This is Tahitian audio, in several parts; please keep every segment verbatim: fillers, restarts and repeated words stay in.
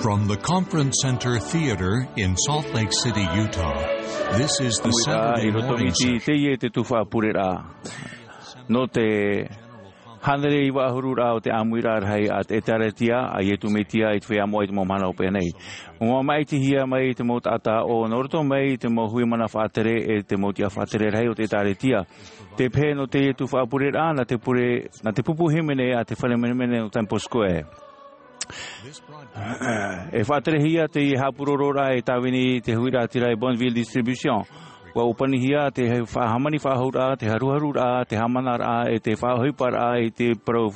From the Conference Center Theater in Salt Lake City, Utah, this is the Saturday morning session. Teie te tuhaʻa pureraʻa. Nō te hānere iva ʻahuru raʻa o te ʻāmuiraʻa rahi a te ʻĒtārētia a Iesu Mesia i te feiā moʻa i te mau mahana hopeʻa nei. ʻUa māʻitihia mai te mau taʻata ʻo nō roto mai i te mau hui mana faʻatere e te mau tiʻa faʻatere rahi o te ʻĒtārētia. Te pehe nō teie tuhaʻa pureraʻa, nā te pure, nā te pupu hīmene a te fare menemene nō Temple Square. E faʻaterehia teie haʻapūrororaʻa e tāvini i te huiraʻatira e Bonneville Distribution. ʻUa ʻōpanihia te faʻa-, hāmani faʻahou raʻa, te haruharu raʻa, te haʻamanaraʻa, e te faʻaʻohiparaʻa i te parau,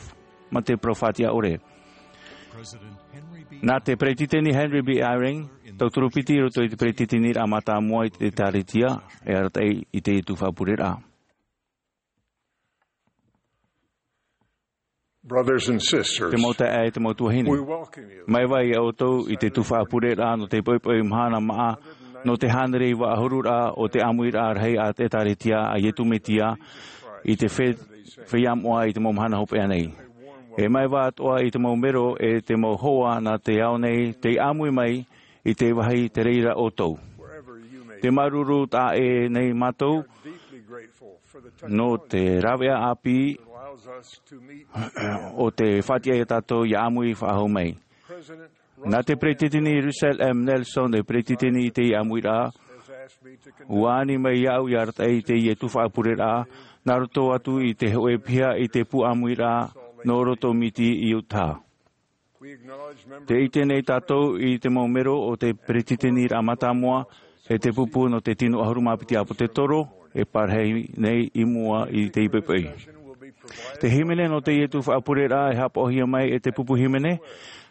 mā te parau faʻatiʻa ʻore. Nā te Peretiteni Henry B. Eyring, tauturu piti i roto i te Peretiteniraʻa Mātāmua i te ʻĒtārētia, e arataʻi i teie tuhaʻa pureraʻa. Brothers and sisters, te mau taeaʻe, te mau tuahine. We welcome you. Māuiui ʻoutou i te tuhaʻa pureraʻa nō te poʻipoʻi mahana māʻa, nō te hānere iva ʻahuru raʻa o te ʻāmuiraʻa rahi a te ʻĒtārētia a Iesu Mesia i te fe-, feiā moʻa i te mau mahana hopeʻa nei. E māuiui atoʻa i te mau mero e te mau hoa nā te ao nei, tei ʻāmui mai i te vāhi te reira ʻoutou. Te māuruuru taʻa ʻē nei mātou nō te rāveʻa ʻāpī ʻo tē faʻatiʻa ia tātou ʻia ʻāmui faʻahou mai. Nā te Peretiteni Russell M. Nelson, e Peretiteni i te ʻāmuiraʻa, ʻua ani mai iāʻu ʻia arataʻi i teie tuhaʻa pureraʻa, nā roto atu i te hōʻē piha i te pū ʻāmuiraʻa nō Roto Miti i Utah. Tē ʻite nei tātou i te mau mero o te Peretiteniraʻa Mātāmua, e te pupu nō te tino ʻahuru mā piti ʻāpōsetolo, e parahi nei i mua i te poʻipoʻi. Te hīmene nō teie tuhaʻa pureraʻa e haʻapaʻohia mai e te pupu hīmene,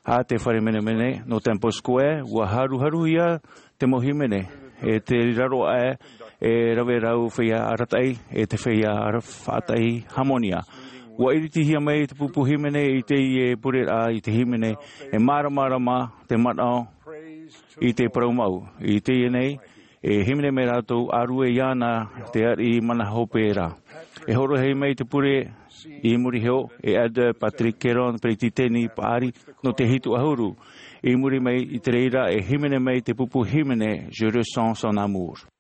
a te fare menemene nō Temple Square, ʻua haruharuhia te mau hīmene, e te raro aʻe, e rave rau feiā arataʻi, e te feiā ara-, faʻataʻi hāmonia. ʻUa ʻiritihia mai te pupu hīmene i teie pureraʻa i te hīmene, e māramarama te manaʻo i te parau mau. I teie nei, e hīmene mai rātou, ʻārue iāna te ariʻi mana hope ra. E hōroʻahia mai te pure i muri iho, e Elder Patrick Keron, Peretiteni Paʻari, nō te hitu ʻahuru. I muri mai i te reira, e hīmene mai te pupu hīmene, Je ressens son amour.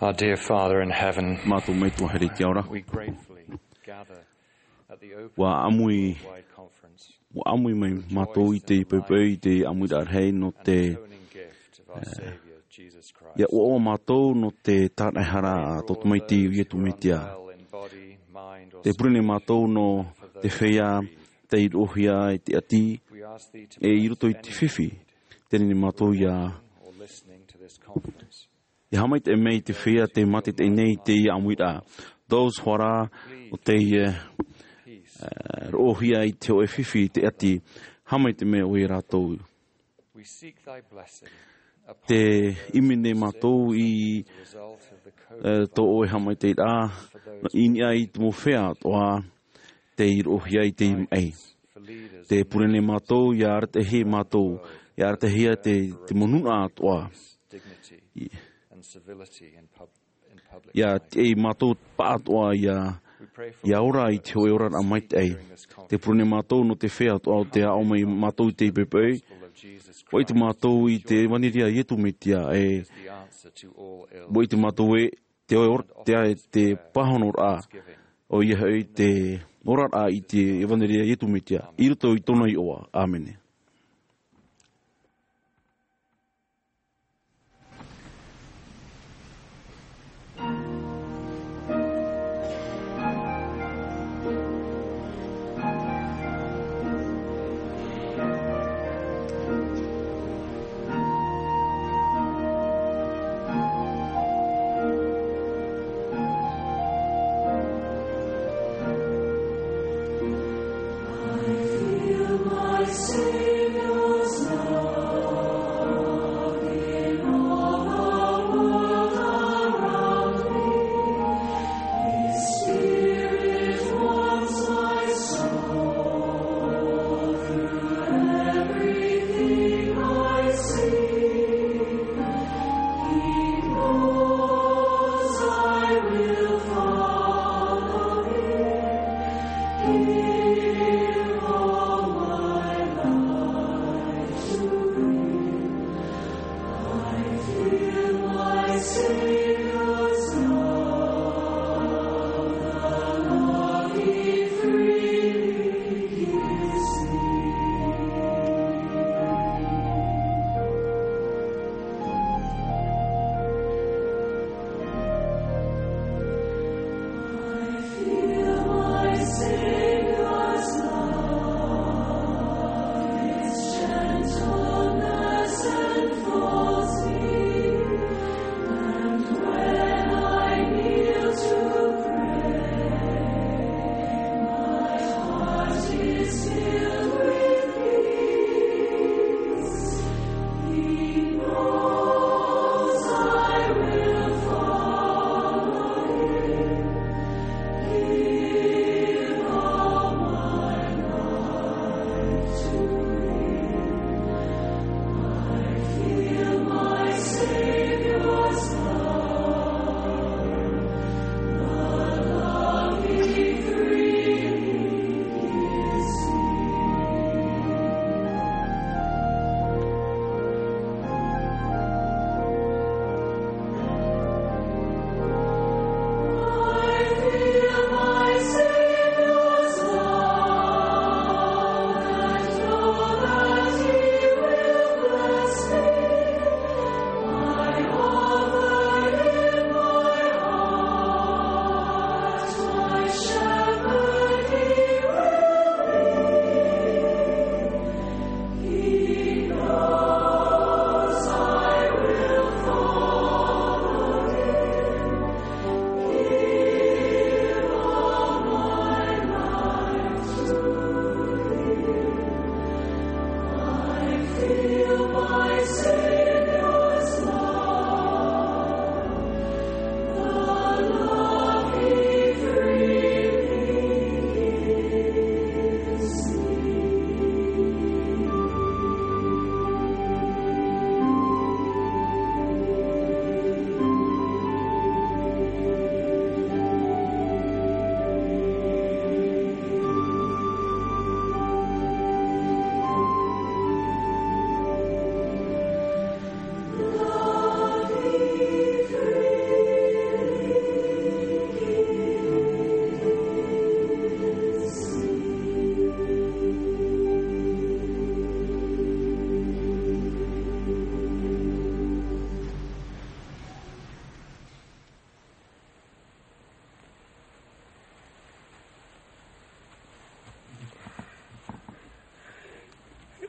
Our dear Father in heaven, Mātou Metua here i te ao ra. We gratefully gather at the open Ua ʻāmui, worldwide conference. Ua ʻāmui mai mātou i te poʻipoʻi, i te ʻāmuiraʻa rahi nō te, atoning gift of our Saviour, Jesus Christ. Ia ʻoaʻoa mātou nō te tāraʻehara a tō Tamaiti ʻo Iesu Mesia. Te pure nei mātou nō te feiā tei roʻohia i te ʻati, e i roto i te fifi, teie nei mātou ia, ia haʻamaitaʻi mai te feiā tei mātaʻitaʻi nei i teie ʻāmuiraʻa. Those who are, ʻo tei, eh, eh, roʻohia i te hōʻē fifi i te ʻati, haʻamaitaʻi mai ʻoe ia rātou. Te ʻimi nei mātou i, eh, tō ʻoe haʻamaitaʻiraʻa, i niʻa i te mau feiā atoʻa tei roʻohia i teie maʻi. Te pure nei mātou ia arataʻihia mātou, ia arataʻihia te, te mau nūnaʻa atoʻa. Ia tiʻa mātou paʻatoʻa ia, ia ora i te hōʻē oraraʻa maitaʻi. Te pure nei mātou nō te feiā atoʻa ʻo tei aʻo mai mātou i teie poʻipoʻi. ʻUa ʻite mātou i te ʻevanelia a Iesu Mesia, e ʻua ʻite mātou ē, te ora, te, te pāhonoraʻa, ʻoia hoʻi te oraraʻa i te ʻevanelia a Iesu Mesia, i roto i tōna iʻoa. ʻĀmene.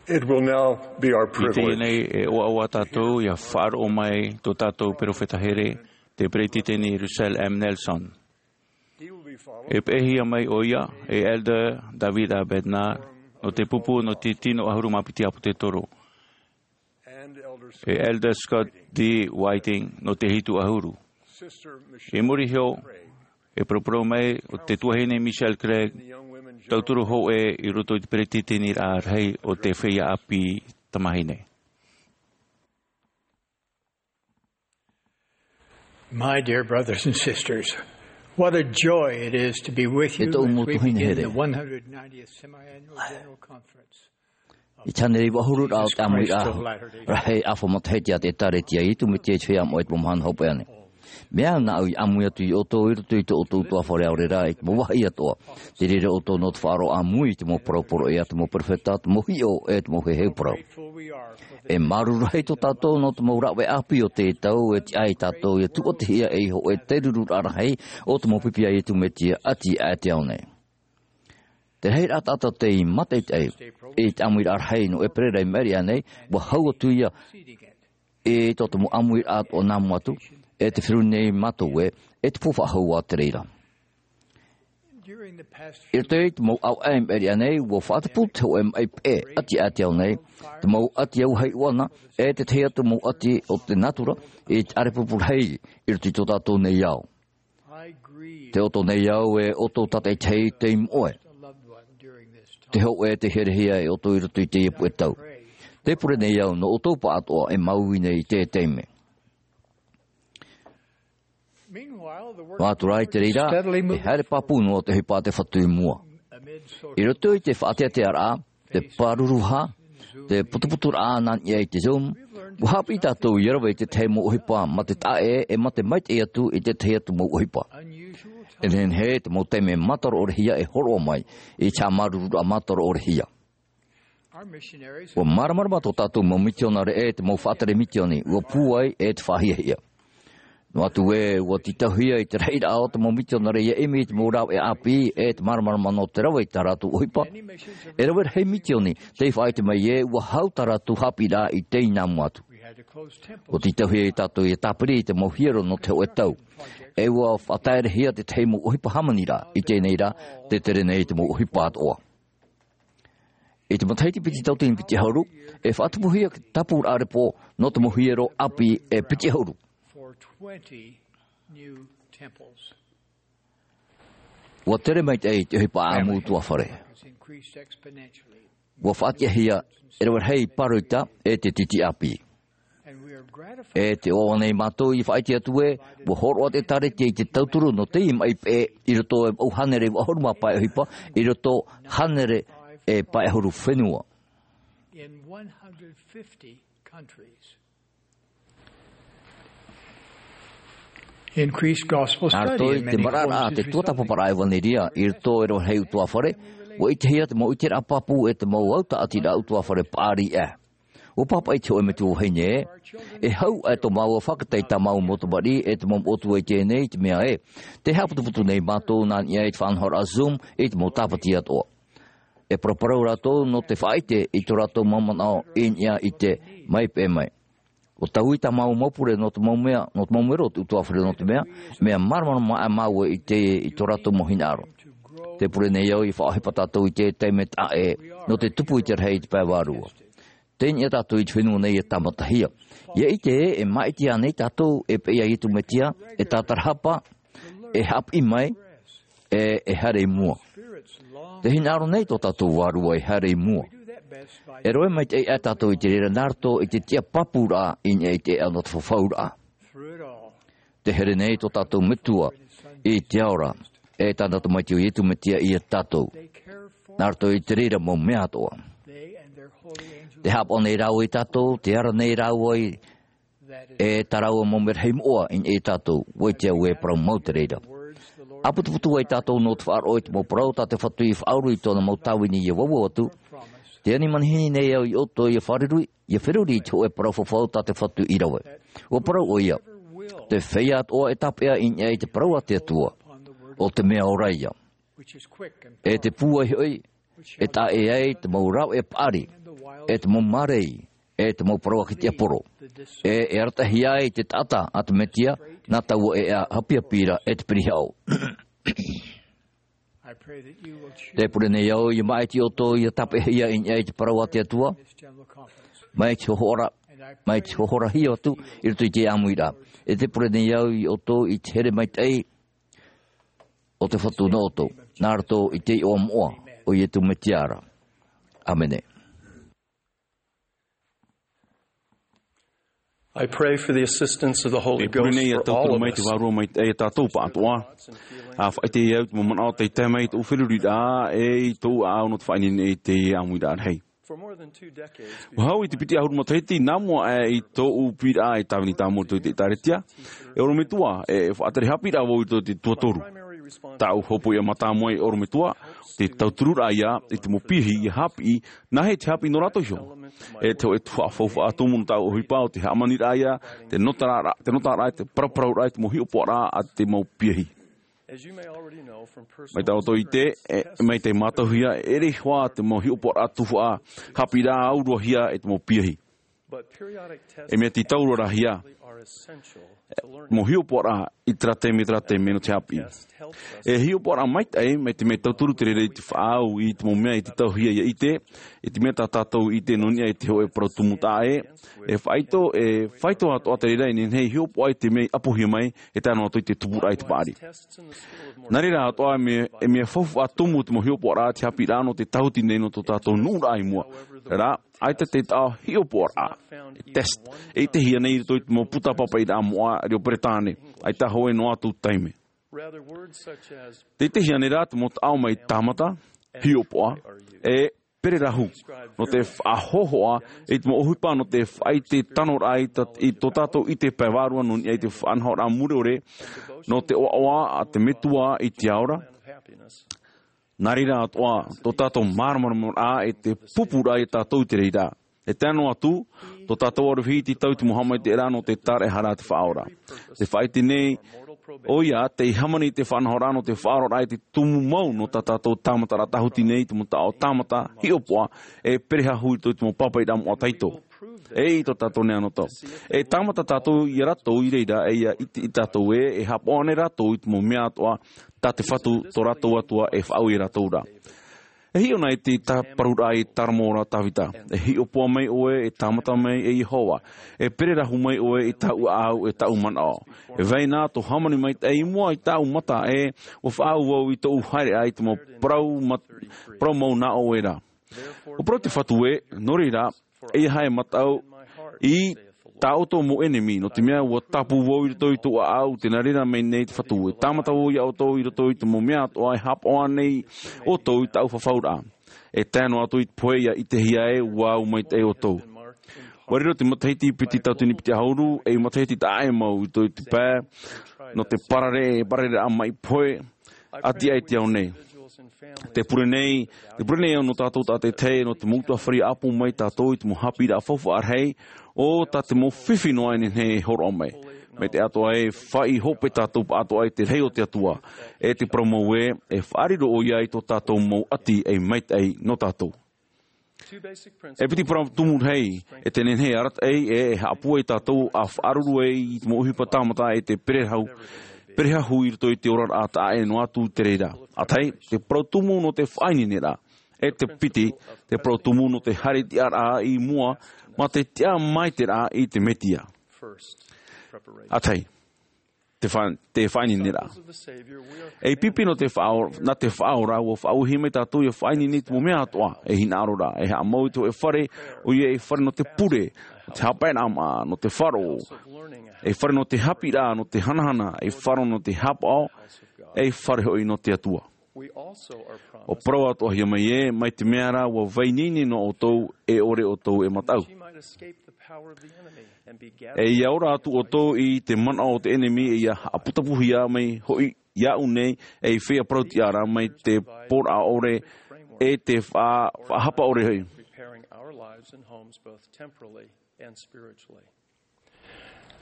It will now be our privilege. I teie nei e ʻoaʻoa tātou ia faʻaroʻo mai tō tātou perofeta here, te Peretiteni Russell M. Nelson. E peʻehia mai ʻo ia e Elder David A. Bednar nō te pupu nō te tino ʻahuru mā piti ʻāpōsetolo, e Elder Scott D. Whiting nō te hitu ʻahuru. I muri iho, e paraparau mai ʻo te tuahine Michelle Craig, tauturu hōʻē i roto i te peretiteniraʻa rahi o te feiā ʻāpī tamāhine. My dear brothers and sisters, what a joy it is to be with you as we begin the one hundred ninetieth Semiannual General Conference. I te hānere iva ʻahuru rā o te ʻāmuiraʻa rahi ʻāfa matahiti a te ʻĒtārētia a Iesu Mesia i te feiā moʻe i te mau mahana hopeʻa nei. Mea au nā ʻu i ʻāmui atu iā ʻoutou i roto i tō ʻoutou ʻutuāfare ʻaore rā i te mau vāhi atoʻa. Te reira ʻoutou nō te faʻaroʻo ʻāmui i te mau parau poroʻi a te mau perofeta, te mau hiʻo e te mau heheu parau. E māuruuru rahi tō tātou nō te mau rāveʻa ʻāpī o teie tau e tiʻa ai tātou ia tūʻatihia ei hōʻē terururaʻa rahi o te mau pipi a Iesu Mesia ʻati aʻe i te ao nei. Te rahiraʻa taʻata tei mātaʻitaʻi i te ʻāmuiraʻa rahi nō ʻēperēra i maʻiri aʻe nei, ʻua hau atu ia i tō te mau ʻāmuiraʻa atoʻa nā mua atu, e te feruri nei mātou ē, e te pū faʻahou a te reira. I roto i te mau ʻāvaʻe i maʻiri aʻe nei, ʻua faʻatupu te hōʻē maʻi peʻe ʻati aʻe i te ao nei, te mau ʻati auahi ʻoʻana, e te tahi atu mau ʻati o te nātura, i te ʻārepurepu rahi i roto i tō tātou nei ao. Tē ʻoto nei au e ʻoutou tātaʻitahi tei moʻe. Te hōʻē tei hiahia e ʻoutou i roto i teie puʻe tau. Tē pure nei au nō ʻoutou pāʻatoʻa e māuiui nei i teie taime. Nō atu rā i te reira, e haere pāpū noa te ʻohipa a te Fatu i mua. I roto i te faʻateatearaʻa, te pāruruhia, te putuputuraʻa nā niʻa i te Zoom, ʻua haʻapiʻi tātou ia rave i te tahi mau ʻohipa mā te taʻa ʻē e mā te maitaʻi atu i te tahi atu mau ʻohipa. E nehenehe te mau taime mātaroʻorehia e hōroʻa mai i te haʻamāuruururaʻa mātaroʻorehia. ʻUa māramarama tō tātou mau mitionare ʻē te mau faʻatere mitioni, ʻua pūai e te faʻahiahia. Noa atu ē, ʻua tītauhia i te rahiraʻa o te mau mitionare ia ʻimi i te mau rāveʻa ʻāpī, e te māramarama nō te rave i tā rātou ʻohipa. E rave rahi mitioni, tei faʻaʻite mai ē, ʻua hau tā rātou haʻapiʻiraʻa i teie nā mua atu. ʻUa tītauhia ia tātou ia tāpiri i te mau hiero nō te hōʻē tau. E ʻua faʻataerehia te tahi mau ʻohipa hāmaniraʻa, i teie nei rā, tē tere nei te mau ʻohipa atoʻa. I te matahiti piti tauatini piti ʻahuru, e faʻatupuhia te tāpūraʻa repo nō te mau hiero ʻāpī e piti ʻahuru. ʻUa tere maitaʻi te ʻohipa ʻāʻamu ʻutuāfare. ʻUa faʻatiʻahia e rave rahi pāroita e te tītī ʻāpī. E tē ʻoaʻoa nei mātou i faʻaʻite atu ē, ʻua hōroʻa te ʻĒtārētia i te tauturu nō teie maʻi peʻe i roto e vaʻu hānere iva ʻahuru mā pae ʻohipa, i roto hānere e pae ʻahuru fenua. Nā roto i te maraʻaraʻa a te tuatāpaparaʻa ʻevaneria i roto e rave rahi ʻutuāfare, ʻua ʻitehia te mau ʻiteraʻa pāpū e te mau autaʻatiraʻa ʻutuāfare paʻari aʻe. ʻUa pāpaʻi te hōʻē metua vahine ē, e hau aʻe tō māua fakataiʻi tā māua mau tamariʻi e te mau moʻotua i teie nei, i te mea ē, tē haʻaputuputu nei mātou nā niʻa i te faʻanahoraʻa Zoom i te mau tāpati atoʻa. E paraparau rātou nō te faʻaʻite i tō rātou mau manaʻo i niʻa i te maʻi peʻe mai. ʻUa taui tā māua mau pure nō te mau mea, nō te mau mero o te ʻutuāfare nō te mea, mea māramarama aʻe māua i te, i tō rātou mau hinaʻaro. Tē pure nei au i faʻaʻohipa tātou i te taime taʻa ʻē, nō te tupu i te rahi i te pae vārua. Tei niʻa tātou i te fenua nei e tāmatahia. ʻIa ʻite ē, e māʻiti ānei tātou e peʻe iā Iesu Mesia, e tātarahapa, e haʻapiʻi mai, e, e haere i mua. Te hinaʻaro nei tō tātou vārua e haere i mua. E rave maitaʻi aʻe tātou i te reira nā roto i te tiʻa pāpūraʻa i niʻa i te ʻēʻa nō te fafauraʻa. Tē here nei tō tātou Metua i te ao ra, e tāna Tamaiti ʻo Iesu Mesia iā tātou. Nā roto i te reira mau mea atoʻa. Tē haʻapaʻo nei rāua iā tātou, tē ara nei rāua i e tā rāua mau merahi moʻa i niʻa iā tātou, ʻua ʻite au e parau mau te reira. ʻA putuputu ai tātou nō te faʻaroʻo i te mau parau tā te Fatu i faʻauru i tōna mau tāvini ʻia vauvau atu. Tē ani manihini nei au iā ʻoutou ʻia fārerei, ʻia feruri i te hōʻē parau fafau tā te Fatu i rave. ʻUa parau ʻoia, te feiā atoʻa e tāpeʻa i niʻa i te parau a te Atua, ʻo te mea ora ïa. E te pūai hoʻi, e taʻa ʻē ai te mau rāveʻa paʻari, e te mau mārei, e te mau parau a te tiaporo. E, e arataʻihia ai te taʻata a te Mesia, nā taua e ʻāhapihapi ra e te pirihaʻo. Te pure nei au, ʻia māʻiti ʻoutou, ʻia tāpeʻahia i niʻa i te parau a te Atua. Mai te hohora, mai te hohorahia atu, i roto i te ʻāmuiraʻa. E te pure nei au iā ʻoutou i te here maitaʻi o te Fatu nō ʻoutou. Nā roto i te iʻoa moʻa, o Iesu Mesia ra. ʻĀmene. I pray for the assistance of the Holy Ghost for all of us. E pure nei ʻia tauturu mai te Vārua Maitaʻi ia tātou pāʻatoʻa. ʻA faʻaʻite au te mau manaʻo tei tae mai i tōʻu feruriraʻa, e i tōʻu ʻāʻau nō te faʻaineine i te ʻāmuiraʻa rahi. For more than two decades, ʻua hau i te piti ʻahuru matahiti, nā mua aʻe i tōʻu piʻiraʻa e tāvini tāmau i te ʻĒtārētia, e ʻorometua, e faʻatere haʻapiʻiraʻa vau i tō te tuatoru. Tāʻu hopoiʻa mātāmua e ʻorometua, te tautururaʻa ia, i te mau piahi ʻia haʻapiʻi, nā hea te haʻapiʻi nō rātou iho. E te hōʻē tuhaʻa faufaʻa tumu nō tāʻu ʻohipa ʻo te hāmaniraʻa ia, te nōtaraʻa, te nōtaraʻa, te paraparauraʻa, te mau hiʻopoʻaraʻa a te mau piahi. As you may already know from personal Mai tā ʻoutou i te, experience, e, mai te mātauhia, e ʻere hoʻi te mau hiʻopoʻaraʻa tuhaʻa, haʻapiʻiraʻa auruahia e te mau piahi. But periodic tests E mea tītau roa rā hia, actually are essential to learning. Mau hiʻopoʻaraʻa i terā taime, terā taime nō te haʻapiʻi. Test helps us E hiʻopoʻaraʻa maitaʻi, mai te mea tauturu te reira i te faʻaau i te mau mea e tītauhia ʻia ʻite, i te mea tā tātou i ʻite nō niʻa i te hōʻē parau tumu taʻa ʻē, e faʻaitoito, e faʻaitoito atoʻa te reira i nehenehe e hiʻopoʻa i te mea i ʻapohia mai, e tae noa atu i te tupuraʻa i te paʻari. Nā reira atoʻa, e mea, e mea faufaʻa tumu te mau hiʻopoʻaraʻa, te haʻapiʻiraʻa nō te tāhuti nei nō tō tātou nuʻuraʻa i mua. Rā, ʻaita te taʻo hiʻopoʻaraʻa, e test, e ʻitehia nei i roto i te mau puta pāpaʻiraʻa moʻa reo Peretāne, ʻaita hōʻē noa atu taime. Rather, words such as Te ʻitehia nei rā te mau taʻo mai tāmata, hiʻopoʻa, e pererahu. Nō te faʻahōhoʻa i te mau ʻohipa nō te faʻaʻite tanoraʻa i ta-, i tō tātou ʻite pae vārua nō niʻa i te faʻanahoraʻa mure ʻore, nō te ʻoaʻoa a te Metua i te ao ra. Nā reira atoʻa, tō tātou māramarama e te pupuraʻa ia tātou i te reira. E tae noa atu, tō tātou aroha i tītau i te mau haʻamaitaʻiraʻa nō te tāraʻehara a te Faʻaora. Te faʻaʻite nei, ʻoia, tei hāmani i te faʻanahoraʻa nō te faʻaroraʻa i te tumu mau nō tā tātou tāmataraʻa tāhuti nei, te mau taʻo tāmata, hiʻopoʻa, e perehahu i roto i te mau pāpaʻiraʻa moʻa tahito. E i tō tātou nei anotau. E tāmata tātou ia rātou i reira, e ʻia ʻite ia tātou ē, e haʻapaʻo ānei rātou i te mau mea atoʻa, tā te Fatu tō rātou Atua e faʻaue ia rātou ra. E hiʻo na i te tā paruraʻa i Taramo ra Tavita. E hiʻopoʻa mai ʻoe, e tāmata mai e Iehova. E pererahu mai ʻoe i tāʻu ʻāʻau, e tāʻu manaʻo. E vai na tō hāmani maitaʻi i mua i tāʻu mata ē, ʻua faʻaau vau i tōʻu haereʻa i te mau parau mat-, parau mau nā ʻoe ra. ʻUa parau te Fatu ē, nō reira, ʻeiaha e mataʻu i tā ʻoutou mau ʻenemi, nō te mea ʻua tāpū vau i roto i tōʻu ʻāʻau, tē nā reira mai nei te Fatu, e tāmata vau ia ʻoutou i roto i te mau mea atoʻa e haʻapaʻo ānei ʻoutou i tāʻu fafauraʻa. E tae noa atu i te pohe ʻia ʻitehia ē, ʻua au maitaʻi ʻoutou. ʻUa riro te matahiti piti tauatini piti ʻahuru, ei matahiti taʻa ʻē mau i roto i te pae, nō te parare, parareraʻa mai pohe, ʻati aʻe i te ao nei. Te pure nei, te pure nei au nō tātou tātaʻitahi, nō te mau ʻutuāfare ʻāpō mai tātou i te mau haʻapiʻiraʻa faufaʻa rahi, ʻo tā te mau fifi noa e nehenehe e hōroʻa mai. Mai te atoʻa e faʻaʻī hope tātou pāʻatoʻa i te rahi o te Atua, e te parau mau ē, e faʻariro ʻoia i tō tātou mau ʻati ei maitaʻi nō tātou. E piti parau tumu rahi, e te nehenehe e arataʻi, e, e haʻapūai tātou ʻa faʻaruru ai i te mau ʻohipa tāmata e te pererahu, perehahu i roto i te oraraʻa taʻa ʻē noa atu te reira. ʻA tahi, te parau tumu nō te faʻaineineraʻa. E te piti, te parau tumu nō te haere tiʻaraʻa i mua, mā te tiʻa maitaʻiraʻa i te Mesia. ʻA tahi, te fa-, te faʻaineineraʻa. Ei pipi nō te faʻao-, nā te Faʻaora, ʻua faʻauehia mai tātou ʻia faʻaineine i te mau mea atoʻa, ei hinaʻaro ra, ei haʻamau i te hōʻē fare, ʻoia ei fare nō te pure, nō te haʻapaeraʻa maʻa, nō te faro, ei fare nō te haʻapiʻiraʻa, nō te hanahana, ei faro nō te haʻapaʻo, ei fare hoʻi nō te Atua. ʻUa parau atoʻahia mai ē, mai te mea ra ʻua vai ineine noa ʻoutou, e ʻore ʻoutou e mataʻu. E ʻia ora atu ʻoutou i te manaʻo o te ʻenemi, e ʻia haʻaputapuhia mai hoʻi iāʻu nei, ei feiā parau tiʻa ra mai te pōraʻa ʻore, e te fa-, faʻahapa ʻore hoʻi.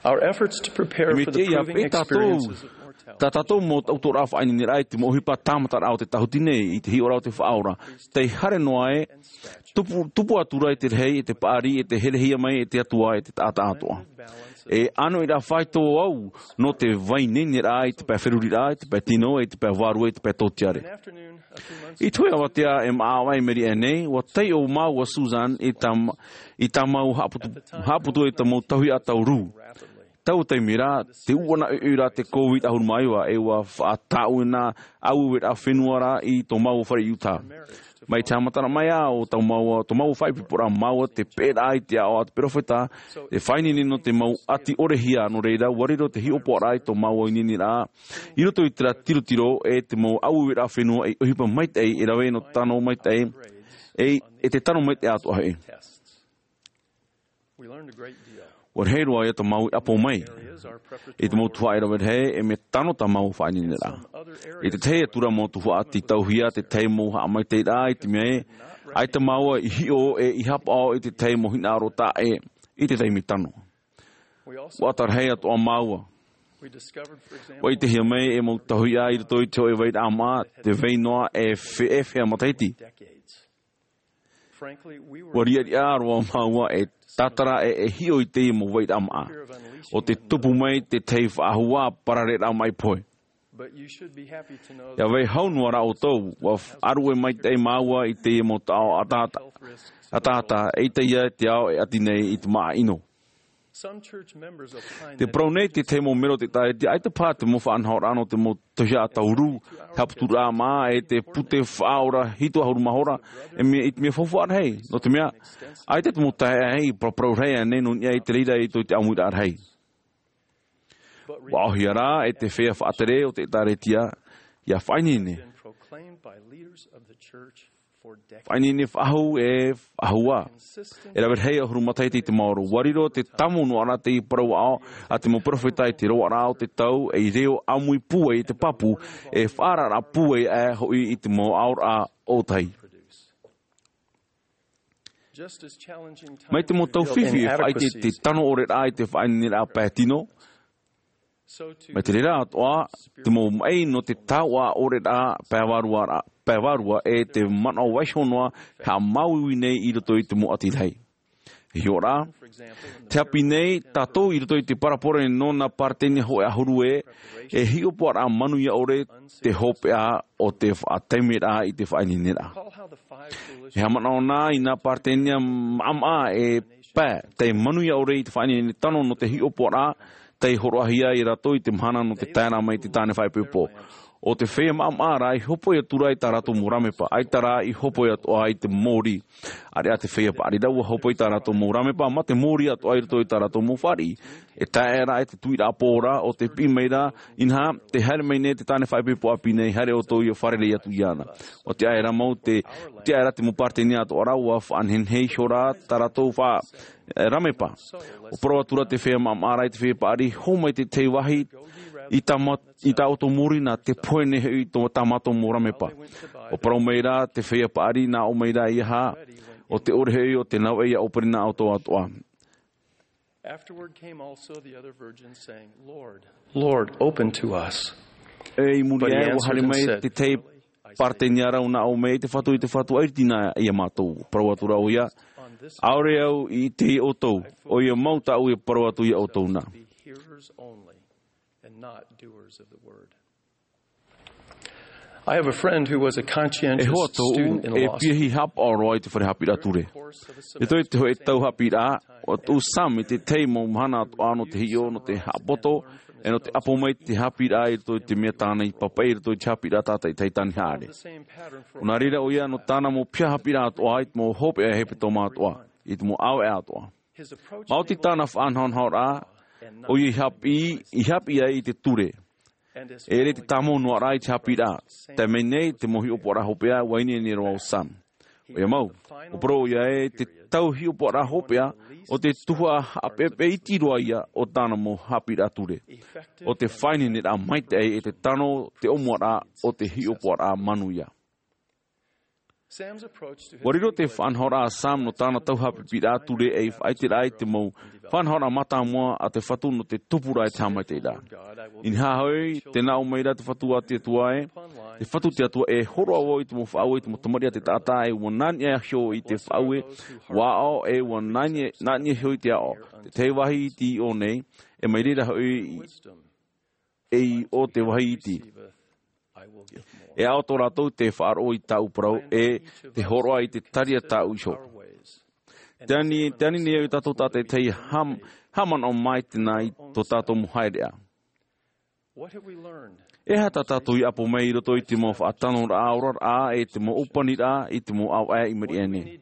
Our efforts to prepare for the proving experiences of mortality. Tā tātou mau taʻutoʻoraʻa faʻaineineraʻa i te mau ʻohipa tāmataraʻa o te tāhuti nei i te hiʻoraʻa o te Faʻaora, tei haere noa ē, tupu, tupu atu ra i te rahi, i te paʻari, i te herehia mai, i te Atua, i te taʻata atoʻa. E ʻānoʻiraʻa faito au nō te vai neineraʻa i te pae feruriraʻa, i te pae tino, i te pae vārua, i te pae tōtiare. I te hoʻi avatea e maʻa vai meri aʻe nei, ʻua taiʻo māua Susan i tā, i tā mau haʻaputu, haʻaputu i tā mau tauihaʻa tau rū. Tau taime ra, te uʻana ʻoiʻoi ra te COVID ʻahuru mā iva, e ʻua faʻatāʻu na ʻaueue ra fenua ra i tō māua fare i Utah. Mai te haʻamataraʻa mai ā o tō māua, tō māua faʻaipoiporaʻa māua te peʻeraʻa i te aʻo a te peropheta, te faʻaineine nō te mau ʻati ʻorehia, nō reira, ʻua riro te hiʻopoʻaraʻa i tō māua ineineraʻa, i roto i terā tirotiro e te mau ʻaueue ra fenua i ʻohipa maitaʻi, e rave nō te tano maitaʻi, e, e te tano maitaʻi atoʻa hoʻi. ʻUa rahi roa ia tā māua i ʻapo mai. I te mau tuhaʻa e rave rahi, e mea tano tā māua faʻaineineraʻa. I te tahi atu ra mau tuhaʻa tītauhia, te tahi mau haʻamaitaʻiraʻa i te mea ē, ʻaita māua i hiʻo e i haʻapaʻo i te tahi mau hinaʻaro taʻa ʻē, i te taime tano. ʻUa ʻata rahi atoʻa māua. ʻUa ʻitehia mai e mau tauihaʻa i roto i te hōʻē vairaʻa maʻa, tē vai noa e fe-, e feiā matahiti. ʻUa riʻariʻa roa māua e tātara e, e hiʻo i teie mau vairaʻa maʻa. ʻO te tupu mai te tahi faʻahou parareraʻa maʻi pohe. ʻIa vai hau noa rā ʻoutou, ʻua f-, ʻāruʻe maitaʻi māua i teie mau taʻo ʻataʻata, ʻataʻata, eʻita ia te ao e ʻati nei i te maʻa ʻino. Te parau nei te tahi mau mero o te ʻĒtārētia, ʻaita paha te mau faʻanahoraʻa nō te mau tauihaʻa tau rū, haʻaputuraʻa maʻa, e te pute faʻaora hitu ʻahuru mā hora, e mea, i te mea faufaʻa rahi, nō te mea, ʻaita te mau taeaʻe i paraparau rahi aʻenei nō niʻa i te reira i tō te ʻāmuiraʻa rahi. ʻUa ʻōhie rā e te feiā faʻatere o te ʻĒtārētia, ʻia faʻaineine. Faʻaineine faʻahou e faʻahou ā. E rave rahi ʻahuru matahiti i te maoro. ʻUa riro te tāmau noa rā teie parau aʻo a te mau peropheta i te roaraʻa o te tau, ei reo ʻāmui pūai i te pāpū, e faʻaararaʻa pūai aʻe hoʻi i te mau aʻoraʻa ʻōtahi. Mai te mau tau fifi e faʻaʻite te tano ʻore rā i te faʻaineineraʻa pae tino. Mai te reira atoʻa, te mau maʻi nō te taoʻa ʻore rā pae vārua rā, pae vārua e te manaʻo vaiiho noa e haʻamāuiui nei i roto i te mau ʻati rahi. E hiʻo rā, te haʻapiʻi nei, tātou i roto i te parabole nō nā Paretenia hōʻē ʻahuru ē, e hiʻopoʻaraʻa manuia ʻore te hopeʻa o te faʻataimeraʻa i te faʻaineineraʻa. E haʻamanaʻo na i nā Paretenia maʻamaʻa e pae, tei manuia ʻore i te faʻaineine tano nō te hiʻopoʻaraʻa, tei hōroʻahia ia rātou i te mahana nō te taeraʻa mai i te tāne faʻaipoipo. ʻO te feiā maʻamaʻa rā i hōpoi atu ra i tā rātou mau rāmepa, ʻaita rā i hōpoi atoʻa i te mōrī. ʻAreʻa te feiā paʻari rā ʻua hōpoi i tā rātou mau rāmepa, mā te mōrī atoʻa i roto i tā rātou mau fāriʻi. E tae aʻe rā e te tuiraʻa pō ra, ʻo te piʻi mai ra, inaha, tē haere mai nei te tāne faʻaipoipo ʻāpī nei, haere ʻoutou ʻia fārerei atu iāna. ʻUa tiʻa aʻera mau te, tiʻa aʻera te mau Paretenia atoʻa rā, ʻua faʻanehenehe iho rā tā rātou fa-, e, rāmepa. ʻUa parau atu ra te feiā maʻamaʻa rā i te feiā paʻari, hō mai te tahi vāhi, i tā mā-, i tā ʻoutou mōrī nā, tē pohe nei hoʻi tō, tā mātou mau rāmepa. ʻUa parau mai ra te feiā paʻari nā ʻō mai ra ia hā, ʻo te ʻore hoʻi ʻo te navaʻi ʻia ʻōpere nā ʻoutou atoʻa. Afterward came also the other virgins, saying, "Lord, Lord, open to us." E i muri aʻe, ʻua haere mai te tahi Paretenia ra, nā ʻō mai, "E te Fatu, e te Fatu, ʻaita nā ia mātou." Parau atu ra ʻoia, "ʻAore au i ʻite ia ʻoutou, ʻoia mau tāʻu e parau atu ia ʻoutou na." I have a friend who was a conscientious student in a law school. E hoa tōʻu, e piahi haʻapaʻo roa i te fare haʻapiʻiraʻa ture. I roto i te hōʻē tau haʻapiʻiraʻa, ʻua tuʻu Sam i te tahi mau mahana atoʻa nō te hiʻo, nō te haʻapoto, e nō te ʻapo mai i te haʻapiʻiraʻa i roto i te mea tāna i pāpaʻi i roto i te haʻapiʻiraʻa tātaʻitahi tāne haʻere. ʻO nā reira ʻoia nō tāna mau piha haʻapiʻiraʻa atoʻa, i te mau hopeʻa hepetoma atoʻa, i te mau ʻāvaʻe atoʻa. Maoti tāna faʻanahonahoraʻa, ʻoia i haʻapiʻi, i haʻapiʻi ai i te ture. E ʻere te tāmau noa rā i te haʻapiʻiraʻa. Tae mai nei, te mau hiʻopoʻaraʻa hopeʻa, ʻua ineine roa ʻo Sam. ʻOia mau, ʻua parau ʻoia ē, te tau hiʻopoʻaraʻa hopeʻa, ʻo te tuhaʻa haʻapeʻapeʻa iti roa ia o tāna mau haʻapiʻiraʻa ture. ʻO te faʻaineineraʻa maitaʻi e te tano te ʻōmuaraʻa o te hiʻopoʻaraʻa manuia. Ua riro te faʻanahoraʻa a Sam nō tāna tauhaʻapiʻiraʻa ture ei faʻaʻiteraʻa i te mau faʻanahoraʻa mātāmua a te Fatu nō te tupuraʻa e te haʻamaitaʻiraʻa. Inaha hoʻi, tē nā ʻō mai ra te Fatu a te Atua ē, te Fatu te Atua, e hōroʻa vau i te mau faʻaue, i te mau tamariʻi a te taʻata, e ua nā niʻa iho i te faʻaue, ua aʻo, e ua nā niʻa, nā niʻa iho i te aʻo. Te tahi vāhi iti i ʻō nei, e mai reira hoʻi i, e i ʻō te vāhi iti. E aʻo tō rātou te faʻaroʻo i tāʻu parau, e te hōroʻa i te tari a tāʻu iho. Te ani, te ani nei au i tātou tātaʻitahi ham-, haʻamanaʻo mai tēnā i tō tātou mau haereʻa. E aha tā tātou i ʻapo mai i roto i te mau faʻatanoraʻa, oraraʻa, e te mau ʻōpaniraʻa, i te mau ʻāvaʻe i maʻiri aʻe nei?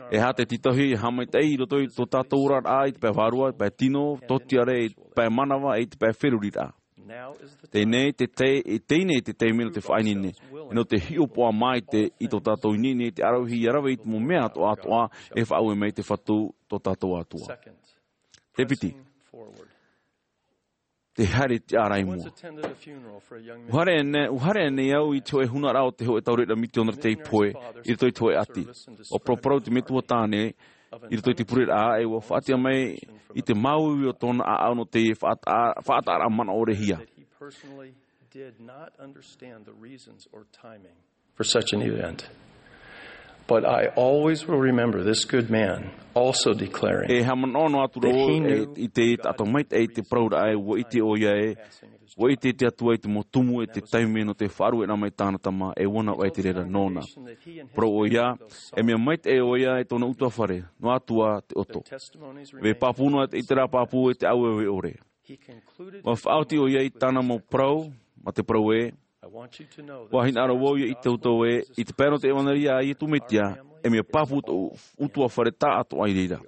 E aha te tītauhia e haʻamaitaʻi i roto i tō tātou oraraʻa i te pae vārua, pae tino, tōtiare, pae manava, e te pae feruriraʻa? Teie nei te tei-, teie nei te taime nō te faʻaineine, e nō te hiʻopoʻa maite i tō tātou ineine i te ʻaravihi ʻia rave i te mau mea atoʻa, atoʻa e faʻaue mai te Fatu tō tātou Atua. Te piti. Te haere tiʻa ra i mua. ʻUa haere nei, ʻua haere nei au i te hōʻē hūnaraʻa o te hōʻē taureʻareʻa mitionare tei pohe, i roto i te hōʻē ʻati. ʻUa paraparau te metua tāne, i roto i te pureraʻa, e ʻua faʻatiʻa mai i te māuiui o tōna ʻāʻau nō te faʻataʻa-, faʻataʻaraʻa manaʻorehia. For such an event. But I always will remember this good man also declaring E haʻamanaʻo noa atu ra vau, e, i te taʻata maitaʻi i te parauraʻa ē, ʻua ʻite ʻoia ē, ʻua ʻite te Atua i te mau tumu e te taime nō te faʻarueraʻa mai tāna tama, e ʻua navaʻi te reira nōna. Parau ʻoia, e mea maitaʻi ʻoia e tōna ʻutuāfare, noa atu ā te ʻoto. Vāhi pāpū noa, i terā pāpū e te ʻāueue ʻore. ʻUa faʻaoti ʻoia i tāna mau parau, mā te parau ē, ʻua hinaʻaro vau ʻia ʻite ʻoutou ē, i te pae nō te ʻevanelia a Iesu Mesia, e mea pāpū tōʻu ʻutuāfare tāʻatoʻa i reira.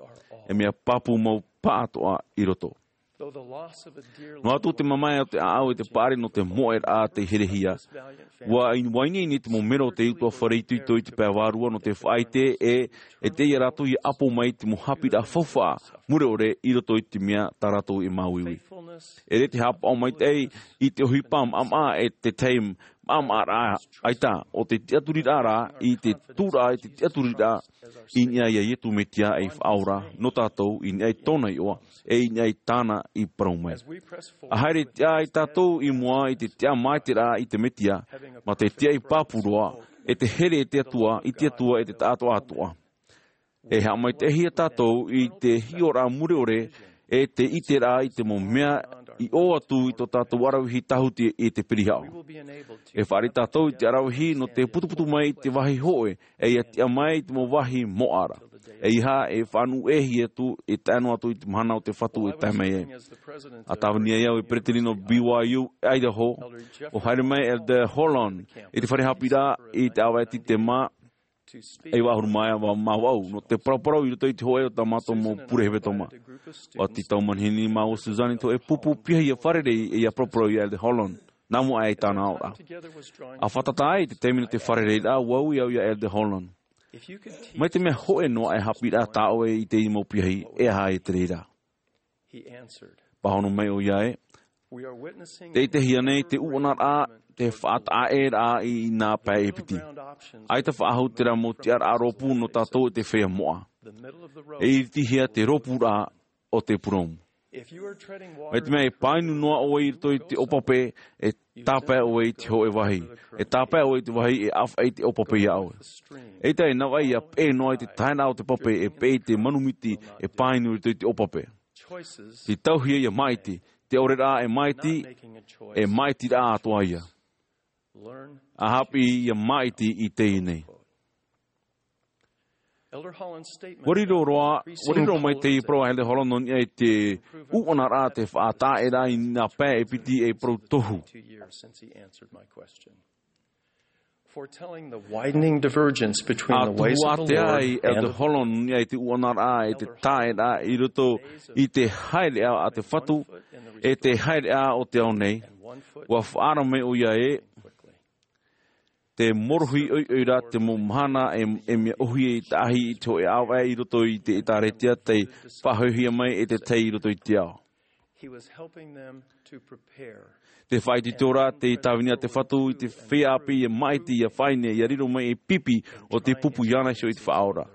E mea pāpū mau pāʻatoʻa i roto. Noa atu te mamae o te ʻāʻau e te paʻari nō te moʻeraʻa tei herehia. ʻUa in-, ʻua ineine te mau melo o te ʻutuāfare itoito i te pae vārua nō te faʻaʻite ē, e ʻite ia rātou ʻia ʻapo mai i te mau haʻapiʻiraʻa faufaʻa mure ʻore i roto i te mea tā rātou e māuiui. E ʻere te haʻapaʻo maitaʻi i te ʻohipa maʻamaʻa e te tahi maʻamaʻaraʻa ʻaita, ʻo te tiʻaturiraʻa rā i te tūraʻa, i te tiʻaturiraʻa i niʻa iā Iesu Mesia ei Faʻaora nō tātou, i niʻa i tōna iʻoa, e i niʻa i tāna i parau mai. ʻA haere tiʻa ai tātou i mua i te tiʻa maitaʻiraʻa i te Mesia, mā te tiaʻi pāpū roa, e te here e te Atua, i te Atua e te taʻatoʻa atoʻa. E haʻamaitaʻihia tātou i te hiʻoraʻa mure ʻore, e te ʻiteraʻa i te mau mea i ʻō atu i tō tātou ʻaravihi tāhuti e te pirihaʻo. E fāriʻi tātou i te ʻaravihi nō te putuputu mai i te vāhi hōʻē, e ʻia tiʻa mai i te mau vāhi moʻa ra. ʻEiaha e faʻanuʻu ʻē atu, e tae noa atu i te mahana o te Fatu e tae mai ai. ʻA tāvini ai au e peresideni nō B Y U Idaho, ʻua haere mai Elder Holland i te fare haʻapiʻiraʻa i te ʻāvaʻe Sitema, e iva ʻahuru mā iva mā vaʻu, nō te paraparau i roto i te hōʻē o tā mātou mau pure hevetoma. ʻUa tītau manihini māua Suzanne i te hōʻē pupu piahi ʻia fārerei e ʻia paraparau iā Elder Holland, nā mua aʻe i tāna aʻoraʻa. ʻA fātata ai te taime nō te fārereiraʻa, ʻua ui au iā Elder Holland. Mai te mea hōʻē noa e haʻapiʻiraʻa tā ʻoe i teie mau piahi, e aha ïa te reira? Pāhono mai ʻoia ē, tē ʻitehia nei te ʻuʻanaraʻa, te faʻataʻaʻēraʻa i nā pae e piti. ʻAita faʻahou terā mau tiʻaraʻa rōpū nō tātou e te feiā moʻa. E iritihia te rōpūraʻa o te purōmu. Mai te mea e pāinu noa ʻoe i roto i te ʻōpape, e tāpae ʻoe i te hōʻē vāhi. E tāpae ʻoe i te vāhi, e ʻāfaʻi te ʻōpape iā ʻoe. ʻEita e navaʻi ʻia peʻe noa i te taeraʻa o te pape, e peʻe i te manu miti e pāinu i roto i te ʻōpape. Tītauhia ʻia māʻiti, te ʻaore rā e māʻiti, e māʻitiraʻa atoʻa ïa. ʻA haʻapiʻi ʻia māʻiti i teie nei. ʻUa riro roa, ʻua riro mai te parau a Elder Holland nō niʻa i te ʻuʻanaraʻa, te faʻataʻaʻēraʻa i nā pae e piti ei parau tohu. Foretelling the widening divergence between the ways of the Lord and the Holland nō niʻa i te ʻuʻanaraʻa, e te taʻeraʻa i roto i te haereʻa a te Fatu, e te haereʻa o te ao nei. ʻUa faʻaara mai ʻoia ē, te morohi ʻoiʻoi ra te mau mahana e, e mea ʻōhie i tahi i te hōʻē ʻāvaʻe i roto i te ʻĒtārētia tei faʻahoʻihia mai e te tahi i roto i te ao. He was helping them to prepare. Te faʻaitoito ra te tāvini a te Fatu i te feiā ʻāpī ia māʻiti, ia fāʻineʻi, ia riro mai ei pipi o te pupu iāna iho i te Faʻaora.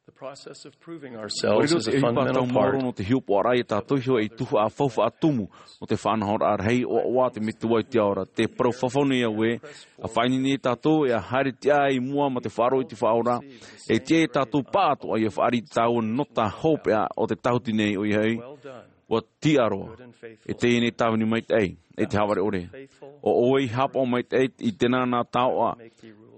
The process of proving ourselves is a fundamental part. Te ʻohipa tau maoro nō te hiʻopoʻaraʻa ia tātou iho ei tuhaʻa faufaʻa tumu nō te faʻanahoraʻa rahi ʻoaʻoa a te Metua i te ao ra. Te parau fafau nei au ē, ʻa fāʻineʻi nei tātou e ʻa haere tiʻa i mua ma te faʻaroʻo i te Faʻaora, e tiʻa ia tātou pāʻatoʻa ia fāriʻi i te tāua nota hopeʻa o te tāhuti nei, ʻoia hoʻi, ʻua tiʻa roa, e teie nei tāvini maitaʻi, e te hāvare ʻore. ʻO ʻoe i haʻapaʻo maitaʻi i tēnā nā taoʻa,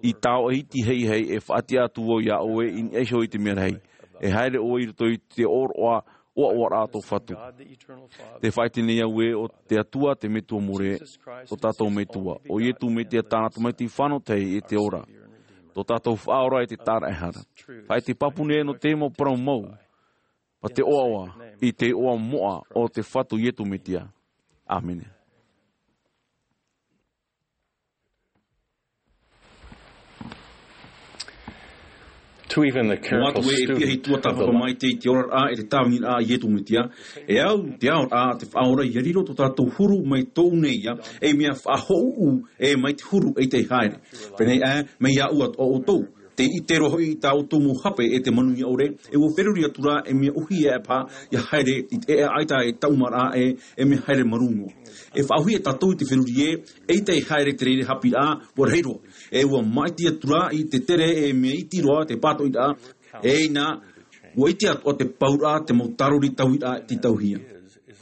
i taoʻa iti heihei e faʻatiʻa atu vau iā ʻoe i niʻa iho i te mea rahi. E haere ʻoe i roto i te ʻōroʻa ʻoaʻoaraʻa a tō Fatu. Te faʻaʻite nei au ē, ʻo te Atua, te Metua more, tō tātou Metua, ʻo Ietu Metia tāna Tamaiti fānau tahi e te ora, tō tātou Faʻaora e te Tāraʻehara. Faʻaʻite pāpū nei nō te mau parau mau, ma te ʻoaʻoa, i te iʻoa moʻa o te Fatu Ietu Metia. ʻĀmene. To even the careful student of the life. Atu ē e piahi tuatāpapa maitaʻi i te oraraʻa e te tāviniraʻa a Ietu Metia, e au te aoraʻa a te Faʻaora ia riro tō tātou huru mai tōʻu nei ia, ei mea faʻahōʻū e mai te huru ʻeita e haere. Pēnei aʻe, mai iāʻu atoʻa ʻoutou. Tē ʻite roa hoʻi i tā ʻoutou mau hape e te manuia ʻore, e ʻua feruri atu ra ei mea ʻōhie aʻe paha, ia haere i te ʻēʻa ʻaita e taumaraʻa ē, ei mea haere marū noa. E faʻaʻōhie tātou i te feruri ē, ʻeita e haere te reira haʻapiʻiraʻa, ʻua rahi roa. E ʻua māʻiti atu ra i te tere ei mea iti roa te pātoʻiraʻa, e ʻina, ʻua ʻite atoʻa te pauraʻa, te mau tārori tauiraʻa tītauhia.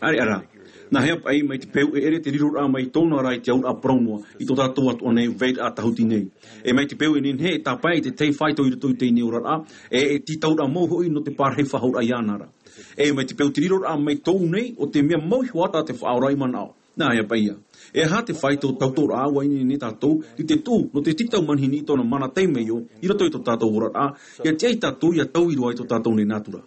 ʻĀreʻa rā. Nā hea paʻi mai te peu e ʻere te riroraʻa mai tōna ra i te auraʻa parau noa, i tō tātou atoʻa nei vairaʻa tāhuti nei. E mai te peu e nehenehe e tāpae i te tahi faito i roto i teie nei oraraʻa, e, e tītauraʻa mau hoʻi nō te pārahi faʻahouraʻa iāna ra. E mai te peu te riroraʻa mai tōʻu nei, ʻo te mea mau iho atu te Faʻaora i manaʻo. Nā hea paʻi ïa. E aha te faito tautoʻoraʻa ʻua ineine tātou i te tuʻu nō te tītau manihini i tōna mana temeio, i roto i tō tātou oraraʻa, ia tiʻa ia tātou ia taui roa i tō tātou nei nātura.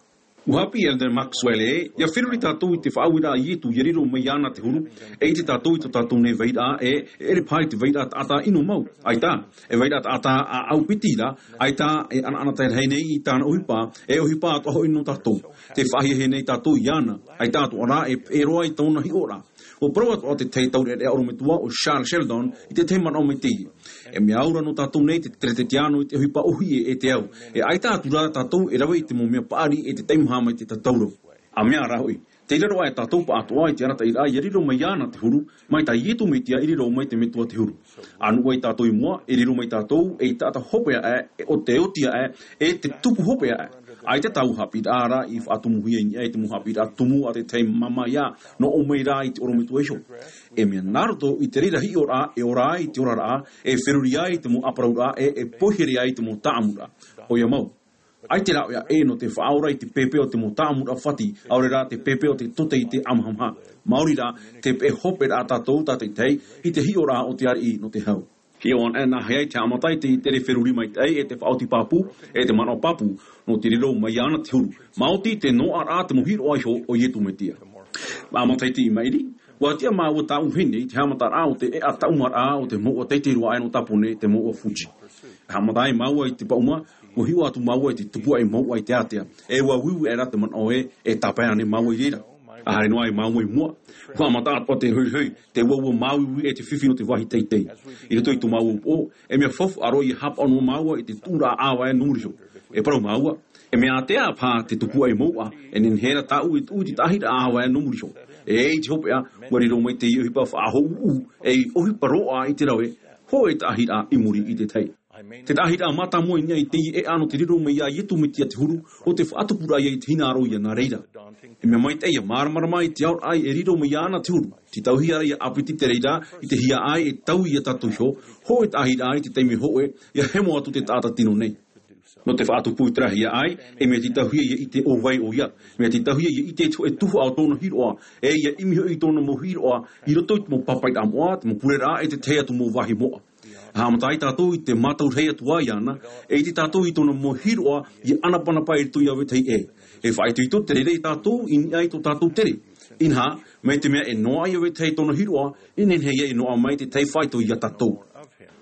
ʻUa haʻapiʻi Elder Maxwell ē, ia feruri tātou i te faʻaueraʻa a Ietu ia riro mai iāna te huru, e ʻite tātou i tō tātou nei vairaʻa ē, e ʻere paha i te vairaʻa taʻata ʻino mau. ʻAita, e vairaʻa taʻata ʻāʻau piti ra, ʻaita e ʻanaʻanatae rahi nei i tāna ʻohipa, e ʻohipa atoʻa hoʻi nō tātou. Tē faʻahiahia nei tātou iāna, ʻaita atoʻa rā e, e roa i tōna hiʻoraʻa. ʻUa parau atoʻa te tahi taureʻareʻa ʻorometua ʻo Charles Sheldon i te tahi manaʻo mai teie. E mea au ra nō tātou nei te teretetiano i te ʻohipa ʻōhie e te au. E ʻaita atu ra tātou e rave i te mau mea paʻari e te teimaha mai te tatauro. ʻA mea rā hoʻi, tei raro aʻe tātou pāʻatoʻa i te arataʻiraʻa ia riro mai iāna te huru, mai tā Ietu Metia i riro mai te Metua te huru. ʻA nuʻu ai tātou i mua, e riro mai tātou ei taʻata hopeʻa aʻe, e ʻo te oti aʻe, e te tupu hopeʻa aʻe. ʻAita taua haʻapiʻiraʻa ra i faʻatumuhia i niʻa i te mau haʻapiʻiraʻa tumu a te tahi māmā ïa, nō ʻō mai rā i te ʻorometua iho. E mea nā roto i te reira hiʻoraʻa, e ora ai i te oraraʻa, e feruri ai i te mau ʻāparauraʻa, e, e poihere ai i te mau taʻamuraʻa. ʻOia mau. ʻAita rāveʻa ʻē nō te Faʻaora i te pēpē o te mau taʻamuraʻa fati, ʻaore rā te pēpē o te tote i te ʻamahamaha. Maori rā, tē peʻe hope ra tātou tātaʻitahi, i te hiʻoraʻa o te ariʻi nō te hau. Hiʻo anaʻe nā hea i te haʻamata i te, i te feruri maitaʻi, e te faʻaoti pāpū, e te manaʻo pāpū, nō te riro mai iāna te huru. Maoti te noaʻaraʻa te mau hiroʻa iho o Ietu Metia. Mā matahiti i maʻiri, ʻua tiʻa māua tāʻu vahine i te haʻamataraʻa o te ʻēʻa taumaraʻa o te mouʻa teitei roa aʻe nō Tāpōnē, te mouʻa Fuji. Haʻamata ai māua i te paʻuma, ʻua hiʻo atu māua i te tupuaʻi mouʻa i te ātea. E ʻua uiui aʻera te manaʻo ē, e tāpae ānei māua i reira. ʻA haere noa ai māua i mua, ʻua haʻamata atoʻa te rohirohi, te ua ua māuiui e te fifi nō te vāhi teitei. I roto i tō māua upoʻo, e mea faufaʻa roa ia haʻapaʻo noa māua i te tuʻuraʻa ʻāvae nō muri iho. E parau māua, e mea ātea paha te tupuaʻi mouʻa, e nehenehe ra tāʻu e tuʻu i te taʻahiraʻa ʻāvae nō muri iho. E ʻite hopeʻa, ʻua riro mai teie ʻohipa faʻahōʻū, ei ʻohipa roaʻa i te rave, hōʻē taʻahiraʻa i muri i te tahi. Te taʻahiraʻa mātāmua i niʻa i teie ʻēʻa nō te riro mai iā Ietu Metia te huru, ʻo te faʻatupuraʻa ïa i te hinaʻaro ïa nā reira. E mea maitaʻi ia māramarama i te aoraʻa e riro mai iāna te huru. Tītauhia ra ʻia ʻāpiti te reira, i te hiaʻai e taui ia tātou iho, hōʻē taʻahiraʻa i te taime hōʻē, ʻia hemo atu te taʻata tino nei. Nō te faʻatupu i te rahi hiaʻai, e mea tītauhia ʻia ʻite ʻo vai ʻoia, mea tītauhia ʻia ʻite i te hōʻē tuhaʻa o tōna hiroʻa, e ʻia ʻimi hoʻi i tōna mau hiroʻa, i roto i te mau pāpaʻiraʻa moʻa, te mau pureraʻa, e te tahi atu mau vāhi moʻa. Haʻamata ai tātou i te mātau rahi atu ā iāna, e ʻite tātou i tōna mau hiroʻa ʻia ʻanapanapa i roto iā vetahi ʻē. E faʻaitoito te reira ia tātou i niʻa i tō tātou tere. Inaha, mai te mea e noaʻa iā vetahi tōna hiroʻa, e nehenehe ïa e noaʻa mai te tahi faito iā tātou.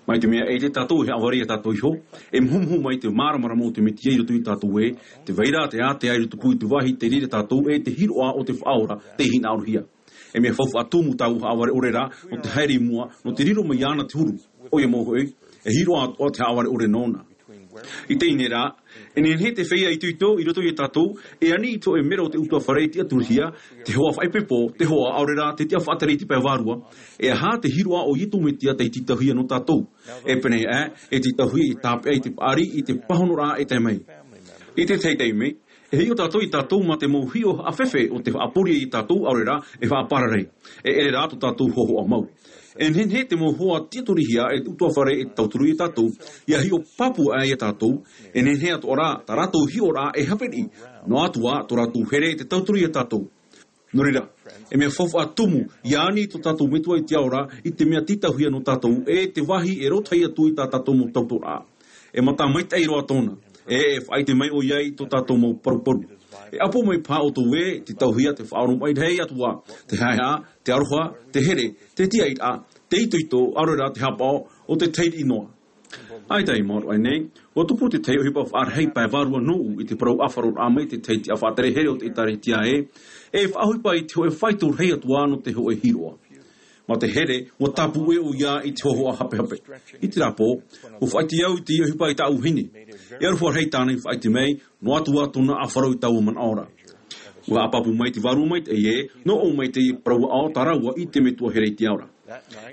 Mai te mea e ʻite tātou e haʻavare ia tātou iho, e muhumuhu mai te māramarama o te Mesia i roto ia tātou ē, tē vai ra te ātea i tupu i te vāhi tei reira tātou e te hiroʻa o te Faʻaora tei hinaʻarohia. E mea faufaʻa tumu taua haʻavare ʻore ra, nō te haere i mua, nō te riro mai iāna te huru. ʻOia mau hoʻi, e hiroʻa atoʻa te haʻavare ʻore nōna. I teie nei rā, e nehenehe te feiā itoito i roto ia tātou, e ani i te hōʻē mero o te ʻutuāfare e tiʻaturihia, te hoa faʻaipoipo, te hoa ʻaore rā te tiʻafaʻatere i te pae vārua, e aha te hiroʻa o Iesu Mesia tei tītauhia nō tātou. E pēneiaʻe, e tītauhia i tāpeʻa i te paʻari, i te pāhonoraʻa e tae mai. I te tahi taime, e hiʻo tātou ia tātou mā te mau hiʻo haʻafefe o te faʻaporia ia tātou ʻaore rā, e faʻapararai. E ʻere rā tō tātou hōhoʻa mau. E nehenehe te mau hoa tiʻaturihia e te ʻutuāfare e tauturu ia tātou, ia hiʻo pāpū aʻe ia tātou, e nehenehe atoʻa rā, tā rātou hiʻoraʻa e haʻapiʻi, noa atu ā, tō rātou here e te tauturu ia tātou. Nō reira, e mea faufaʻa tumu, ia ani tō tātou Metua i te ao ra, i te mea tītauhia nō tātou, e te vāhi e rōtahi atu i tā tātou mau tautoraʻa. E mata maitaʻi roa tōna, e, e faʻaʻite mai ʻoia i tō tātou mau paruparu. E ʻapo mai paha ʻoutou ē, tītauhia te faʻaoromaʻi rahi atu ā, te haʻehaʻa, te aroha, te here, te tiʻairaʻa, te itoito, ʻaore rā te haʻapaʻo o te tahi riʻi noa. ʻAita i maoro aʻe nei, ʻua tupu te tahi ʻohipa faʻarahi pae vārua nōʻu i te parau ʻāfaroraʻa mai te tahi tiʻafaʻatere here o te ʻĒtārētia ē, e faʻaʻohipa i te hōʻē faito rahi atu ā nō te hōʻē hiroʻa. Mā te here, ʻua tāpū ʻē ʻoia i te hōhoʻa hapehape. I terā pō, ʻua faʻaʻite au i te ʻohipa i tāʻu vahine. E aroha rahi tāna i faʻaʻite mai, noa atu ā tōna ʻāfaro i taua manaʻo ra. ʻUa haʻapāpū mai te Vārua Maitaʻi ē, nō ʻō mai te parau aʻo tā rāua i te metua here i te ao ra.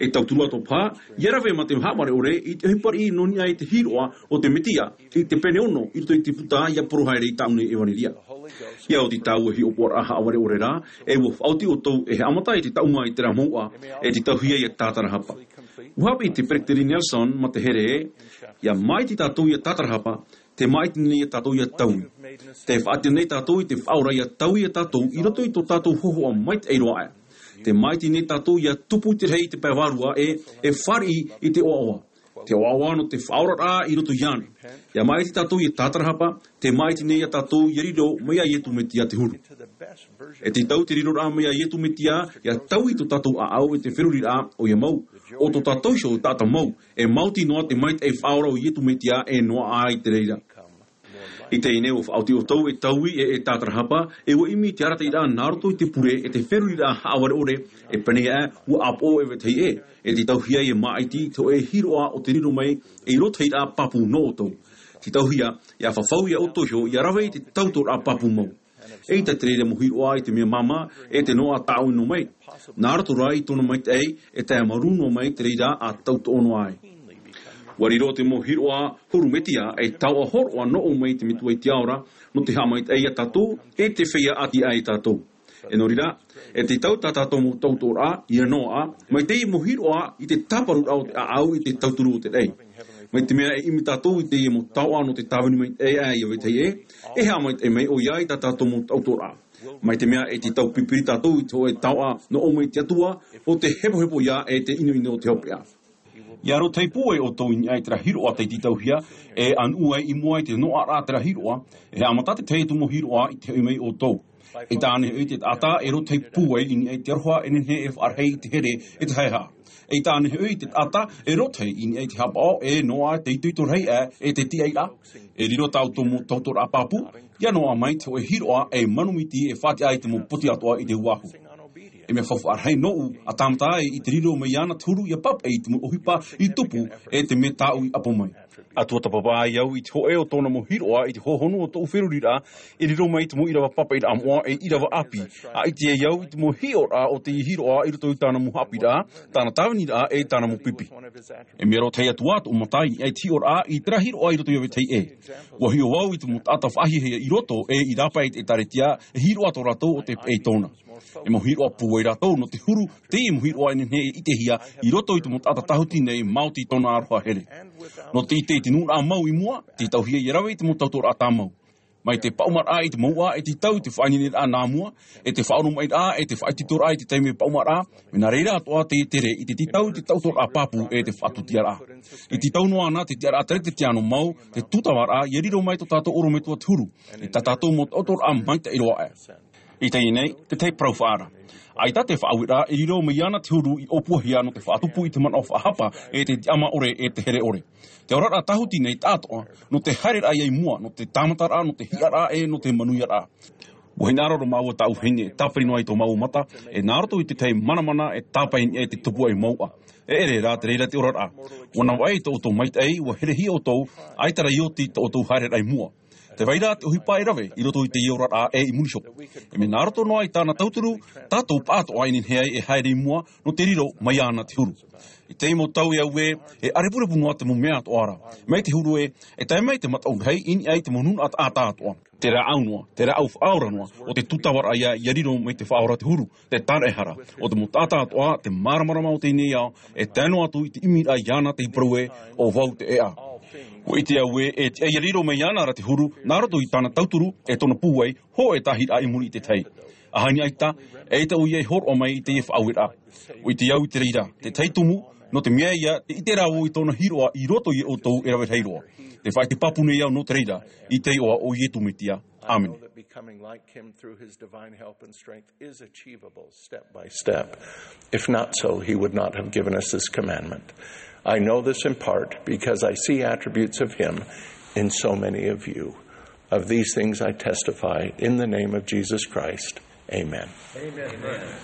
E tauturu atoʻa paha, ʻia rave mā te haʻavare ʻore i te ʻohipa riʻi nō niʻa i te hiroʻa o te Mesia, i te pene ono, i roto i te puta ʻia porohia i tāʻu nei ʻevanelia. ʻIa oti tāua hiʻopoʻaraʻa haʻavare ʻore ra, e ʻua faʻaoti ʻoutou e haʻamata i te taʻuma i terā mouʻa, e tītauhia ia tātarahapa. ʻUa haʻapiʻi te Peretiteni Nelson mā te here ē, ʻia māʻiti tātou ʻia tātarahapa, tē māʻiti nei ia tātou ʻia taui. Tē faʻaʻite nei tātou i te Faʻaora ʻia taui ia tātou i roto i tō tātou hōhoʻa maitaʻi roa aʻe. Tē māʻiti nei tātou ʻia tupu i te rahi i te pae vārua ē, e fāriʻi i te ʻoaʻoa. Te ʻoaʻoa nō te faʻaoraraʻa i roto iāna. ʻIa māʻiti tātou ʻia tātarahapa, tē māʻiti nei ia tātou ʻia riro mai iā Iesu Mesia te huru. E tītau te riroraʻa mai iā Iesu Mesia, ʻia taui tō tātou ʻāʻau i te feruriraʻa, ʻoia mau, ʻo tō tātou iho taʻata mau, e maoti noa te maitaʻi faʻaora o Iesu Mesia e noaʻa i te reira. I teie nei ʻua faʻaoti ʻoutou e taui e, e tātarahapa, e ʻua ʻimi i te arataʻiraʻa nā roto i te pure e te feruriraʻa haʻavare ʻore, e pēneiaʻe, ʻua ʻāpoʻo e vetahi ʻē, e tītauhia ʻia māʻiti i te hōʻē hiroʻa o te riro mai ei rōtahiraʻa pāpū nō ʻoutou. Tītauhia, ʻia fafau ia ʻoutou iho, ʻia rave i te tautoʻoraʻa pāpū mau. ʻEita te reira mau hiroʻa i te mea māmā, e te noaʻa tāʻoʻino mai. Nā roto rā i tōna maitaʻi, e tae marū noa mai te reira ʻa tauturu noa ai. ʻUa riro te mau hiroʻa huru Mesia, e taoʻa hōroʻa nō ʻō mai te Metua i te ao ra, nō te haʻamaitaʻi ia tātou, e te feiā ʻati aʻe ia tātou. E nō reira, e tītau tā tātou mau tautoʻoraʻa, ʻia noaʻa, mai teie mau hiroʻa i te tāparuraʻa o te ʻāʻau i te tauturu o te raʻi. Mai te mea e ʻimi tātou i teie mau taoʻa nō te tāvini maitaʻi aʻe ia vetahi ʻē, e haʻamaitaʻi mai ʻoia i tā tātou mau tautoʻoraʻa. Mai te mea e tītau pipiri tātou i te hōʻē taoʻa nō ʻō mai te Atua, ʻo te hepohepo ia e te ʻinoʻino o te hopeʻa. ʻIa rōtahi pūai ʻoutou i niʻa i terā hiroʻa tei tītauhia, e ʻanuʻu ai i mua i te noaʻaraʻa terā hiroʻa, e haʻamata te tahi atu mau hiroʻa i te hoʻi mai ʻoutou. ʻEita ānei hoʻi te taʻata e rōtahi pūai i niʻa i te aroha e nehenehe e faʻarahi i te here e te haʻehaʻa. ʻEita ānei hoʻi te taʻata e rōtahi i niʻa i te haʻapaʻo e noaʻa te itoito rahi aʻe e te tiʻairaʻa. E riro tā ʻoutou mau tautoʻoraʻa pāpū, ʻia noaʻa mai te hōʻē hiroʻa e manumiti e faʻatiʻa i te mau poti atoʻa i te uāhu. E mea faufaʻa rahi nōʻu, ʻa tāmata ai i te riro mai iāna te huru ʻia pāpaʻi i te mau ʻohipa i tupu e te mea tāʻu i ʻapo mai. ʻA tuatāpapa ai au i te hōʻē o tōna mau hiroʻa i te hohonu o tōʻu feruriraʻa, e riro mai te mau ʻīrava pāpaʻiraʻa moʻa e ʻīrava ʻāpī, ʻa ʻite ai au i te mau hiʻoraʻa o te hiroʻa i roto i tāna mau haʻapiʻiraʻa, tāna tāviniraʻa e tāna mau pipi. E mea rōtahi atu ā tōʻu mata i niʻa i te hiʻoraʻa i terā hiroʻa i roto ia vetahi ʻē. ʻUa hiʻo au i te mau taʻata faʻahiahia i roto e i rāpae i te ʻĒtārētia, e hiroʻa tō rātou ʻo te peʻe i tōna. E mau hiroʻa pūai rātou nō te huru, teie mau hiroʻa e nehenehe e ʻitehia i roto i te mau taʻata tāhuti nei maoti tōna aroha here. Nō te ʻite i te nuʻuraʻa mau i mua, tītauhia ʻia rave i te mau tautoʻoraʻa tāmau. Mai te paʻumaraʻa i te mouʻa, e tītau i te faʻaineineraʻa nā mua, e te faʻaoromaʻiraʻa, e te faʻaitoitoraʻa i te taime paʻumaraʻa, mea nā reira atoʻa te tere i te tītau i te tautoʻoraʻa pāpū e te faʻatūtiaraʻa. E tītau noa ana te tiʻaraʻa teretetiano mau, te tūtavaraʻa, ʻia riro mai tō tātou ʻorometua te huru, e tā tātou mau tautoʻoraʻa maitaʻi roa aʻe. I teie nei, te tahi parau faʻaara. ʻAita te faʻaueraʻa e riro mai iāna te huru i ʻōpuahia nō te faʻatupu i te manaʻo faʻahapa, e te tiʻamā ʻore, e te here ʻore. Te oraraʻa tāhuti nei taʻatoʻa, nō te haereraʻa ia i mua, nō te tāmataraʻa, nō te hiʻaraʻa, e nō te manuiaraʻa. ʻUa hinaʻaro roa māua tāʻu vahine, tāpiri noa i tō māua mata, e nā roto i te tahi manamana, e tāpae i niʻa i te tupuaʻi mouʻa. E ʻere rā te reira te oraraʻa. ʻUa navaʻi tō ʻoutou maitaʻi, ʻua herehia ʻoutou, ʻaita rā i oti tō ʻoutou haereraʻa i mua. Tē vai ra te ʻohipa e rave, i roto i teie oraraʻa e i muri iho. E mea nā roto noa i tāna tauturu, tātou pāʻatoʻa e nehenehe ai e haere i mua, nō te riro mai iāna te huru. I teie mau tau e au ē, e ʻārepurepu noa te mau mea atoʻa ra. Mai te huru ē, e tae mai te mataʻu rahi, i niʻa i te mau nūnaʻa taʻata atoʻa. Te rāʻau noa, te rāʻau faʻaora noa, ʻo te tūtavaraʻa ia, ia riro mai te faʻaora te huru, te tāraʻehara, ʻo te mau taʻata atoʻa, te māramarama o teie nei ao, e tae noa atu i te ʻimiraʻa iāna te parau ē, ʻo vau te ʻēʻa. ʻUa ʻite au ē, e tiʻa ia riro mai iāna ra te huru, nā roto i tāna tauturu, e tōna pūai, hōʻē tāhiraʻa i muri i te tahi. ʻAhani ʻaita, eʻita ʻoia i hōroʻa mai i teie faʻaueraʻa. ʻUa ʻite au i te reira, te tahi tumu, nō te mea ia, te ʻite rā vau i tōna hiroʻa i roto ia ʻoutou e rave rahi roa. Te faʻaʻite pāpū nei au nō te reira, i te iʻoa o Iesu Mesia. ʻĀmene. I know that becoming like him through his divine help and strength is achievable step by step. If not so, he would not have given us this commandment. I know this in part because I see attributes of him in so many of you. Of these things I testify in the name of Jesus Christ. Amen. Amen.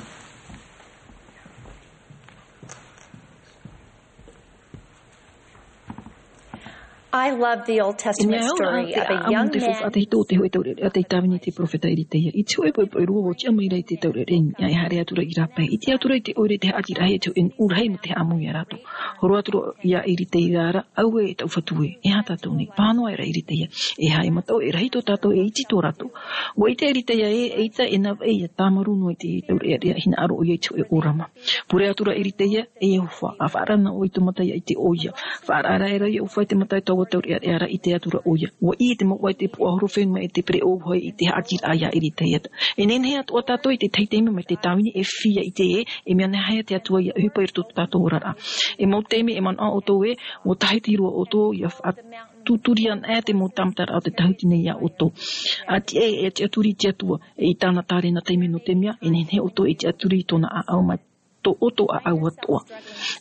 I love the Old Testament story of a young man. Te hōʻē taureʻareʻa tei tāvini te peropheta Eritaia. I te hōʻē poʻipoʻi roa ʻua tiʻa mai ra i te taureʻareʻa i niʻa e haere atu ra i rāpae. I te ʻite atu ra i te ʻoire te haʻati rahi, te hōʻē nuʻu rahi mō te haʻamau ia rātou. Horo atu ra ia Eritaia ra, auē e taʻu Fatu ē, e aha tātou nei? Pāhono aʻera Eritaia, e aha e mataʻu, e rahi tō tātou, e iti tō rātou. ʻUa ʻite Eritaia ē, eʻita e navaʻi ia tāmarū noa i te taureʻareʻa hinaʻaro ʻoia i te hōʻē ʻōrama. Pure atu ra Eritaia, e Iehova, ʻa faʻaara na ʻoe i tō mata ia ʻite ʻoia. Faʻaara aʻera Iehova i te mata i taua taureʻareʻa ra, ʻite atu ra ʻoia. ʻUa ʻī te mau ʻohipa i te puaʻahorofenua e te pereʻoʻo hoʻi i te haʻatiraʻa ia Eritaia. E nehenehe atoʻa tātou i te tahi taime mai te tāvini e fifi ia ʻite ē, e mea nāhea te Atua ia ʻohipa i roto tō tātou oraraʻa. E mau taime e manaʻo ʻoutou ē, ʻua tāhiti roa ʻoutou ia faʻatuturi ana ʻē te mau tāmataraʻa o te tāhuti nei ia ʻoutou. ʻA tiʻa ē, e tiʻaturi i te Atua, e i tāna tārena taime nō te mea, e nehenehe ʻoutou e tiʻaturi i tōna ʻāʻau mai tō ʻoutou ʻāʻau atoʻa.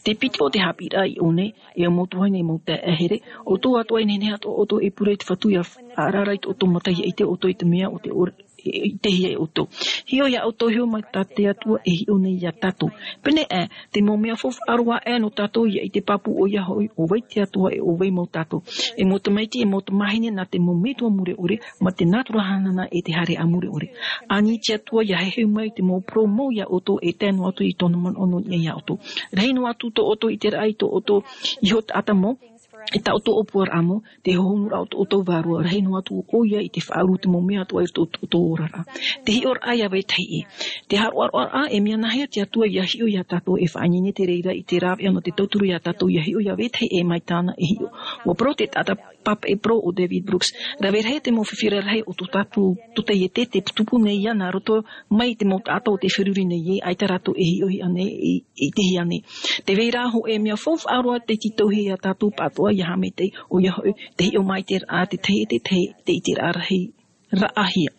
Te piti o te haʻapiʻiraʻa i ʻō nei, e mau tuahine, e mau taeaʻe here, ʻoutou atoʻa e nehenehe atoʻa ʻoutou e pure i te Fatu ia faʻaara ra i tō ʻoutou mata ia ʻite ʻoutou i te mea o te ʻore, e, e ʻitehia e ʻoutou. Hiʻo ia ʻoutou, hiʻo mai tā te Atua e hiʻo nei ia tātou. Pēnei aʻe, te mau mea faufaʻa roa aʻe nō tātou ia ʻite pāpū ʻoia hoʻi, ʻo vai te Atua e ʻo vai mau tātou. E mau tamaiti, e mau tamāhine nā te mau metua mure ʻore, mā te nātura hanahana e te haereʻa mure ʻore. Ani te Atua ia heheu mai te mau parau mau ia ʻoutou e tae noa atu i tōna manaʻo nō niʻa ia ʻoutou. Rahi noa atu tō ʻoutou ʻiteraʻa i tō ʻoutou iho taʻata mau, i tā ʻoutou ʻōpuaraʻa mau, te hohonuraʻa o tō ʻoutou vārua, rahi noa atu ʻoia i te faʻauru te mau mea atoʻa i roto tō ʻoutou oraraʻa. Te hiʻoraʻa ia vetahi ʻē. Te haʻaroʻaroʻaraʻa, e mea nāhea te Atua ia hiʻo ia tātou e faʻaineine te reira i te rāveʻa nō te tauturu ia tātou ia hiʻo ia vetahi ʻē mai tāna e hiʻo. ʻUa parau te taʻata pāpaʻi parau ʻo David Brooks. Rave rahi te mau fifi rarahi o tō tātou tōtaiete, tē tupu nei ia nā roto mai i te mau taʻata o tē feruri nei ē, ʻaita rātou e hiʻohia nei, e, e ʻitehia nei. Tē vai ra hōʻē mea faufaʻa roa tei tītauhia ia tātou pāʻatoʻa ia haʻamaitaʻi, ʻoia hoʻi, te hiʻo maitaʻiraʻa te tahi e te tahi, te ʻiteraʻa rahi raʻahia.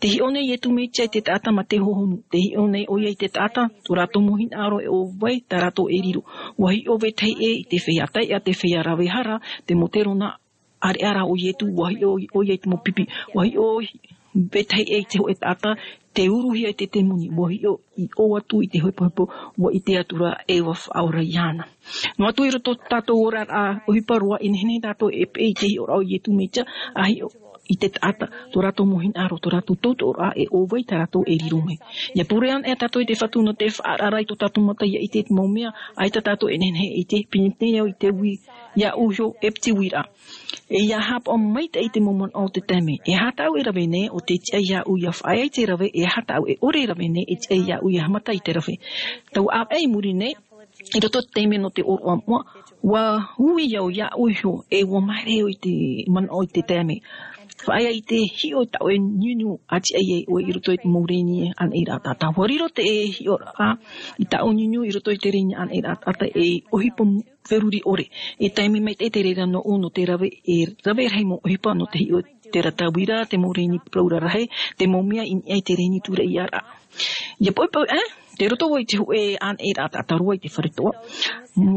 Tē hiʻo nei Iesu Mesia i te taʻata mā te hohonu. Tē hiʻo nei ʻoia i te taʻata, tō rātou mau hinaʻaro e ʻo vai, tā rātou e riro. ʻUa hiʻo vetahi ʻē i te feiā taiʻa, te feiā rave hara, te mau terona ʻāreʻa ra o Iesu, ʻua hiʻo ʻoia i te mau pipi. ʻUa hiʻo vetahi ʻē i te hōʻē taʻata, tē uruhia e te temoni. ʻUa hiʻo i ʻō atu i te hepohepo, ʻua ʻite atu ra ē ʻua faʻaora iāna. Noa atu i roto tātou oraraʻa ʻohipa roa, e nehenehe tātou e peʻe i te hiʻoraʻa o Iesu Mesia, ʻa hiʻo i te taʻata, tō rātou mau hinaʻaro, tō rātou tautooraʻa e ʻo vai tā rātou e riro mai. ʻIa pure ana ʻē tātou i te Fatu nō te faʻaara i tō tātou mata ʻia ʻite i te mau mea, ʻaita tātou e nehenehe e ʻite, pinepine au i te ui, iāʻu iho e piti uiraʻa. E ʻia haʻapaʻo maitaʻi i te mau manaʻo o te taime. E aha tāʻu e rave nei, ʻo tē tiʻa iāʻu ʻia faʻaea i te rave, e aha tāʻu e ʻore e rave nei, e tiʻa iāʻu ʻia haʻamata i te rave. Taua ʻāvaʻe i muri nei, i roto i te taime nō te ʻōroʻa moʻa, ʻua ui au iāʻu iho, e ʻua māere au i te manaʻo i te taime. Faʻaea i te hiʻo i tāʻu e niuniu, ʻa tiʻa ai ʻoe i roto i te mau rēni anairaʻa taʻata. ʻUa riro te hiʻoraʻa i tāʻu niuniu i roto i te rēni anairaʻa taʻata ei ʻohipa feruri ʻore. E taime maitaʻi te reira nōʻu nō te rave, e rave rahi mau ʻohipa nō te hiʻo Te rata vira, te mau reni parau rarahi, te mau mea i niʻa i te reni tūraʻi ia rā. Ia poipoi, eh? Te roto vau i te hōʻē ʻānaʻe rā taʻata roa i te fare toa.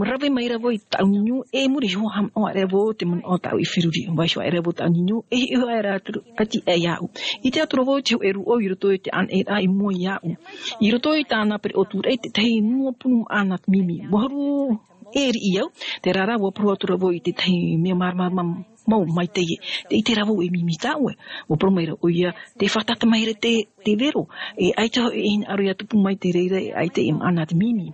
Rave mai rā vau i tāʻu niu, e muri iho haʻamanaʻo aʻe rā vau te manaʻo tāʻu i feruri. Vaiho aʻe rā vau tāʻu niu, e hiʻo aʻe rā atu, ati aʻe iāʻu. I te atura vau i te hōʻē rūʻau i roto i te ʻānaʻe rā i mua iāʻu. I roto i tāna pereʻoʻo tūraʻi, tētahi nua punu maʻa nā te mimi. Ua huru e riʻi au, terā rā, ua parau atu rā vau i tētahi mea māramarama mau mai teie. Tē ʻite ra vau e mimi tā ʻoe. Ua parau mai ra ʻoia, tē fātata mai ra te, te vero. E ʻaita hoʻi e hinaʻaro ia tupu mai te reira, e ʻaita e maʻa nā te mimi.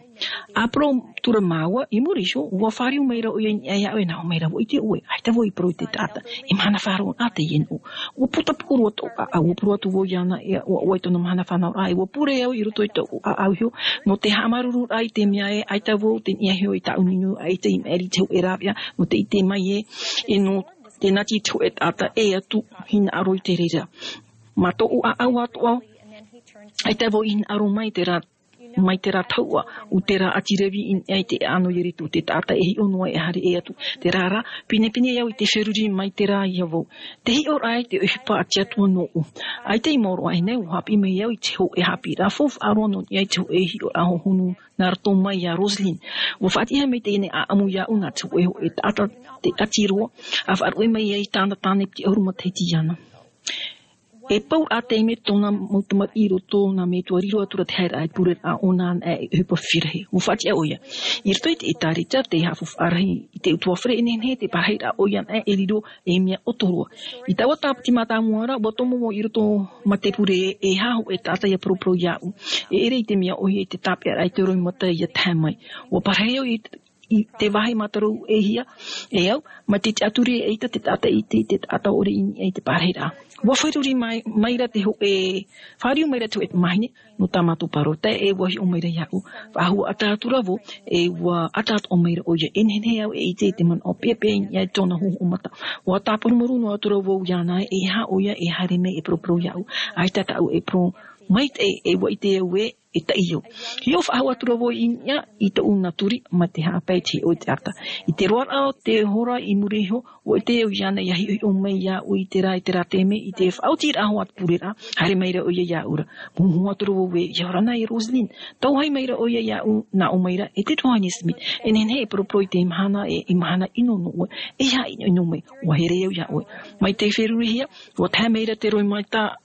ʻA parau atu ra māua, i muri iho, ua fāriu mai ra ʻoia i niʻa iāʻu, e nā ʻō mai ra vau, ʻite ʻoe, ʻaita vau i parau i te taʻata e mahana faʻaroʻo nā teie nō. Ua putapū roa tōʻu ʻāʻau, ua parau atu vau iāna, e, ʻoia, ʻoia tōna mahana fānauraʻa, e ua pure au i roto i tōʻu ʻāʻau iho, nō te haʻamāuruururaʻa i te mea ē, ʻaita vau tē niʻa iho i tāʻu niu, ʻaita i maʻiri i te hōʻē rāveʻa, nō te ʻite mai ē, e nō te nati i te hōʻē taʻata, e atu, hinaʻaro i te reira. Mā tōʻu ʻāʻau atoʻa, ʻaita vau i hinaʻaro mai terā, mai terā tahuʻa, ʻo terā ʻāti Revi i niʻa i te ʻāʻano Iesu, te taʻata e hiʻo noa e haere atu. Terā rā, pinepine au i te feruri mai terā ia vau. Te hiʻoraʻa i te ʻohipa a te Atua nōʻu. ʻAita i maoro aʻe nei, ua haʻapiʻi mai au i te hōʻē haʻapiʻiraʻa faufaʻa roa nō niʻa i te hōʻē hiʻoraʻa hohonu nā roto mai iā Rosalind. Ua faʻatiʻa mai teie nei ʻāʻamu iāʻu nā te hōʻē, hōʻē taʻata, te ʻāti roa, a faʻaruʻe mai ai tāna tāne piti ʻahuru matahiti iāna. E pauraʻa taime tōna mau tamariʻi i roto nā metua riro atu ra te haereraʻa i te pureraʻa ʻōna anaʻe e ʻohipa fifi rahi. Ua faʻatiʻa ʻoia. I roto i te ʻĒtārētia, te haʻafaufaʻa rahi i te utuafare, e nehenehe te parahiraʻa ʻoia anaʻe e riro ei mea ʻoto roa. I taua tāpati mātāmua ra, ua tomo vau i roto mā te pure e aha hōʻē taʻata ia paraparau iāʻu. E ʻere i te mea ʻohie i te tāpeʻaraʻa i te roimata ia tae mai. Ua parahi au i i te vāhi mātāmua e hia, e au, mai te tiʻaturi e ʻaita te taʻata i te, te taʻata ʻore i niʻa i te parahiraʻa. Ua feruri mai, mai ra te hōʻē, fāriu mai ra te hōʻē tamāhine, nō tā mātou parau, tae ē ua hiʻo mai ra iāʻu. Faʻahou ʻata atu ra vau, e ua ʻata atoʻa mai ra ʻoia, e nehenehe au e ʻite i te manaʻo peʻapeʻa i niʻa i tōna hōhoʻa mata. Ua tāparumaru noa atu ra vau iāna, e aha ʻoia e haere mai e paraparau iāʻu, ʻaita tāʻu e parau, mai te, e ua ʻite au ē, e taʻi au. Hiʻo faʻahou atu ra vau i niʻa i tōʻu naturi, mai te haʻapae i te hiʻo i te taʻata. I te roaraʻa o te hora i muri iho, ua ʻite au iāna ia hiʻohiʻo mai iāʻu i terā, i terā taime, i te faʻaotiraʻa hoʻi a te pureraʻa, haere mai ra ʻoia iāʻu ra. Mōhū atu ra vau ē, ʻia ora na e Rosalind. Tauhai mai ra ʻoia iāʻu, nā ʻō mai ra, e te Tuahine Smith. E nehenehe e paraparau i te mahana, e, e mahana ʻino nō ʻoe. E aha ʻinoʻino mai, ua here au iā ʻoe. Mai te ferurihia, ua tae mai ra te roimata,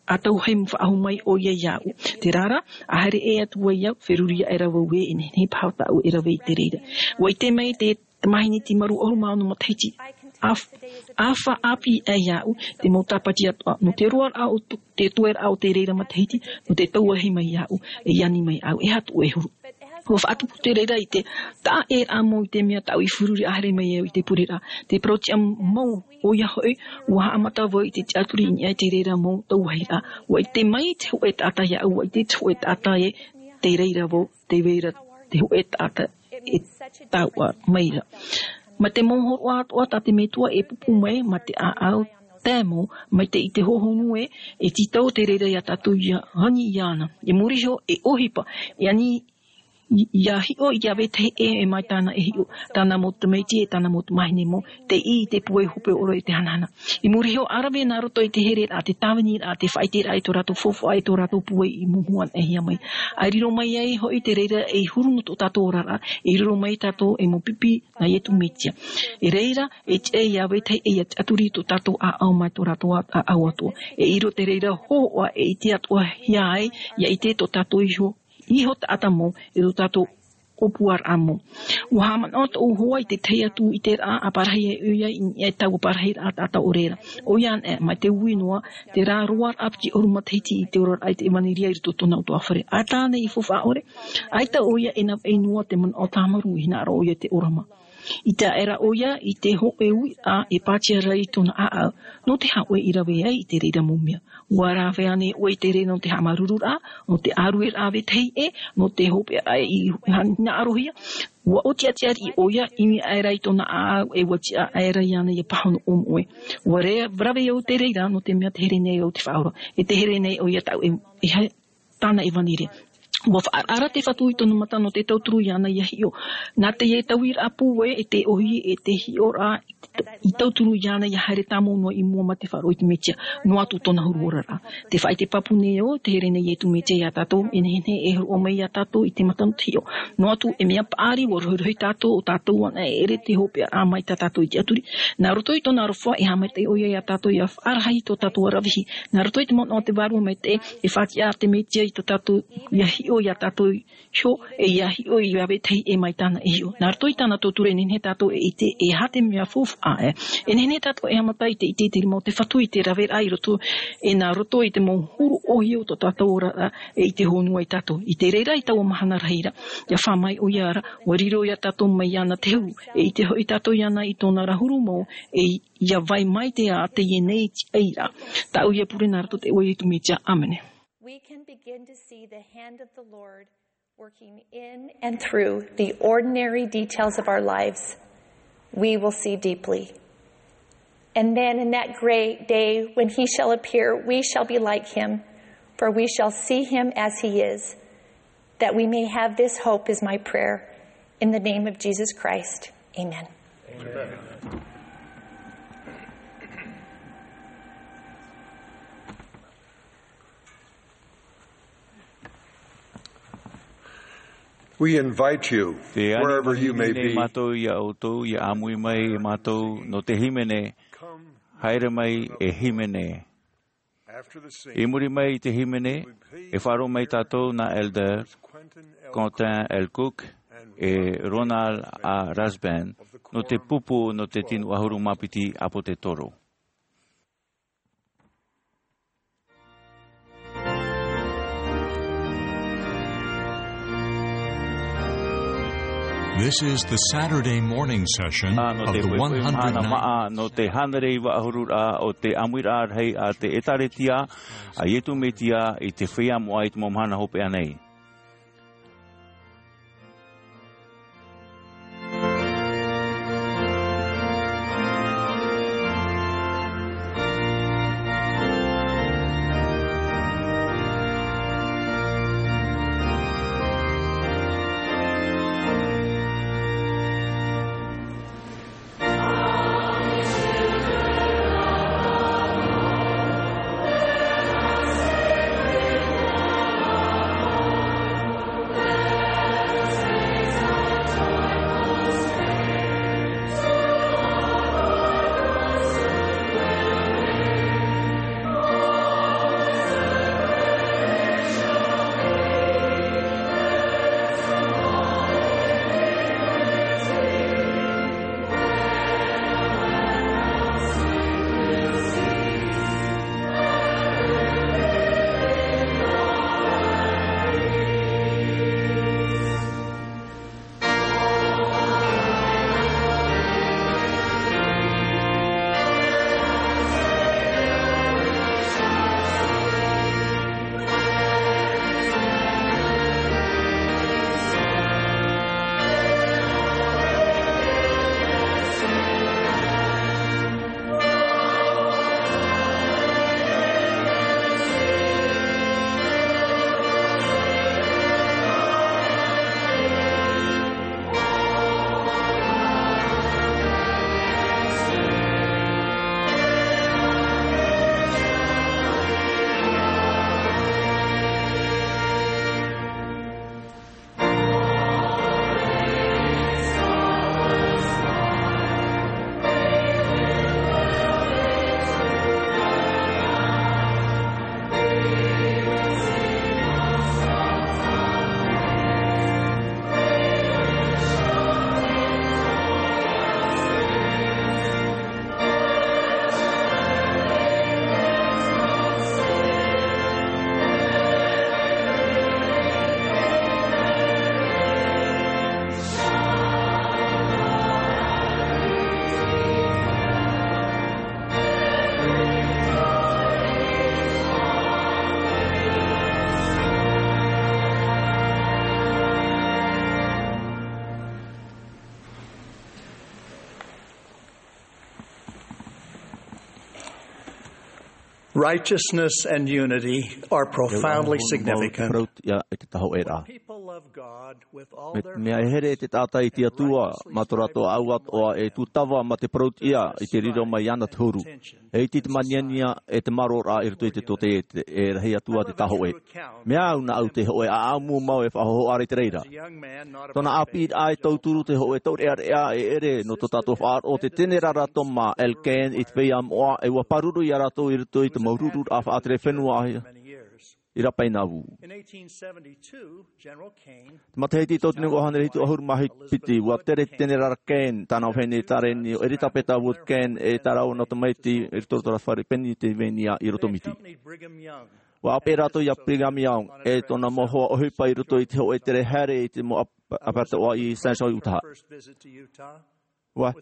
a tauhai faʻahou mai ʻoia iāʻu. Terā rā, a haere ʻē atu ai au, feruri aʻe ra vau ē, e nehenehe paha tāʻu e rave i te reira. Ua ʻite mai te tamāhine timaru ʻahuru mā ono matahiti, a f-, a faʻaʻāpī aʻe iāʻu, te mau tāpati atoʻa, nō te roaraʻa o t-, te tueraʻa o te reira matahiti, nō te tauahi mai iāʻu, e ani mai au, e aha tōʻu e huru. Ua faʻatupu te reira i te taʻaʻēraʻa mau i te mea tāʻu i feruri a haere mai au i te pureraʻa. Te parautiʻa mau ʻoia hoʻi, ua haʻamata vau i te tiʻaturi i niʻa i te reira mau tauahiraʻa. Ua ʻite mai te hōʻē taʻata iāʻu, ua ʻite te hōʻē taʻata ē, te reira vau, te reira te hōʻē taʻata e taua mai ra. Mā te mau hōroʻa atoʻa tā te Metua e pupu mai, mā te ʻāʻau tae mau, mai te ʻite hohonu ē, e tītau te reira ia tātou ia ani iāna. I muri iho, e ʻohipa, e ani i-, ia hiʻo i te vetahi ʻē, e mai tāna e hiʻo, tāna mau tamaiti e tāna mau tamāhine mau, tei ʻī i te pūai hope ʻore e te hanahana. I muri iho, ʻa rave nā roto i te hereraʻa, te tāviniraʻa, te faʻaʻiteraʻa i tō rātou faufaʻa, i tō rātou pūai i mōhū anaʻe mai. ʻA riro mai ai hoʻi te reira ei huru nō tō tātou oraraʻa, e riro mai tātou ei mau pipi nā Iesu Mesia. E reira, e tiʻa ia vetahi ʻē ia tiʻaturi i tō tātou ʻāʻau mai tō rātou ʻā-, ʻāʻau atoʻa. E riro te reira hōhoʻa e ʻite atoʻa hia ai, ia ʻite tō tātou iho, iho taʻata mau, e tō tātou ʻōpuaraʻa mau. Ua haʻamanaʻo tōʻu hoa i te tahi atu ʻiteraʻa a parahi ai ʻoia i niʻa i taua parahiraʻa taʻata ʻore ra. ʻOia anaʻe, mai te ui noa, terā roaraʻa piti ʻahuru matahiti i te oraraʻa i te ʻevanelia i roto tōna ʻutuāfare. ʻA tāna i faufaʻa ʻore, ʻaita ʻoia e navaʻi noa te manaʻo tāmarū i hinaʻaro ʻoia te ʻōrama. I te aʻera ʻoia, i te hōʻē uiraʻa e pātia ra i tōna ʻāʻau, nō te hāʻoe i rave ai i te reira mau mea. Ua rave ānei ʻoe i te reira nō te haʻamāuruururaʻa, nō te ʻārueraʻa vetahi ʻē, nō te hopeʻa i hinaʻarohia? Ua ʻōtiʻati ariʻi ʻoia, ʻimi aʻe ra i tōna ʻāʻau, e ua tiʻa aʻe ra iāna ia pāhono ʻōmoʻe. Ua re-, rave au te reira, nō te mea tē here nei au te Faʻaora, e tē here nei ʻoia tāʻu e, e ha-, tāna ʻevanelia. Ua faʻaara te Fatu i tōna mata nō te tauturu iāna ia hiʻo. Nā teie tauiraʻa pūai, e te ʻōhie, e te hiʻoraʻa, i tauturu iāna ia haere tāmau noa i mua mai te faʻaroʻo i te Mesia, noa atu tōna huru ora ra. Te faʻaʻite pāpū nei au, tē here nei Iesu Mesia iā tātou, e nehenehe e hōroʻa mai iā tātou i te mata nō te hiʻo. Noa atu, e mea paʻari, ʻua rohirohi tātou, ʻo tātou anaʻe e ʻere te hopeʻa mai tā tātou i te ʻaturi. Nā roto i tōna aroha, e haʻamaitaʻi ʻoia iā tātou, ʻia faʻarahi tō tātou aravihi. Nā roto i te manaʻo o te Vārua Maitaʻi, e faʻatiʻa te Mesia i tō tātou, ʻia hiʻo iā tātou iho, e ʻia hiʻo i rave tahi e mai tāna e hiʻo. Nā roto i tāna tauturu e nehenehe tātou e ʻite, e aha te mea faufaʻa, e. E nehenehe tātou e haʻamata i te ʻite i te rima o te Fatu i te raveraʻa i roto, e nā roto i te mau huru ʻōhie o tō tātou oraraʻa, e i te honua ia tātou. I te reira i taua mahana rahi ra, ʻia faʻaʻite mai ʻoia ra, ʻua riro iā tātou mai iāna te huru, e ʻite hoʻi tātou iāna i tōna ra huru mau, e ʻia vai mai te ā teie nei i te reira. Tāʻu ia pure nā roto i te iʻoa o Iesu Mesia. ʻĀmene. We can begin to see the hand of the Lord working in and through the ordinary details of our lives. We will see deeply. And then in that great day when he shall appear, we shall be like him, for we shall see him as he is. That we may have this hope is my prayer. In the name of Jesus Christ, amen. We invite you, wherever you may be, mātou ia ʻoutou, ia ʻāmui mai e mātou nō te hīmene, haere mai e hīmene. I muri mai i te hīmene, e faʻaroʻo mai tātou nā Elder Quentin L. Cook e Ronald A. Rasband nō te pupu nō te tino ʻahuru mā piti ʻāpōsetolo. This is the Saturday morning session of the one hundred ninth. Nō te hānere iva ʻahuru ra o te ʻāmuiraʻa rahi a te ʻĒtārētia a Iesu Mesia i te feiā moʻa i te mau mahana hopeʻa nei. Righteousness and unity are profoundly significant. Ia, i te tahoʻe ra. Mea e here te taʻata i te Atua, mā tō rātou ʻāʻau atoʻa e tūtava mā te parauʻtiʻa i te riro mai iāna te huru. E iti te māniania e te māroraʻa i roto i te tōtaiete, e rahi atu ā te tāhoʻe. Mea au nā au te hoʻe ʻāʻau mau e faʻahohoʻa ra i te reira. Tōna ʻāpīraʻa e tauturu te hoʻe taureʻareʻa e ʻere nō tō tātou faʻaroʻo te tenerara Toma L. Cain i te feiā moʻa, e ʻua pāruru iā rātou i roto i te mau rururaʻa faʻatere fenua i Rapainavū. Te matahiti tauatini ʻua hānere hitu ʻahuru mā piti, ʻua tere te tenerara Cain, tāna vahine e Tareni, ʻo Eritapeta Wood Cain, e tā rāua nā tamaiti i roto i te fare Pennsylvania i Rotomiti. ʻUa ʻāpeʻe rātou iā Brigham Young, e tōna mau hoa ʻohipa i roto i te hoʻe tere haere i te mau ʻāp-, ʻāparataʻa i Saint John, Utah. ʻUa.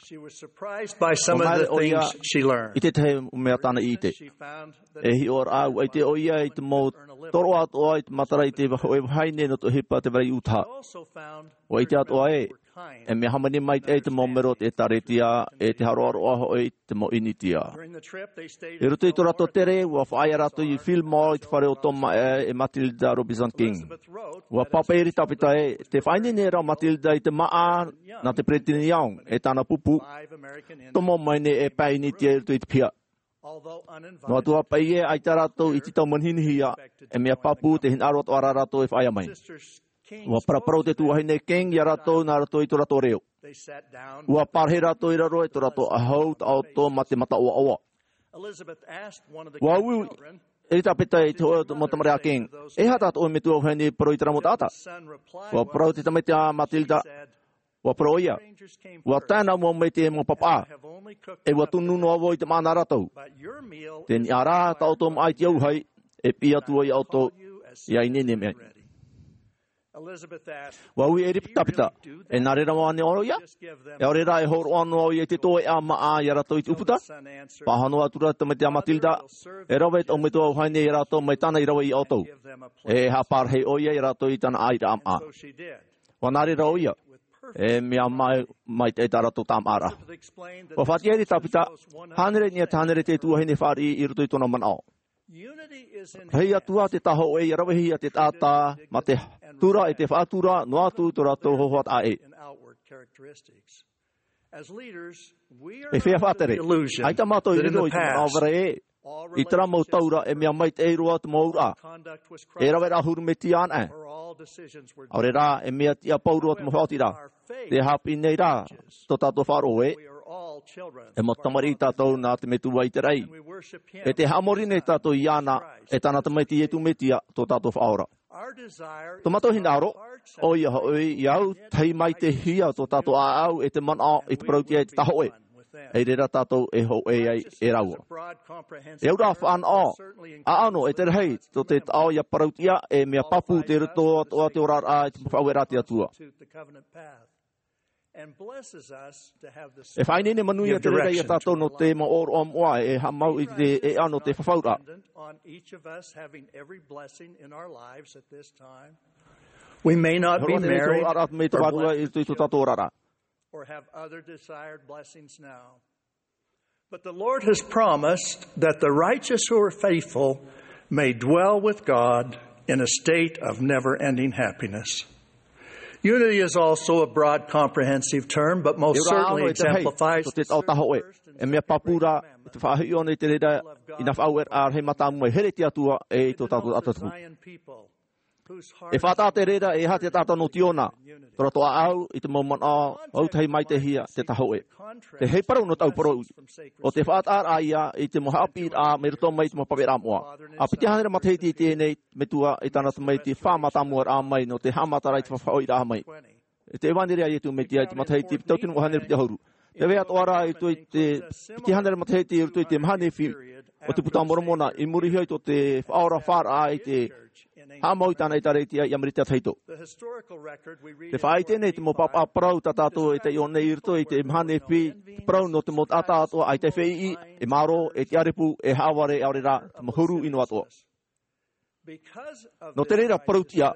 She was surprised by some of the things she learned. I te tahi mea tāna i ʻite. E hiʻoraʻa, ʻua ʻite ʻoia i te mau tōroʻa atoʻa i te matara i te hoʻe vahine nō te ʻohipa te vare i Utah. ʻUa ʻite atoʻa ē, e mea hāmani maitaʻi te mau mero o te ʻĒtārētia, e te haroʻaroʻa hoʻi i te mau ʻInitia. I roto i tō rātou tere, ʻua faʻaea rātou i Philmont i te fare o Toma e, e Matilda Robertson King. ʻUa pāpaʻi Eritapeta ē, tē faʻaineine ra Matilda i te māʻa nā te Peresideni Young, e tāna pupu, tomo mai nei e pae ʻInitia i roto i te piha. Noa atu ā paʻi ē, ʻaita rātou i tītau manihini-hia, e mea pāpū te hinaʻaro atoʻa rā rātou e faʻaea mai. ʻUa paraparau te tuahine King iā rātou nā roto i tō rātou reo. ʻUa parahi rātou i raro e tō rātou ʻāhau taʻoto mā te mata ʻoaʻoa. ʻUa ui Eritapeta i te hoʻe mau tamariʻi a King, e aha tā tō ʻoe metua vahine i parau i terā mau taʻata? ʻUa parau te tamaiti a Matilda, ʻua parau ʻoia, ʻua tae nā mua mai te mau papaʻā, e ʻua tunu noa vau i te māʻa nā rātou. Te niʻa rā, taʻoto maʻa i te auahi, e piʻi atu ai iā ʻoutou, ʻia ineine mai. ʻUa ui Eritapeta, e nā reira mau ānei ʻoia? E ʻaore rā e hōroʻa noa ʻoia i te toeʻa māʻa iā rātou i te ʻūputa? Pāhono atu ra te tamaiti a Matilda, e rave tō ʻoe metua vahine iā rātou mai tāna i rave iā ʻoutou. E haʻapārahi ʻoia iā rātou i tāna ʻāʻīraʻa māʻa. ʻUa nā reira ʻoia, e mea mai, maitaʻi tā rātou tāmāʻaraʻa. ʻUa faʻaʻite Eritapeta, hānere niʻa te hānere te tuahine fāriʻi i roto i tōna manaʻo. Rahi atu ā te tāhoʻe ʻia ravehia te taʻata, mā te tura e te faʻatura, noa atu tō rātou hohoʻa taʻa ʻē. E feiā faʻatere, ʻaita mātou i riro i te manaʻo vare ē, i terā mau taura e mea maitaʻi roa te mau auraʻa. E rave rā huru metia anaʻe. ʻAore rā, e mea tiʻa pauroa te mau faʻaotiraʻa. Tē haʻapiʻi nei rā tō tātou faʻaroʻo ē, e mau tamariʻi tātou nā te Metua i te raʻi. E tē haʻamori nei tātou iāna, e tāna tamaiti Iesu Mesia, tō tātou Faʻaora. Tō mātou hinaʻaro, ʻoia hoʻi, ʻia autahi maitaʻihia tō tātou ʻāʻau e te manaʻo i te parauʻtiʻa e te tāhoʻe. I reira tātou e hōʻē ai e rāua. E auraʻa fānaʻo, ʻaʻano e te rahi, tō te taʻo ʻia parauʻtiʻa e mea pāpū te roto atoʻa te oraraʻa i te faʻaueraʻa a te Atua. E faʻaineine manuia te reira iā tātou nō te mau ʻōroʻa moʻa e haʻamau i te ʻēʻa nō te fafauraʻa. We may not be married or blessed or have other desired blessings now. But the Lord has promised that the righteous who are faithful may dwell with God in a state of never-ending happiness. Unity is also a broad, comprehensive term, but most certainly exemplifies the servant's first and second commandments. E mea pāpū rā, te faʻahiʻo nei te reira, ʻia faʻaueraʻa rahi mātāmua e here i te Atua e i tō tātou ʻātaʻatā tupu. E faʻataʻa te reira, e aha te taʻata nō Tiona, tō rātou ʻāʻau i te mau manaʻo, autahi maitaʻihia te tāhoʻe. Tē hei parau nō te ʻau parau, ʻo te faʻataʻaraʻa ïa i te mau haʻapiʻiraʻa mai roto mai i te mau pāpaʻiraʻa moʻa. ʻA piti hānere matahiti i teie nei, Metua i tāna tamaiti fā mātāmuaraʻa mai nō te haʻamataraʻa i te faʻahoʻiraʻa mai. E te ʻevanelia a Iesu Mesia i te matahiti piti tauatini ʻua hānere piti ʻahuru. Tē vai atoʻa ra i roto i te piti hānere matahiti i roto i te maha Nephi o te Puta a Moromona, i muri iho i tō te Faʻaora Faʻaraʻa i te haʻamau i tāna ʻĒtārētia i Amerika Tahito. Tē faʻaʻite nei te mau pāpaʻi parau tā tātou e taiʻo nei i roto i te maha Nephi, te parau nō te mau taʻata atoʻa ʻaita e feiʻi, e mārō, e tiʻarepu, e haʻavare, ʻaore rā, te mau huru ʻino atoʻa. Nō te reira parauʻtiʻa,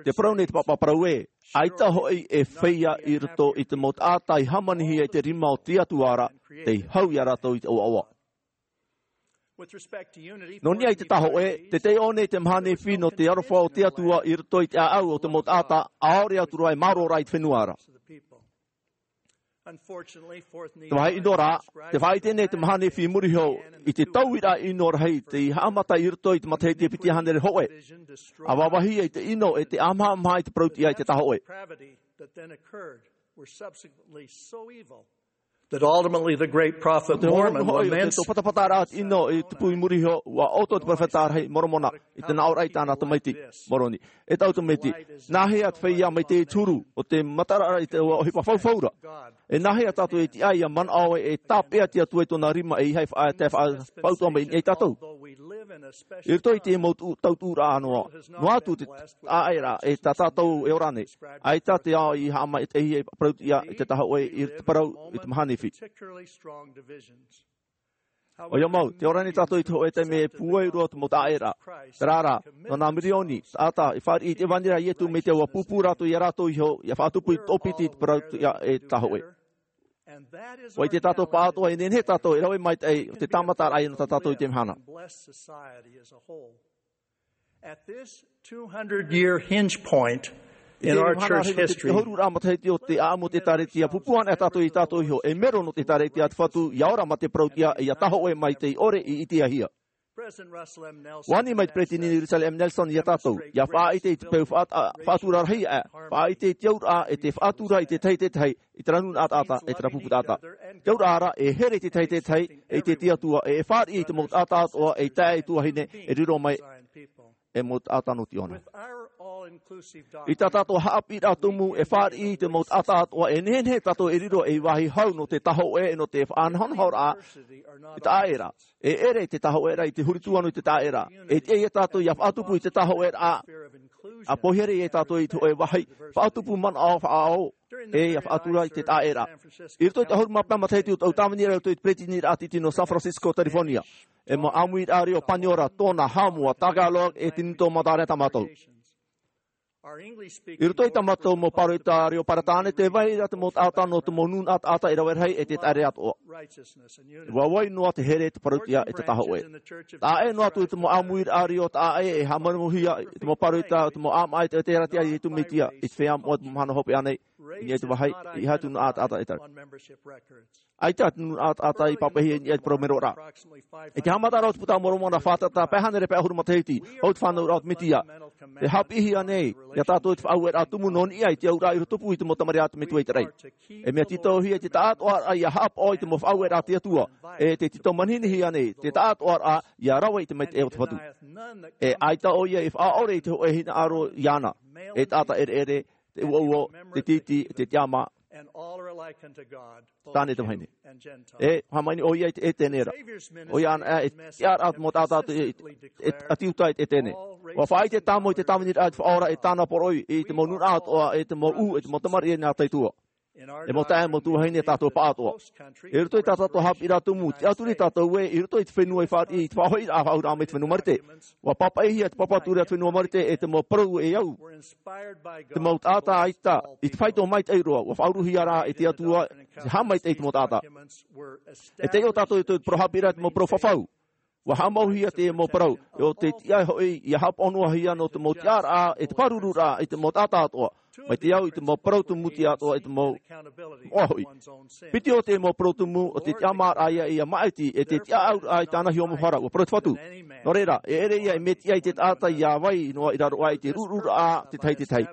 tē parau nei te pāpaʻi parau ē, ʻaita hoʻi e feiā i roto i te mau taʻata i hāmanihia i te rima o te Atua ra, tei hau iā rātou i te ʻoaʻoa. Nō niʻa i te tahoʻe, te taiʻo nei te mahana nefi nō te aroha o te Atua i roto i te ʻāʻau o te mau taʻata, ʻaore atu roa e mārō rā i te fenua ra. Te vāhi ʻino rā, te faʻaʻite nei te mahana nefi i muri iho i te tauiraʻa ʻino rahi tei haʻamata i roto i te matahiti e piti hānere hōʻē. ʻA vāvāhia i te ʻino e te ʻāmahamaha i te parau-tiʻa i te tahoʻe. That ultimately the great prophet Mormon laments. Te hōroʻa hoʻi o te patapataraʻa ʻino i tupu i muri iho, ʻua ʻoto te peropheta rahi Moromona i te nāʻōraʻa i tāna tamaiti, Moroni. E taʻu tamaiti, nāhea te feiā maitaʻi i te huru o te mataraʻa i te ʻohipa faufau ra? E nāhea tātou e tiʻa ʻia manaʻo e tāpeʻa te Atua i tōna rima e ʻeiaha e faʻa-, e faʻa-, faʻautuʻa mai i niʻa ia tātou? I roto i te mau tu-, tautuʻuraʻa noa, noa atu te taʻaʻēraʻa e tā tātou e ora nei. ʻAita te ao i haʻamaitaʻihia e parau-tiʻa i te tahoʻe i te parau i te mahana nefi. ʻOia mau, tē ora nei tātou i te hōʻē taime e pūai roa te mau taʻaʻēraʻa. Terā rā, nō nā mirioni taʻata i fāriʻi i te ʻevanelia a Ietu Metia, ʻua pūpū rātou ia rātou iho, ʻia faʻatupu i te toʻopiti i te parau-tiʻa e tahoʻe. ʻUa ʻite tātou pāʻatoʻa e nehenehe tātou e rave maitaʻi o te tāmataraʻa ia nō tā tātou i teie mahana. At this two hundred year hinge point in our church history, te hōroʻa matahiti o te ʻāʻamu o te ʻĒkālesia, pūpū anaʻe tātou ia tātou iho, e mero nō te ʻĒkālesia a te Fatu, ʻia ora mā te parau-tiʻa, ʻia tahoʻe maitaʻi ʻore i ʻitehia. ʻUa ani mai te Peresideni Russell M. Nelson ia tātou, ʻia faʻaʻite i te peu faʻat-, a, faʻatura rahi aʻe, faʻaʻite i te auraʻa e te faʻatura i te tahi e te tahi, i terā nūnaʻa taʻata, e terā pupu taʻata. Te auraʻa ra, e here i te tahi e te tahi, e te Atua, e, e fāriʻi i te mau taʻata atoʻa, e taeaʻe tuahine, e riro mai, e mau taʻata nō Tīhona. I tā tātou haʻapiʻiraʻa tumu, e fāriʻi i te mau taʻata atoʻa, e nehenehe tātou e riro ei vāhi hau nō te tahoʻe, nō te faʻanahonahoraʻa, i te taʻaʻēraʻa. E ʻere te tahoʻeraʻa i te huri tū ʻana i te taʻaʻēraʻa. E tiʻa ia tātou ʻia faʻatupu i te tahoʻeraʻa. ʻA pohe ia tātou i te hōʻē vāhi, faʻatupu manaʻo faʻaō, e ʻia faʻatura i te taʻaʻēraʻa. I roto i te ʻahuru mā pae matahiti o te tau tāviniraʻa i roto i te Peresideniraʻa Tītī nō San Francisco, California. E mau ʻāmuiraʻa reo Paniora, Tonga, Haʻamoa, Tagalog, e te Nūnaʻa Mātāreʻa Tamata. I roto i tā mātou mau pāroita reo Peretāne, tē vai ra te mau taʻata nō te mau nūnaʻa taʻata e rave rahi e te taʻere atoʻa. ʻUa vai noa te here, te parau-tiʻa, e te tahoʻe. Taʻa ʻē noa atu te mau ʻāmuiraʻa reo taʻa ʻē e haʻamanaʻohia i te mau pāroita, te mau ʻāmaʻa, e te, e te ʻētaraʻa a Ietu Metia, i te feiā moʻa, te mau mahana hopeʻa nei, i niʻa i te vāhi, ʻeiaha atu nā taʻata e taʻa. ʻAita te nūnaʻa taʻata i pāpaʻihia i niʻa i te parau mero ra. I te haʻamata ra o te Puta a Moromona, fātata pae hānere pae ʻahuru matahiti, hou te fānauraʻa o te Metia. Tē haʻapiʻihia nei ia tātou te faʻaueraʻa tumu nō niʻa i te auraʻa i roto pū i te mau tamariʻi a te Metua i te raʻi. E mea tītauhia te taʻatoʻaraʻa ʻia haʻapaʻo i te mau faʻaueraʻa a te Atua. E tē tītau-manihini-hia nei te taʻatoʻaraʻa ʻia rave i te maitaʻi o te Fatu. E ʻaita ʻoia e faʻaʻore i te hōʻē hinaʻaro iāna. E taʻata ʻereʻere, te ʻuoʻuo, te tītī, te tiʻamā. Tāne te vahine. E hāmani ʻoia i te ʻētene ra. ʻOia anaʻe e tiʻaraʻa te mau taʻata e, e, e, ʻati uta i te ʻētene. ʻUa faʻaʻite tāmau i te tāviniraʻa i te Faʻaora e tāna poroʻi, i te mau nūnaʻa atoʻa, e te mau ʻū, e te mau tamariʻi nā te Atua. E mau taeaʻe, mau tuahine, tātou pāʻatoʻa. I roto i tā tātou haʻapiʻiraʻa tumu, tiʻaturi tātou ē, i roto i te fenua i fāriʻi, i te faʻahoʻiraʻa, faʻaauraʻa mai te fenua Marite. ʻUa pāpaʻihia te papa ture a te fenua Marite e te mau parau e au. Te mau taʻata ʻaita, i te faito maitaʻi roa, ʻua faʻauruhia rā e te Atua, te haʻamaitaʻi i te mau taʻata. E taiʻo tātou i te parau haʻapiʻiraʻa, te mau parau fafau. ʻUa haʻamauhia te mau parau, ʻo te tiʻa hoʻi, ʻia haʻapaʻo noa hia nō te mau tiʻaraʻa, e te pārururaʻa, i te mau taʻata atoʻa. Mai te au i te mau parau tumu tiʻa atoʻa, i te mau moʻa hoʻi. Piti o te mau parau tumu, ʻo te tiʻamāraʻa ia, ʻia maʻiti, e te tiʻaʻauraʻa i tāna hiʻo mau hara, ʻua parau te Fatu. Nō reira, e ʻere ia e mea tiʻa i te taʻata ʻia vai noa i raro aʻe i te rururaʻa, te tahi, te tahi.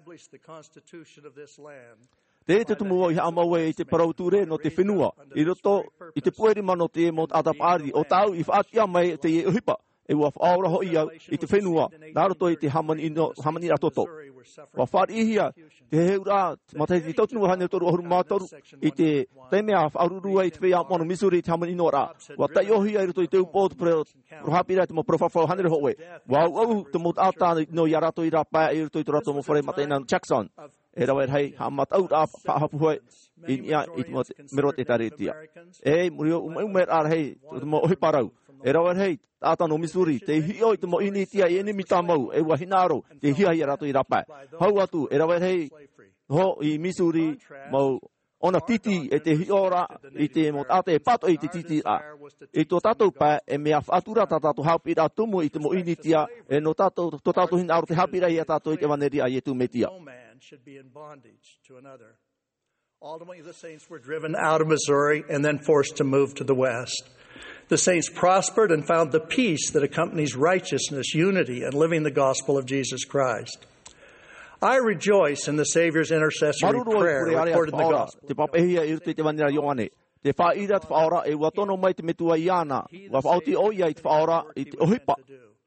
Teie te tumu vau i haʻamau ai i te parau ture nō te fenua, i roto i te puʻe rima nō te mau taʻata paʻari, ʻo tāʻu i faʻatiʻa mai teie ʻohipa. E ʻua faʻaora hoʻi au i te fenua, nā roto i te hāmani ʻino, hāmani rātoto. ʻUa fāriʻihia te heheuraʻa, te matahiti tauatini ʻahuru mā toru, i te taime a faʻaruru ai te feiā moʻa nō Missouri i te hāmani ʻino ra. ʻUa taiʻohia i roto i te upoʻo o te parau, parau haʻapiʻiraʻa, te mau parau fafau hānere hōʻē. ʻUa auʻau te mau taʻata nō ia rātou i rāpae i roto i tō rātou mau fare mataʻeinaʻa nō Jackson. E rave rahi, haʻamataʻuraʻa faʻahapū hoʻi, i niʻa i te mau mero o te ʻĒtārētia. E, muri iho, ʻumaʻumeraʻa rahi, te mau ʻohipa rau. E rave rahi, taʻata nō Missouri, tei hiʻo i te mau ʻīnitia i ʻenemi tāmau, e ʻua hinaʻaro, tei hiahia rātou i rāpae. Hau atu, e rave rahi, hou i Missouri, mau ʻōna tītī, e te hiʻoraʻa i te mau taʻata e pātoʻi i te tītīraʻa. I tō tātou pae, e mea faʻatura tā tātou haʻapiʻiraʻa tumu i te mau ʻinitia, e nō tātou, tō tātou hinaʻaro te haʻapiʻiraʻa ia tātou i te ʻevanelia a Iesu Mesia. No man should be in bondage to another. Ultimately, the saints were driven out of Missouri and then forced to move to the West. The saints prospered and found the peace that accompanies righteousness, unity, and living the gospel of Jesus Christ. I rejoice in the Savior's intercessory prayer recorded in the gospel. Te pāpaʻihia i roto i te ʻevanelia a Ioane. Tē faʻaʻī ra te Faʻaora, e ʻua tono mai te Metua iāna. ʻUa faʻaoti ʻoia i te Faʻaora, i te ʻohipa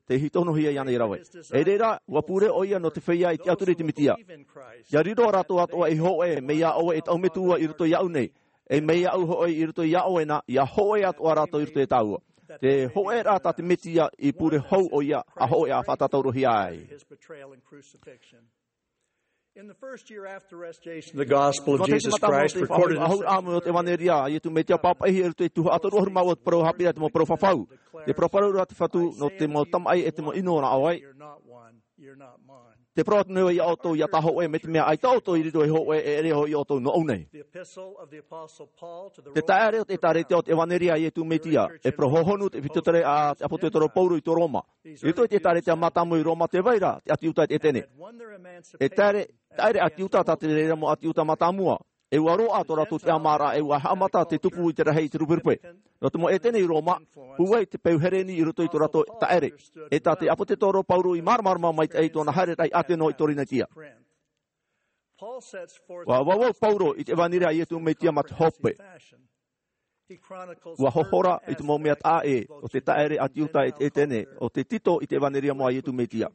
tei tonohia iāna i rave. E reira, ʻua pure ʻoia nō te feiā i tiʻaturi i te Mesia. ʻIa riro rātou atoʻa ei hōʻē, mai iā ʻoe e taʻu metua i roto iāʻu nei, e mai iāʻu hoʻi i roto iā ʻoe na, ʻia hōʻē atoʻa rātou i roto iā tāua. Te hōʻēraʻa tā te Mesia i pure hou ʻoia, ʻa hōʻē ʻa faʻatātaurohia ai. In the first year after the restoration of the gospel of Jesus Christ, recorded in Second Corinthians, ʻahuru ʻāvaʻe o te ʻevanelia a Iesu Mesia, pāpaʻihia i roto i te tuhaʻa toru ʻahuru mā ua, te parau haʻapiʻiraʻa i te mau parau fafau. Tē parau ra te Fatu, nō te mau tamaʻi e te mau ʻino nā ʻō ai. Tē parau atu nei au iā ʻoutou, ʻia tāhōʻē, mai te mea ʻaita ʻoutou i riro ei hōʻē, e ʻere hoʻi ʻoutou nōʻu nei. Te taʻere o te ʻĒtārētia o te ʻevanelia a Iesu Mesia, e parau hōhonu te ʻEpitotere a te ʻāpōsetolo Paulo i tō Roma. I roto i te ʻĒtārētia mātāmua i Roma, tē vai ra te ʻĀti Iuta e te ʻĒtene. E taʻere, taʻere ʻĀti Iuta tā te reira mau ʻĀti Iuta mātāmua. E ʻua roaʻa tō rātou tiʻamāraʻa, e ʻua haʻamata te tupu i te rahi i te ruperupe. Nō te mau ʻĒtene i Roma, pūai te peu Hereni i roto i tō rātou taʻere. E tā te ʻāpōsetolo Paulo i māramarama maitaʻi i tōna haereraʻa i Ateno i Korinetia. ʻUa vauvau Paulo i te ʻevanelia a Iesu Mesia mā te hope. ʻUa hohora i te mau mea taʻa ʻē o te taʻere ʻĀti Iuta e te ʻĒtene, o te tito i te ʻevanelia mau a Iesu Mesia.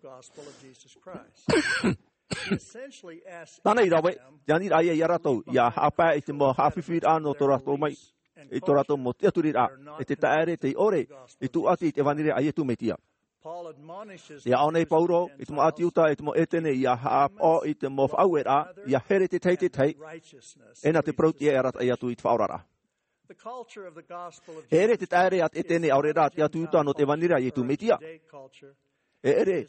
Tāna i rave, tē ani ra ia iā rātou, ʻia haʻapae i te mau haʻafifi ra nō tō rātou mai, i tō rātou mau tiʻaturiraʻa, e te taʻere tei ʻore i tūʻati i te ʻevanelia a Iesu Mesia. E aʻo nei Paulo i te mau ʻĀti Iuta, i te mau ʻĒtene, ʻia haʻapaʻo i te mau faʻaueraʻa, ʻia here te tahi i te tahi, e nā te parauʻtiʻa e arataʻi atu i te faʻaoraraʻa. E ʻere te taʻere a te ʻĒtene ʻaore rā te ʻĀti Iuta nō te ʻevanelia a Iesu Mesia. E ʻere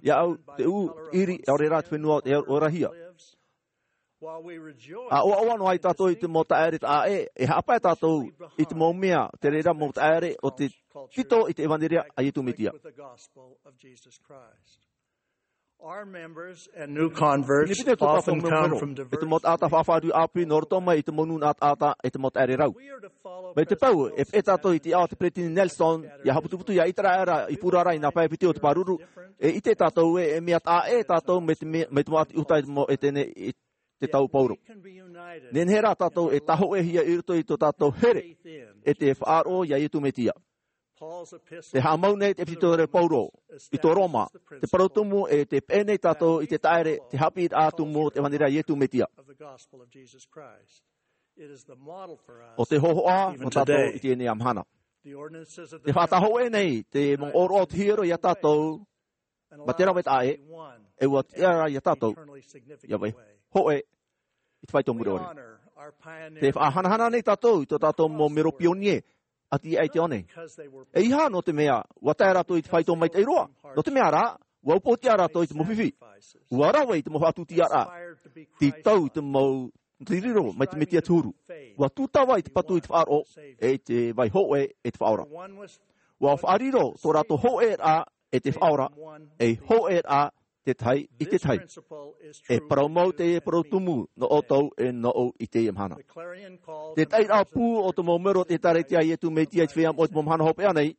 iāʻu te ʻū ʻiri ʻaore rā te fenua o te ʻōrahia. ʻA ʻoaʻoa noa ai tātou i te mau taʻere taʻa ʻē, e haʻapae tātou i te mau mea, te reira mau taʻere o te tito i te ʻevanelia a Iesu Mesia. Our members and new converts often come from diverse... E te mau taʻata faʻafāriu ʻāpī nō roto mai i te mau nūnaʻa taʻata, e te mau taʻere rau. Mai te peu, e peʻe tātou i te ao o te Peretiteni Nelson, ʻia haʻaputuputu, ʻia ʻite ra, i pū ra i nā pae piti o te pāruru, e ʻite tātou ē, e mea taʻa ʻē tātou mai te mea, mai te mau ʻĀti Iuta, i te mau ʻĒtene, i te tau Paulo. Nehenehe rā tātou e tāhōʻēhia i roto i tō tātou here, e te faʻaroʻo iā Iesu Mesia. Tē haʻamau nei te ʻEpitotere a Paulo i tō Roma, te parau tumu, e tē peʻe nei tātou i te taʻere, te haʻapiʻiraʻa tumu o te ʻevanelia a Iesu Mesia. ʻO te hōhoʻa nō tātou i teie nei mahana. Tē faʻatāhōʻē nei te mau ʻōroʻa o te hiero iā tātou, mā te rave taʻa ʻē, e ʻua tiʻa ra iā tātou ʻia vaihoʻe i te faito mure ʻore. Tē faʻahanahana nei tātou i tō tātou mau mero pionie, ʻati aʻe i te ao nei. ʻEiaha nō te mea ʻua tae rātou i te faito maitaʻi roa, nō te mea rā, ʻua upootiʻa rātou i te mau fifi. ʻUa rave i te mau faʻatūtiaraʻa, tītau i te mau te riro mai te Mesia te huru. ʻUa tūtava i te patu i te faʻaroʻo, e i te vaihoʻe e te faʻaora. ʻUa faʻariro tō rātou hōʻēraʻa e te faʻaora, ei hōʻēraʻa te tahi i te tahi. E parau mau teie parau tumu nō ʻoutou e nōʻu i teie mahana. Te taʻiraʻa pū o te mau mero o te ʻĒtārētia a Iesu Mesia i te feiā moʻa i te mau mahana hopeʻa nei,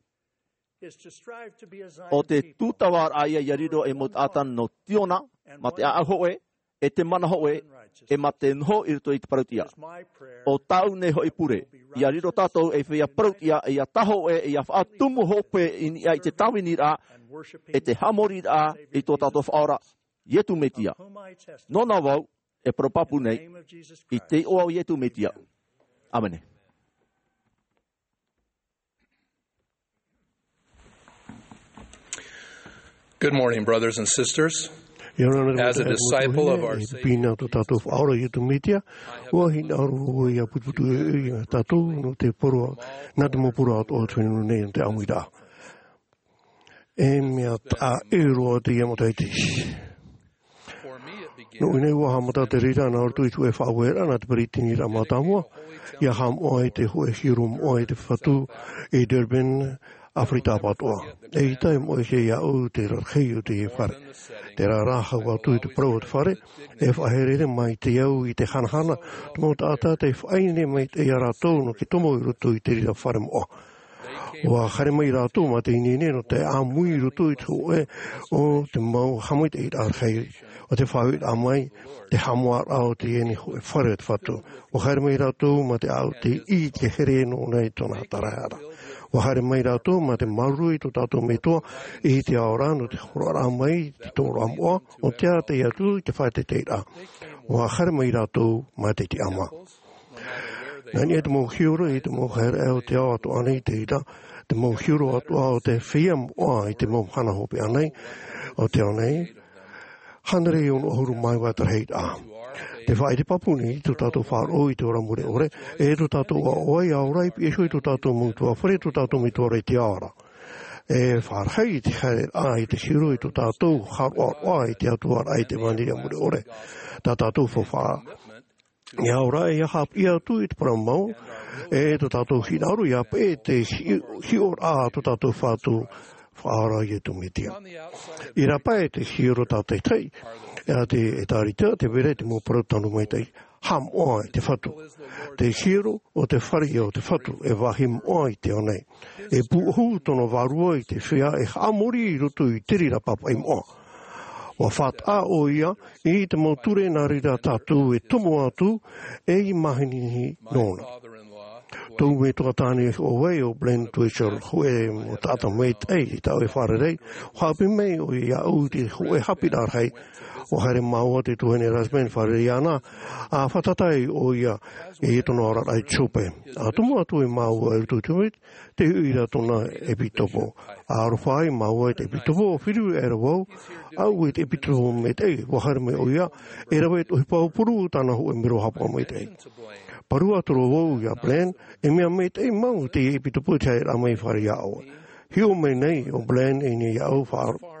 ʻo te tūtava ra ia ʻia riro ei mau taʻata nō Ziona, mā te ʻāʻau hōʻē, e te mana hōʻē, e mā te noho i roto i te parauʻtiʻa. ʻO tāʻu nei hoʻi pure, ʻia riro tātou ei feiā parauʻtiʻa, e ʻia tāhōʻē, e ʻia faʻatumu hope i niʻa i te tāviniraʻa, e te haʻamoriraʻa i tō tātou Faʻaora, Iesu Mesia. Nōna vau e parau pāpū nei, i te iʻoa o Iesu Mesia. ʻĀmene. Good morning, brothers and sisters. As a disciple of our Savior, e te piʻina o tō tātou Faʻaora Iesu Mesia, ʻua hinaʻaro vau ʻia putuputu ʻoia iā tātou nō te poro, nā te mau poro atoʻa o te fenua nei nō te ʻāmuiraʻa. E mea taʻa ʻē roa teie matahiti. Nō ʻō nei ua haʻamata te reira nā roto i te hōʻē faʻaueraʻa nā te peresideni mātāmua, ia haʻamoʻa i te hōʻē hiero moʻa i te fatu i Durban, ʻAfirika Pātoʻa. ʻEita e moʻe iāʻu te rarahi o te fare. Terā rā, hau atu i te parau o te fare, e faʻaherehere maitaʻi au i te hanahana te mau taʻata tei faʻaineine maitaʻi iā rātou nō te tomo i roto i te reira fare moʻa. Ua haere mai rātou mā te ineine nō te ʻāmui i roto i te hōʻē o te mau haʻamaitaʻiraʻa rahi o te faʻaueraʻa mai, te haʻamoʻaraʻa o teie nei hōʻē fare o te fatu. Ua haere mai rātou mā te ʻaʻau tei ʻī i te here nō ʻō nei tōna tarahara. Ua haere mai rātou mā te māuruuru i tō tātou Metua i te ao ra nō te horoʻaraʻa mai i te tomoraʻa moʻa, ʻo te ʻātaʻi atu i te faʻateiteiraʻa. Ua haere mai rātou mā te tiʻamā. Nā niʻa i te mau hiero i te mau haereʻa o te ao atoʻa nei te reira, te mau hiero atoʻa o te feiā moʻa i te mau mahana hopeʻa nei o te ao nei, hānere e ono ʻahuru mā iva te rahiraʻa. Te faʻaʻite pāpū nei tō tātou faʻaroʻo i te ora mure ʻore, e tō tātou ʻoaʻoa i ʻaore i piʻi iho i tō tātou mau ʻutuāfare, tō tātou Metua i te ao ra. E faʻarahi i te haereraʻa i te hiero i tō tātou haʻaroʻaroʻa i te Atua ra i te ʻevanelia mure ʻore. Tā tātou faufaʻa e ao ra, ia haʻapiʻi atu i te parau mau, e tō tātou hinaʻaro ia peʻe te hi-, hiʻoraʻa a tō tātou Fatu Faʻaora Iesu Mesia. I rāpae te hiero tātaʻitahi a te ʻĒtārētia, tē vai ra te mau parau tano maitaʻi, haʻamoʻa i te Fatu. Te hiero o te fare o te Fatu e vāhi moʻa i te ao nei. E pūʻohu tōna vārua i te feiā e haʻamori i roto i te reira pāpaʻi moʻa. Ua faʻataʻa ʻoia i te mau ture nā reira tātou e tomo atu ei mahana nōna. Tōʻu metua tāne hoʻi ʻo Blaine Twitchell, hōʻē mau taʻata maitaʻi i tāʻu e fārerei, ua haʻapiʻi mai ʻoia iāʻu i te hōʻē haʻapiʻiraʻa rahi. Ua haere māua i te tuahine Rasband e fārerei iāna, ʻa fātata ai ʻoia i tōna oraraʻa i te hope. ʻA tomo atu ai māua i roto i te te huiraʻatira tōna ʻepitopo. ʻA aroha ai māua i te ʻepitopo, ʻo feruri aʻera vau, ʻaʻau i te ʻepitopo maitaʻi, ua haere mai ʻoia, e rave i te ʻohipa ʻōpū tāna hōʻē mero haʻapaʻo maitaʻi. Parau atu ra vau iā Blaine, e mea maitaʻi mau teie ʻepitopo i te haereraʻa mai i fare iā ʻoe. Hiʻo mai nei ʻo Blaine i niʻa iāʻu, faʻaroʻo.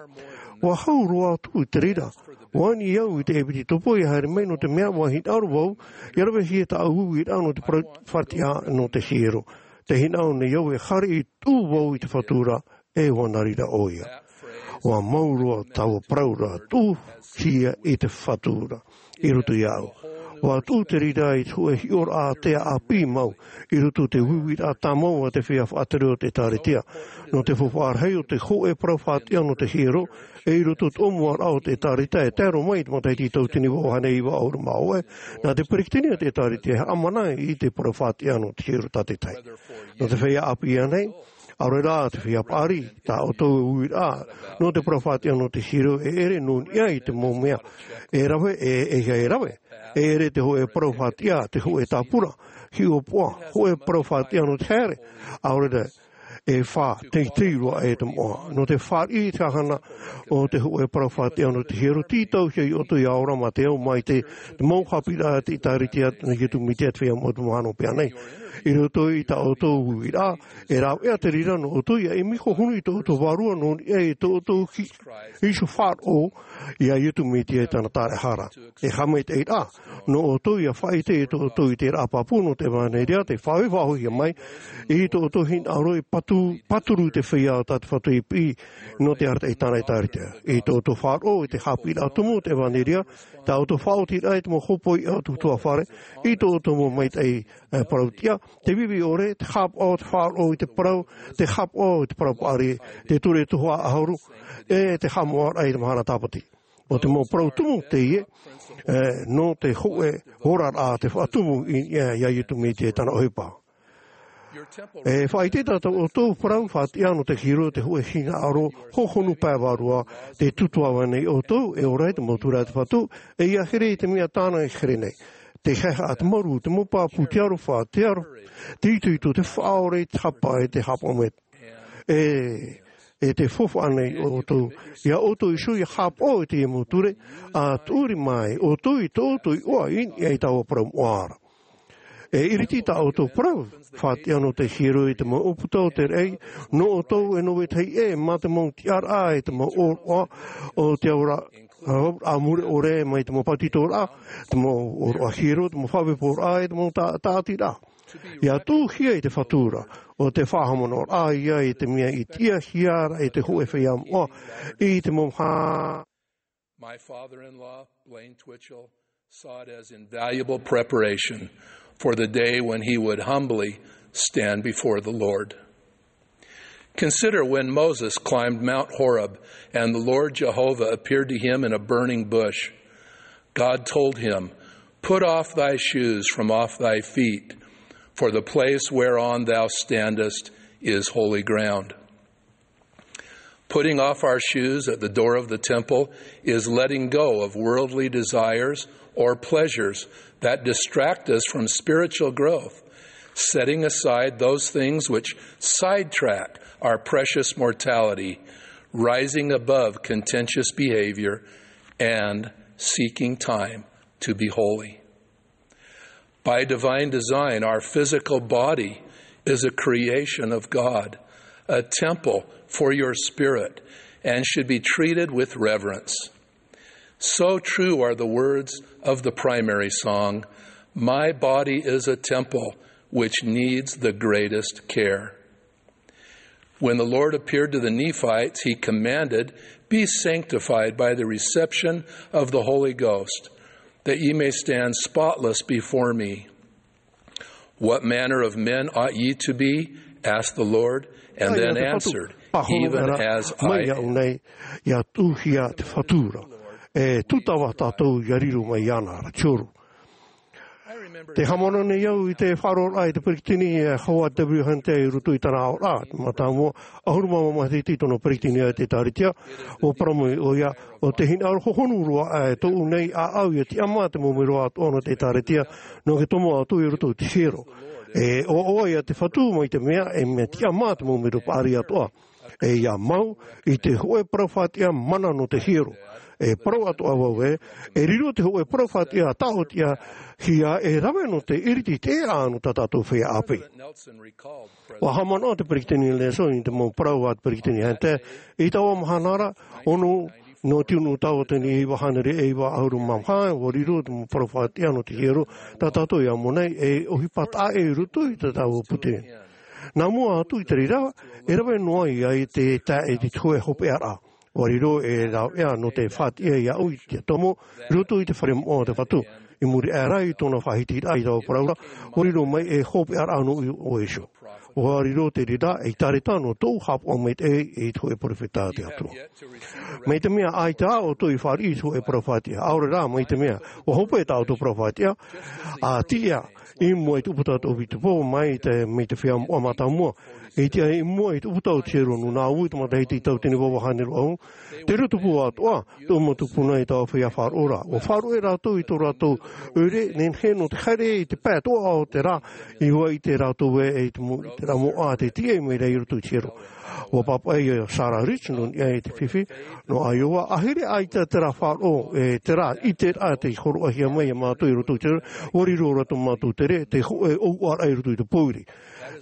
Ua hau roa atu i te reira, ua ani au i te ʻepitopo ia haere mai nō te mea ua hinaʻaro vau, ia ravehia tāʻu uiraʻa nō te parau faʻatiʻa nō te hiero. Tē hinaʻaro nei au e haere i tuʻu vau i te Fatu ra, e ua nā reira ʻoia. Ua mau roa taua parau ra, tuʻuhia i te Fatu ra, i roto iāʻu. Ua tuʻu te reira i te hōʻē hiʻoraʻa ātea ʻāpī mau, i roto i te uiuiraʻa tāmau a te feiā faʻatere o te ʻĒtārētia. Nō te faufaʻa rahi o te hōʻē parau faʻatiʻa nō te hiero, e i roto i te ʻōmuaraʻa o te ʻĒtārētia, e tae roa mai i te matahiti tauatini vaʻu hānere iva ʻahuru mā vaʻu, nā te peresideni o te ʻĒtārētia e haʻamana i te parau faʻatiʻa nō te hiero tātaʻitahi. Nō te feiā ʻāpī ānei, ʻaore rā te feiā paʻari, tā ʻoutou uiraʻa nō te parau faʻatiʻa nō te hiero e ʻere nō niʻa i te mau mea e rave, e, e, e rave. E ʻere te hōʻē parau faʻatiʻa, te hōʻē tāpura, hiʻopoʻa, hōʻē parau faʻatiʻa nō te haere, ʻaore rā, e faʻateitei roa e te moʻa. Nō te fāriʻi i te hahana o te hōʻē parau faʻatiʻa nō te hiero, tītauhia iā ʻoutou ia ora mā te ao maitaʻi, te mau haʻapiʻiraʻa a te ʻĒtārētia a Iesu Mesia te Feiā Moʻa o te Mahana Hopeʻa nei. I roto i tā ʻoutou uiraʻa, e rāveʻa te reira nō ʻoutou ia ʻimi hohonu i tō ʻoutou vārua nō niʻa i tō ʻoutou hi-, iho faʻaroʻo iā Iesu Mesia i tāna tāraʻehara. E haʻamaitaʻiraʻa nō ʻoutou ia faʻaʻite iā ʻoutou i te ʻēraʻa pāpū nō te ʻevanelia, tē faʻahoʻihia mai i tō ʻoutou hinaʻaro e patu-, pāturu te feiā o tā te Fatu i piʻi nō te arataʻi i tāna ʻĒtārētia. I tō ʻoutou faʻaroʻo i te haʻapiʻiraʻa tumu o te ʻevanelia, tā ʻoutou faʻaotiraʻa i te mau hōpoiʻa o te ʻutuāfare, i tō ʻoutou mau maitaʻi, e, parau tiʻa, te vivi ʻore, te haʻapaʻo, te faʻaroʻo i te parau, te haʻapaʻo i te parau paʻari, te ture tuhaʻa ʻahuru, e te haʻamoʻaraʻa i te mahana tāpati. ʻO te mau parau tumu teie, e, nō te hōʻē oraraʻa tē faʻatumu i, i, iā Iesu Mesia i tāna ʻohipa. E faʻaʻite tā ʻoutou parau faʻatiʻa nō te hiero, te hōʻē hinaʻaro hohonu pae vārua, tē tutuʻa vau nei ʻoutou, e ora i te mau ture a te Fatu, e ia here i te mea tāna e here nei. Te haʻehaʻa, te marū, te mau pāpū, te aroha, te aro, te itoito, te faʻaora, te haʻapaʻo, te haʻapaʻo maitaʻi. E, e tē faufaʻa nei ʻoutou iā ʻoutou iho ia haʻapaʻo i teie mau ture, ʻa tuʻuri mai ʻoutou i tō ʻoutou iʻoa i niʻa i taua parau moʻa ra. E iriti tā ʻoutou parau faʻatiʻa nō te hiero i te mau ʻōputa o te raʻi, nō ʻoutou e nō vetahi ʻē mā te mau tiʻaraʻa e te mau ʻōroʻa o te ao ra, ʻĀ mure ʻore mai te mau pātitoraʻa, te mau ʻōroʻa hiero, te mau faʻaʻohipa ʻore, e te mau tā-, tāʻatiraʻa. ʻIa tuʻuhia i te Fatu ra, ʻo te faʻahaʻamanaʻoraʻa ia i te mea i tiʻahia ra e te hōʻē feiā moʻa, i te mau hā- My father-in-law, Blaine Twitchell, saw it as invaluable preparation for the day when he would humbly stand before the Lord. Consider when Moses climbed Mount Horeb and the Lord Jehovah appeared to him in a burning bush. God told him, "Put off thy shoes from off thy feet, for the place whereon thou standest is holy ground." Putting off our shoes at the door of the temple is letting go of worldly desires or pleasures that distract us from spiritual growth, setting aside those things which sidetrack our precious mortality, rising above contentious behavior, and seeking time to be holy. By divine design, our physical body is a creation of God, a temple for your spirit, and should be treated with reverence. So true are the words of the primary song, "My body is a temple which needs the greatest care." When the Lord appeared to the Nephites, he commanded, "Be sanctified by the reception of the Holy Ghost, that ye may stand spotless before me." "What manner of men ought ye to be?" asked the Lord, and then answered, "Even as I am." Mai iāʻu nei, ʻia tuʻuhia te Fatu ra. E tūtava tātou ʻia riro mai iāna ra te horo. Tē haʻamanaʻo nei au i te faʻaroʻoraʻa i te peretiteni, e Howard W. Hunter i roto i tāna aʻoraʻa, te mātāmua, ʻahuru mā maha matahiti tōna peretiteni i te ʻĒtārētia, ʻua parau mai ʻoia, ʻo te hinaʻaro hohonu roa, e tōʻu nei ʻāʻau ʻia tiʻamā te mau melo atoʻa nō te ʻĒtārētia, nō te tomo atu i roto i te hiero. E ʻoaʻoa ia te Fatu mai te mea, e mea tiʻamā te mau melo paʻari atoʻa. E ʻia mau i te hōʻē parau faʻatiʻa mana nō te hiero. E parau atoʻa vau ē, e riro te hōʻē parau faʻatiʻa tāʻotiʻahia e rave nō te ʻiriti teʻa nō tā tātou feiā ʻāpī. ʻUa haʻamanaʻo te peretiteni Nelson i te mau parau a te peretiteni Hunter, i taua mahana ra, ono nō te ono tautini e iva hānere e iva ʻahuru mā maha, ʻua riro te mau parau faʻatiʻa nō te hiero, tā tātou ʻia mau nei, e ʻohipa taʻa ʻē i roto i tā tāua pūtē. Nā mua atu i te reira, e rave noa ia i te tae i te hōʻē hopeʻaraʻa. ʻUa riro e rāveʻa nō te faʻatiʻa iāʻu i te tomo, i roto i te fare moʻa o te Fatu. I muri aʻe ra i tōna faʻahitiraʻa i taua parau ra, ʻua riro mai e hopeʻaraʻa nō ʻoe iho. ʻUa riro te reira ei ʻētārētia nō tōʻu haʻapaʻo maitaʻi i te hōʻē perofeta a te Atua. Mai te mea ʻaita ā ʻoutou i fāriʻi i te hōʻē parau faʻatiʻa, ʻaore rā mai te mea, ʻua hope tā ʻoutou parau faʻatiʻa, ʻa tiʻa i mua i te ʻūputa o te ʻōpiti pō, mai te, mai te feiā moʻa mātāmua. E tiʻa i mua i te ʻūputa o te hiero nō nā ʻu i te matahiti tautini e iva hānere ʻahuru. Te reira tupu atoʻa, tō mātou tupuna i taua feiā faʻaroʻo ra. ʻUa faʻaroʻo rātou i tō rātou ʻoire, nehenehe nō te haere i te pae atoʻa o te rā, i ʻō ai rātou ē, i te mo-, i te rā moʻa tē tiʻa mai ra i roto i te hiero. ʻUa pāpaʻi ia Sarah Rich nō niʻa i te fifi, nō Iowa, ʻāhiri ʻaita terā faʻaroʻo, e terā ʻiteraʻa tei hōroʻahia mai ia mātou i roto i te, ʻua riro ra tō mātou tere, te hōʻē ʻōuʻaraʻa i roto i te pōiri.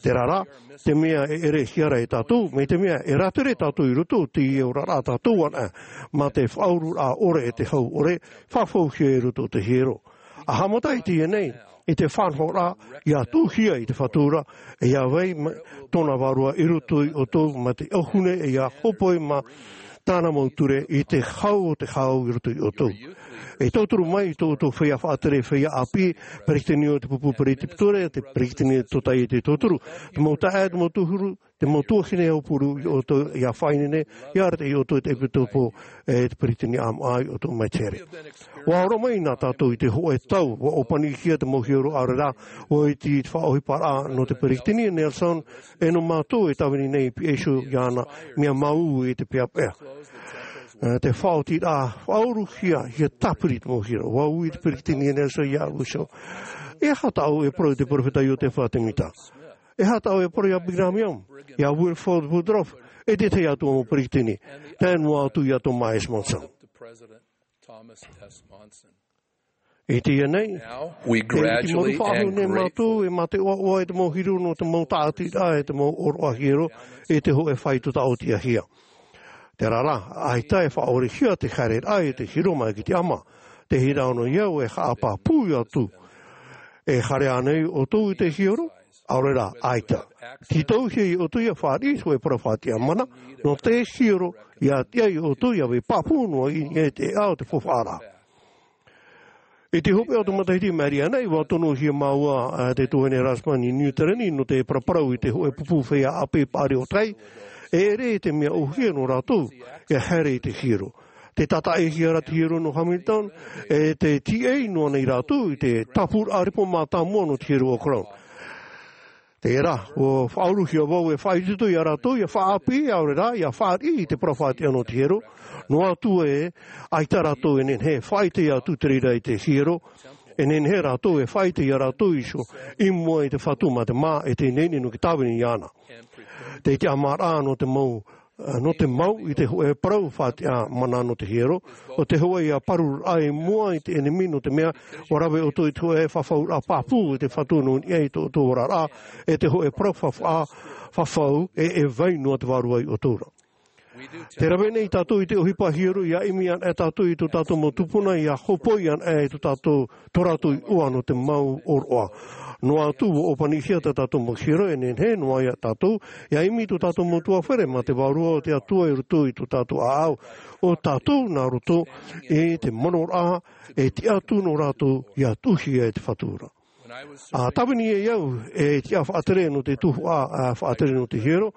Terā rā, te mea e ʻerehia ra e tātou, mai te mea e rātere tātou i roto i teie oraraʻa tātou anaʻe, mā te faʻaururaʻa ʻore e te hau ʻore, faʻafauhia i roto i te hiero. ʻA haʻamata i teie nei, i te faʻanahoraʻa, ʻia tuʻuhia i te Fatu ra, e ʻia vai ma-, tōna vārua i roto ia ʻoutou mā te ʻauhune, e ʻia hōpoi mā tāna mau ture i te hau o te hau i roto ia ʻoutou. E tauturu mai i tō ʻoutou feiā faʻatere, feiā ʻāpī, peretiteni o te pupu peretitore, te peretiteni tōtaiete tauturu, te mau taeaʻe, te mau tūhuru, te mau tuahine aupuru ia ʻoutou, ʻia faʻaineine, ʻia arataʻi ia ʻoutou i te ʻEpitopo, e te peretiteni ʻāmaʻa ia ʻoutou mai te here. ʻUa ora mai na tātou i te hōʻē tau, ʻua ʻōpanihia te mau hiero ʻaore rā, ʻua iti i te faʻaʻohiparaʻa nō te peretiteni Nelson, e nō mātou e tāvini nei i piha iho iāna, mea māuiui i te peʻapeʻa. E, te faʻaotiraʻa, faʻauruhia, ʻia tāpiri te mau hiero, ʻua ui te peretiteni Nelson iāʻu iho. E aha tāʻu e parau i te perofeta Iotefa Temita? E aha tāʻu e parau ia Brigham Young, ia Wilford Woodruff, e te tahi atu mau peretiteni, tae noa atu ia Thomas S. Monson? I teie nei, e iti mau faʻahou nei mātou, e mā te ʻoaʻoa i te mau hiero nō te mau tāʻatiraʻa, e te mau ʻōroʻa hiero, e te hōʻē faito tāʻotiʻahia. Tērā rā, ʻaita e faʻaʻorehia te haereraʻa i te hiero mai ki te ʻama. Te hinaʻaro ia ʻoe e haʻapāpū atu. E haere ānei ʻoutou i te hiero? ʻAore rā, ʻaita. Tītauhia ʻoutou ʻia fāriʻi i te hōʻē parau faʻatiʻa mana, nō te hiero, ʻia tiʻa ʻoutou ʻia vai pāpū noa i niʻa i te ʻēʻa o te faufaʻa ra. I te hopeʻa o te matahiti Mariana, ʻua tonohia māua, ā, te tuahine Rasband i Niu Tirani nō te paraparau i te hōʻē pupu feiā ʻāpī paʻari o tai, e ʻere i te mea ʻōhie nō rātou, ʻia haere i te hiero. Tē tātaʻihia ra te hiero nō Hamilton, e tē tīaʻi noa nei rātou i te tāpūraʻa repo mātāmua nō te hiero o Crown. Tērā, ʻua faʻauruhia vau e faʻaitoito ia rātou, ʻia faʻaʻāpī, ʻaore rā, ʻia fāriʻi i te parau faʻatiʻa nō te hiero, noa atu ē, ʻaita rātou e nehenehe e faʻaʻite atu te reira i te hiero, e nehenehe rātou e faʻaʻite ia rātou iho, i mua i te Fatu mā te mā, e tē ineine noa te tāvini iāna. Te tiʻamāraʻa nō te mau, nō te mau i te hōʻē parau faʻatiʻa mana nō te hiero, ʻo te hōʻē ʻia pārururaʻa i mua i te ʻenemi nō te mea, ʻua rave ʻoutou i te hōʻē fafauraʻa pāpū i te Fatu nō niʻa i tō ʻoutou oraraʻa, e te hōʻē parau fafa-, fafau, e, e vai noa te vārua ia ʻoutou ra. Tē rave nei tātou i te ʻohipa hiero, ʻia ʻimi ana e tātou i tō tātou mau tupuna, ʻia hōpoi ana e tō tātou, tō rātou iʻoa nō te mau ʻōroʻa. Noa atu ʻua ʻōpanihia tā tātou mau hiero, e nehenehe noa ia tātou, ʻia ʻimi tō tātou mau tuafare mā te Vārua o te Atua i roto i tō tātou ʻāʻau. ʻO tātou nā roto i te manoraʻa, e tiʻa atu nō rātou, ʻia tuʻuhia e te Fatu ra. ʻA tāvini ai au, e tiʻa faʻatere nō te tuhaʻa, ʻa faʻatere nō te hiero,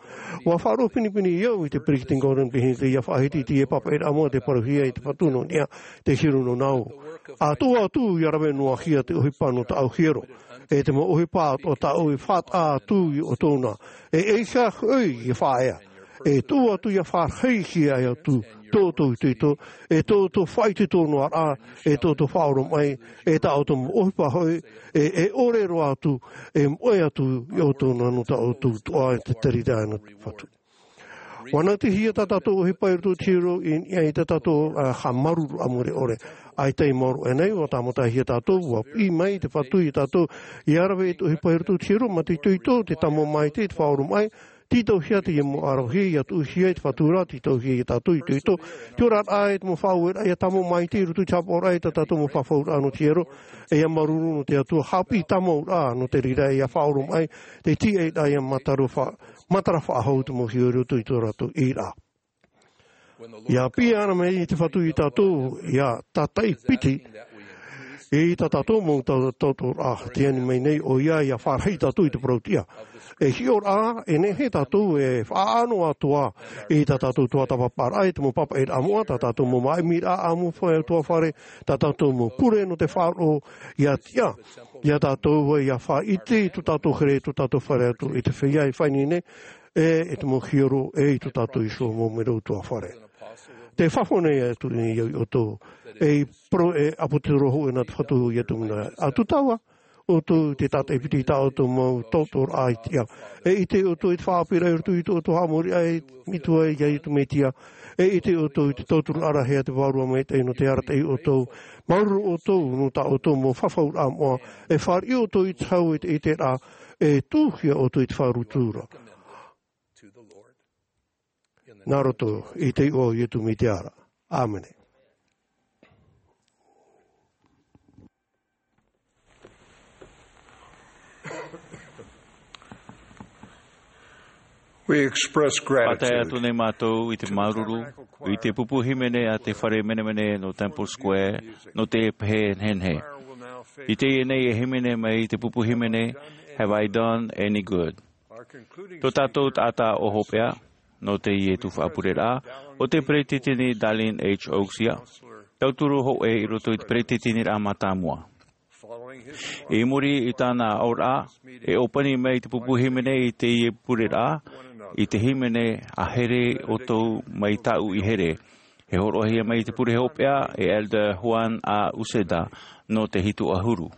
ʻua faʻaroʻo pinepine au i te Peresideni Gordon B. Hinckley ʻia faʻahiti i te papaʻiraʻa moʻa tei parauhia i te Fatu nō niʻa i te hiero nō nāʻu. ʻA tuʻu atu ʻia rave noa hia te ʻohipa nō tāʻu hiero, e te mau ʻohipa atoʻa tāʻu e faʻataʻa atu ia ʻoutou na, e ʻeiaha hoʻi e faʻaea. E tuʻu atu ʻia fārahihia atu tō ʻoutou itoito, e tō ʻoutou faʻaitoito noa ra, e tō ʻoutou faʻaoromaʻi, e tā ʻoutou mau ʻohipa hoʻi, e, e ʻore roa atu, e moʻe atu ia ʻoutou na nō tā ʻoutou tuʻa i te tereraʻa nō te Fatu. ʻUa nautihia tā tātou ʻohipa i roto i te hiero i niʻa i tā tātou, ā, haʻamāuruururaʻa mure ʻore. ʻAita i maoro aʻenei, ʻua tāmatahia tātou, ʻua piʻi mai te Fatu ia tātou, ʻia rave i te ʻohipa i roto i te hiero, mā te itoito, te tāmau maitaʻi, te faʻaoromaʻi, tītauhia teie mau ʻaravihi, ʻia tuʻuhia i te Fatu ra, tītauhia ia tātou itoito, te oraraʻa e te mau faʻaueraʻa, ʻia tāmau maitaʻi i roto i te haʻapaʻoraʻa i tā tātou mau fafauraʻa nō te hiero, e ʻia māuruuru nō te Atua, haʻapiʻi tāmauraʻa nō te reira, ʻia faʻaoromaʻi, te tīaʻiraʻa, ʻia matara fa-, matara faʻahou te mau hiero i roto i tō rātou ʻīraʻa. ʻIa piʻi ana mai te Fatu ia tātou, ʻia tātaʻi piti i tā tātou mau tau-, tautooraʻa, tē ani mai nei ʻoia ʻia fārahi tātou i te parau-tiʻa. E hiʻo ra, e nehenehe tātou e faʻaʻano atoʻa i tā tātou tuatāpaparaʻa, i te mau papaʻiraʻa moʻa, tā tātou mau māʻimiraʻa ʻāmuiraʻa tuafare, tā tātou mau pure nō te faʻaroʻo, ʻia tiʻa ia tātou ʻia faʻaʻite i tō tātou here, tō tātou fare atu i te feiā i faʻaineine, e, e te mau hiero, e i tō tātou iho mau mero tuafare. Tē fafau nei atu nei au ia ʻoutou, e i poro-, e ʻāpōsetolo hōʻē nā te Fatu ia Iesu Mesia. ʻA tūtava ʻoutou i te tātaʻi piti i tā ʻoutou mau tautooraʻa i te tiʻa. E ʻite ʻoutou i te faʻaʻāpīraʻa i roto i tō ʻoutou haʻamori aʻe i te Metua, ia Iesu Mesia. E ʻite ʻoutou i te tauturu ʻarahia a te Vārua Maitaʻi nō te arataʻi ia ʻoutou. Māuruuru ʻoutou nō tā ʻoutou mau fafauraʻa moʻa. E fāriʻi ʻoutou i te hau i te ʻiteraʻa. E tuʻuhia ʻoutou i te faʻaroʻo atu ra. Nā roto i te iʻoa o Iesu Mesia ra. ʻĀmene. We express gratitude. Pātai atu nei mātou i te māuruuru, i te pupu hīmene a te fare menemene nō Temple Square, nō te pehe nehenehe. I teie nei e hīmene mai te pupu hīmene, Have I Done Any Good? Tō tātou taʻata ʻōhopeʻa, nō teie tuhaʻa pureraʻa, ʻo te Peresideni Dallin H. Oaks ia, tauturu hōʻē i roto i te Peresideni mātāmua. I muri i tāna aʻoraʻa, e ʻōpani mai te pupu hīmene i teie pureraʻa, i te hīmene A Here ʻOutou Mai Tāʻu i Here. E hōroʻahia mai te pure hopeʻa e Elder Juan A. Uceda nō te hitu ʻahuru.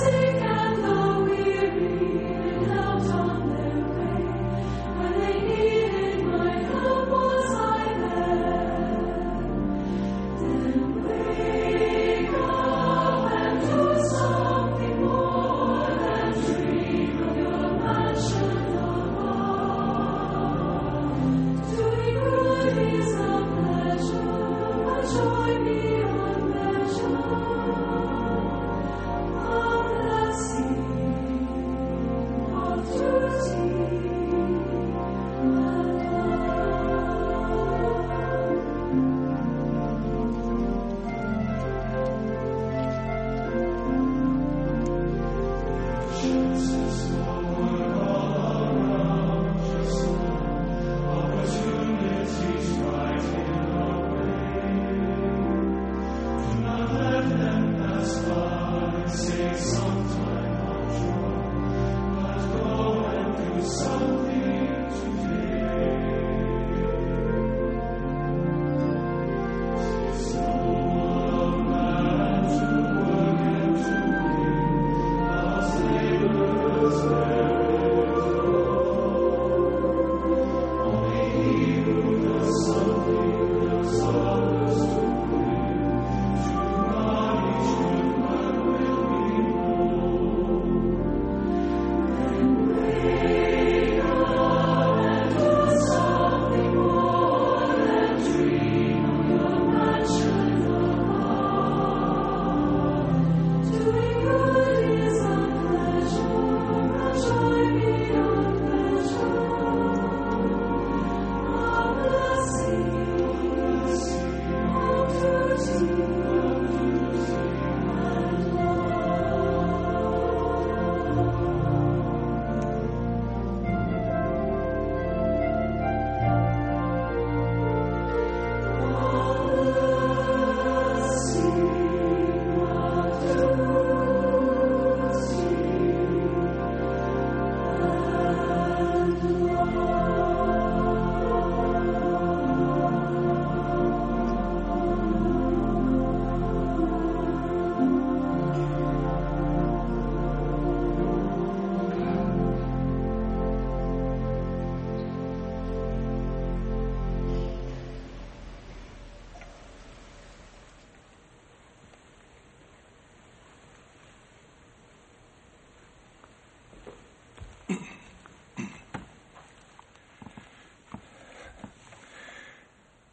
Sick and the weary, helped on their way. When they needed my help, was I there? Then wake up and do something more than dream of your mansion above. Doing good is a pleasure, a joy beyond measure.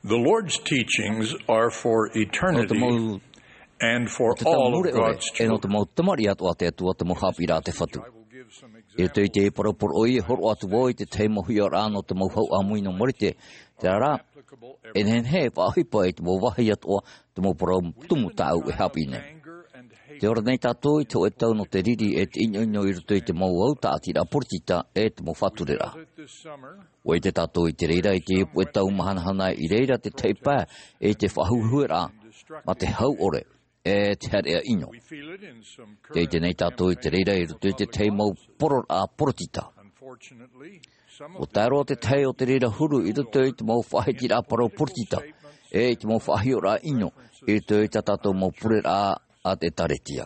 The Lord's teachings are for eternity and for all of God's children. E nō te mau tamariʻi atoʻa a te Atua te mau haʻapiʻiraʻa a te Fatu. I roto i te parau poroʻi, e hōroʻa atu vau i te tahi mau hiʻoraʻa nō te mau hau ʻāmui nō Marite. Terā rā, e nehenehe e faʻaʻohipa i te mau vāhi atoʻa te mau parau tumu tāʻu e haʻapiʻi nei. Tē ora nei tātou i te hōʻē tau nō te riri e te ʻinoʻino i roto i te mau au tāʻatiraʻa poritita e te mau faʻatureraʻa. ʻUa ʻite tātou i te reira i te hōʻē tau mahanahana i reira te tahi pae i te faʻahuehueraʻa mā te hau ʻore e te haereʻa ʻino. Tē ʻite nei tātou i te reira i roto i te tahi mau pororaʻa poritita. ʻUa tae roa te tahi o te reira huru i roto i te mau faʻahitiraʻa parau poritita e i te mau faʻahiʻoraʻa ʻino i roto i tā tātou mau pureraʻa a te ʻĒkālesia.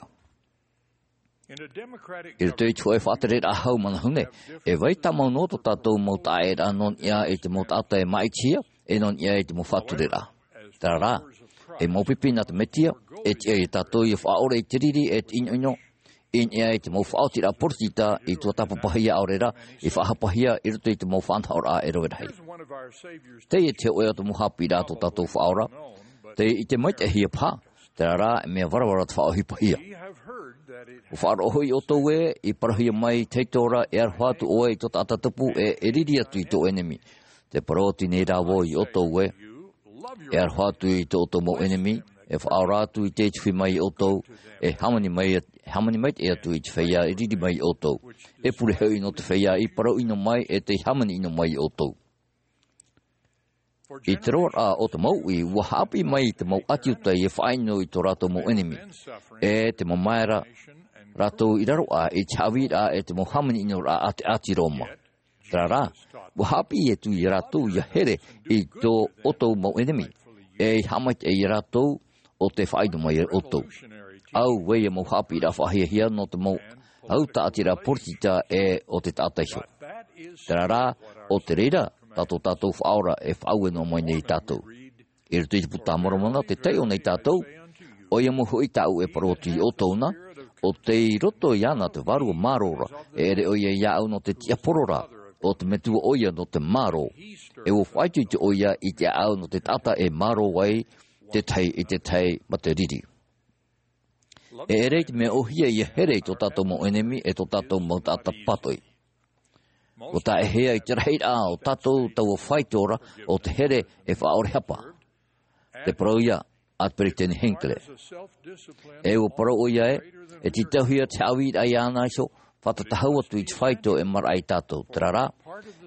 I roto i te hōʻē faʻatereraʻa hau manahune, e vai tāmau noa tō tātou mau taʻaʻēraʻa nō niʻa i te mau taʻata e māʻitihia, e nō niʻa i te mau faʻatureraʻa. Terā rā, e mau pipi nā te Mesia, e tiʻa ia tātou ʻia faʻaʻore i te riri e te ʻinoʻino, i niʻa i te mau faʻaotiraʻa poritita i tuatāpapahia ʻaore rā, i faʻahapahia i roto i te mau faʻanahoraʻa e rave rahi. Teie te hōʻē o te mau haʻapiʻiraʻa tō tātou Faʻaora, tei ʻite maitaʻihia paha, terā rā, e mea varavara te faʻaʻohipahia. ʻUa faʻaroʻo hoʻi ʻoutou ē, i parauhia mai i te hītori, e aroha atu ʻoe i tō taʻata tupu, e, e riri atu i tō ʻenemi. Tē parau atu nei rā vau ia ʻoutou ē, e aroha atu i tō ʻoutou mau ʻenemi, e faʻaora atu i tei tuhi mai ia ʻoutou, e hāmani mai, e hāmani maitaʻi atu i te feiā e riri mai ia ʻoutou. E pure hoʻi nō te feiā i parau ʻino mai, e tei hāmani ʻino mai ia ʻoutou. I te roaraʻa o te mau uʻi, ʻua haʻapiʻi mai te mau ʻāti Iuta ʻia faʻaʻino i tō rātou mau ʻenemi. E te mamae ra rātou i raro aʻe i te haʻavīraʻa e te mau hāmani ʻinoraʻa a te ʻāti Roma. Terā rā, ʻua haʻapiʻi atu ia rātou ʻia here i tō ʻoutou mau ʻenemi, e i haʻamaitaʻi ia rātou ʻo tē faʻaʻino mai ia ʻoutou. Au, ʻoia mau haʻapiʻiraʻa faʻahiahia nō te mau au tāʻatiraʻa poritita e o te taʻata iho. Terā rā, ʻo te reira, tā tō tātou Faʻaora e faʻaue noa mai nei iā tātou. I roto i te Puta a Moromona, tē taiʻo nei tātou, ʻoia mau hoʻi tāʻu e parau atu iā ʻoutou na, ʻo tei roto iāna te vārua mārō ra, e ʻere ʻoia iāʻu nō te tiaporo ra, ʻo te Metua ʻoia nō te mārō. E ʻua faʻaitoito ʻoia i te ʻāʻau nō te taʻata e mārō ai, te tahi i te tahi ma te riri. E ʻere i te mea ʻōhie ʻia here i tō tātou mau ʻenemi e tō tātou mau taʻata pātoʻi. ʻUa taʻehia i te rahiraʻa o tātou taua faito ra o te here e faʻaʻore hapa. Te parau ia a te Peretiteni Hinckley. E ʻua parau ʻoia ē, e tītauhia te haʻavīraʻa iāna iho, fātata hau atu i te faito e maraʻa iā tātou. Terā rā,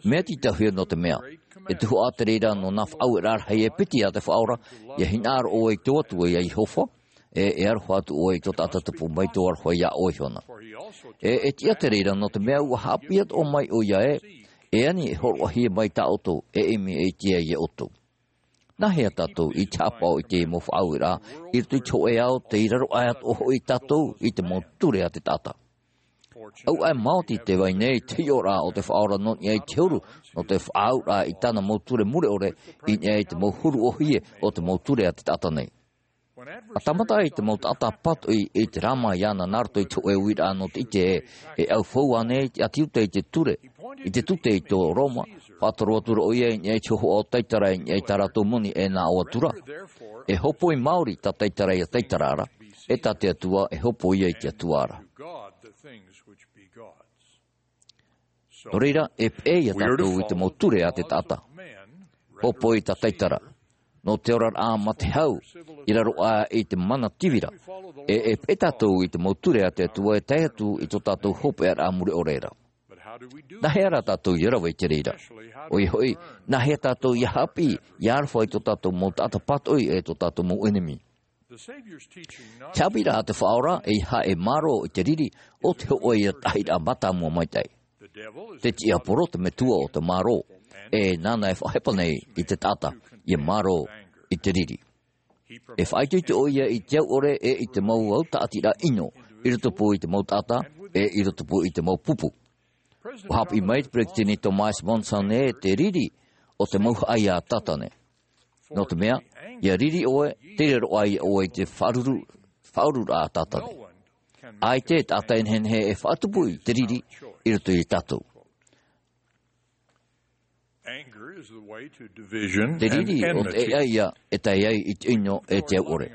mea tītauhia nō te mea, e tuhaʻa te reira nō nā faʻaueraʻa rahi e piti a te Faʻaora, ʻia hinaʻaro ʻoe i tō Atua ia Iehova, e, e aroha atu ʻoe i tō taʻata tupu mai tō aroha iā ʻoe iho na. E, e tiʻa te reira nō te mea ʻua haʻapiʻi atoʻa mai ʻoia ē, e ani e hōroʻahia mai tā ʻoutou, e ʻimi e ʻite ai iā ʻoutou. Nā hea tātou i te haʻapaʻo i te mau faʻaueraʻa, i roto i te hōʻē ao tei raro aʻe atoʻa hoʻi tātou i te mau ture a te taʻata. ʻAuaʻe maoti tē vai nei te hiʻoraʻa o te Faʻaora nō niʻa i te huru, nō te faʻaauraʻa i tāna mau ture mure ʻore, i niʻa i te mau huru ʻōhie o te mau ture a te taʻata nei. ʻA tāmata ai te mau taʻata pātoʻi i te rāma iāna nā roto i te hōʻē uiraʻa nō te ʻite ē, e ʻaufau ānei te ʻāti Iuta i te ture, i te tute i tō Roma, faʻatoro atu ra ʻoia i niʻa i te hōhoʻa o Taitara i niʻa i tā rātou moni e nā ʻō atu ra. E hōpoi maori tā Taitara ia Taitara ra, e tā te Atua e hōpoi ia i te Atua ra. Nō reira, e peʻe ia tātou i te mau ture a te taʻata. Hōpoi tā Taitara. Nō te oraraʻa ma te hau, i raro aʻe i te mana tivira. E, e peʻe tātou i te mau ture a te Atua e tae atu i tō tātou hopeʻaraʻa mure ʻore ra. Nā hea rā tātou ʻia rave i te reira? ʻOia hoʻi, nā hea tātou ʻia haʻapiʻi, ʻia aroha i tō tātou mau taʻata pātoʻi e tō tātou mau ʻenemi? Te haʻapiʻiraʻa a te Faʻaora, ʻeiaha e mārō i te riri, ʻo te hōʻē ia tahiraʻa mātāmua maitaʻi. Te tiaporo te metua o te mārō, e nāna e faʻahepa nei i te taʻata, ʻia mārō i te riri. E faʻaitoito ʻoia i te au ʻore e i te mau au tāʻatiraʻa ʻino, i rotopū i te mau taʻata, e i rotopū i te mau pupu. ʻUa haʻapiʻi mai te Peretiteni Thomas Monson ē, te riri, ʻo te mauhaʻa ia a Tātane. Nō te mea, ʻia riri ʻoe, tei raro aʻe ʻoe i te faʻaruru, faʻarururaʻa a Tātane. ʻAita e taʻata e nehenehe e faʻatupu i te riri i roto ia tātou. Te riri ʻo te ʻēʻa ia e tae ai i te ʻino e te au ʻore.